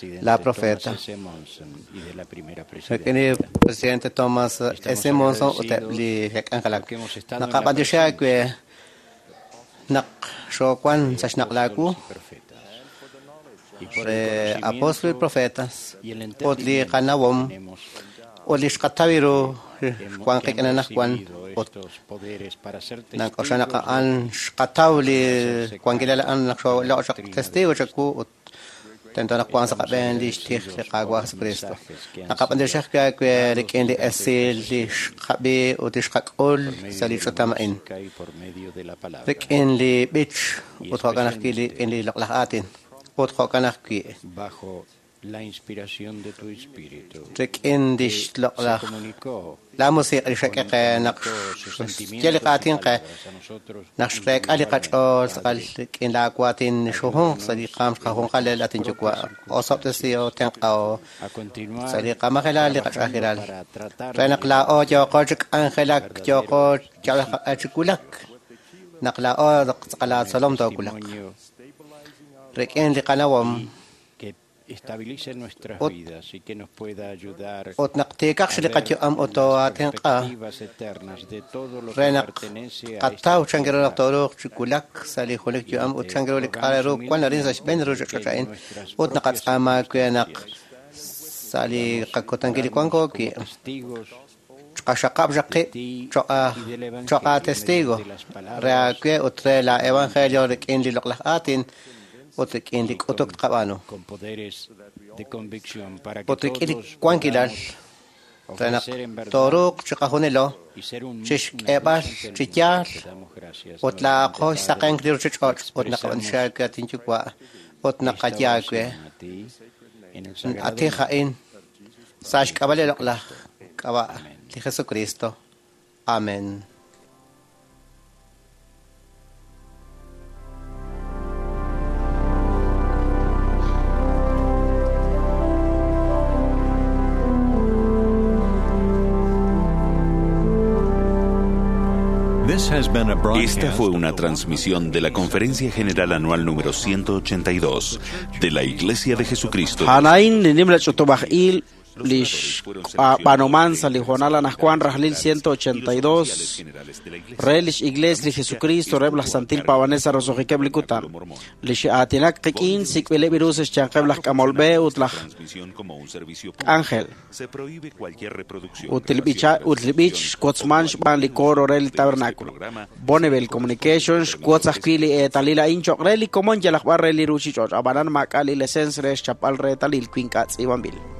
de la profeta. Thomas S. Monson y de la primera Rik'in presidente Thomas S. Monson ut eb' li xe'k'anjelak. Naqab'antioxi aawe naq xoowan sa' xnaq' laawu re apóstol y profetas ut li qanawom ut li xqataw ru xwan qik'in anaqwan ut nak'oxla naq a'an xqataw li wankilal a'an naq xooloq' chaq testigo chaku ut tento naq wan sa' qab'een li xtij li Qaawa' Jesucristo. Naqab'antioxi aawe rik'in li esil li xqab'i ut li xqak'ul sa' li ch'utam a'in. Rik'in li b'ich ut jo'kan ajwi' rik'in li loq'laj aatin ut jo'kan ajwi' bajo la inspiración de tu espíritu. Rik'in li xloq'laj la musiq' li xak'e qe naq xye li qaatin qe naq xreek'a li qach'ool tz'aqal rik'in laawaatin xujunq sa' li qaam xqajunqal laatin yuwa' osob'tesio tenq'ao sa' li qamajelal li qach'ajilal re naq laa'o yooqo chi k'anjelak yooqo yalaj chi wulak naq laa'o tz'aqal laatzolom toowulaq rik'in li qanawom estabilice nuestras vidas y que nos pueda ayudar ut naq tiikaq xi li qayu'am ut too'aatinq'a eternas de todo lo re que naq pertenece a qataw chankiru naq tooruuq chi wulak sa' li junelik yu'am ut chankiru li k'a' re ru wan arin sa' xb'een ruuchich'och' a'in ut naqatz'aama aawe naq sa' li qakutankil li wanko wi' xqaxaqab' xaq qib' cho'a cho'a testigo re aawe ut re la evangelio rik'in li loq'laj aatin ut rik'in li k'utuk tqab'aanu con poderes de convicción para que ut rik'in li todos wankilal podamos re naq ofrecer en verdad tooruuq chiqajunilo y ser un chi xk'eeb'al chi yaal te damos gracias ut laaqo xsaqenk li ruuchich'och' ut naqab'antioxi aawe atin yuwa' ut naqaye aawe a ti en el sagrado atij a'in sa' xk'ab'a' li loq'laj k'ab'a' li Jesucristo. Amén. Esta fue una transmisión de la Conferencia General Anual número ciento ochenta y dos de la Iglesia de Jesucristo. Hanain li nimla ch'utub'aj il li xb'anoman sa' li hoonal anajwan rajlil ciento ochenta y dos re lix Iglesia li Jesucristo reheb' laj Santil Pavanel sa' roso'jikeb' li kutan li xe'aatinak qik'in sik'b'ileb' ru sa' xyanqeb' laj k'amol b'e ut laj ángel ut li b'icha ut li b'ich xwotzman xb'aan li coro re li tabernáculo. Bonneville Communications xwotz ajwi' li eetalil a'in cho'q re li komon yalaq b'ar re li ruuchich'och' ab'anan maak'a' li lesens re xchapb'al reetalil wi ink'a' tz'iib'anb'il.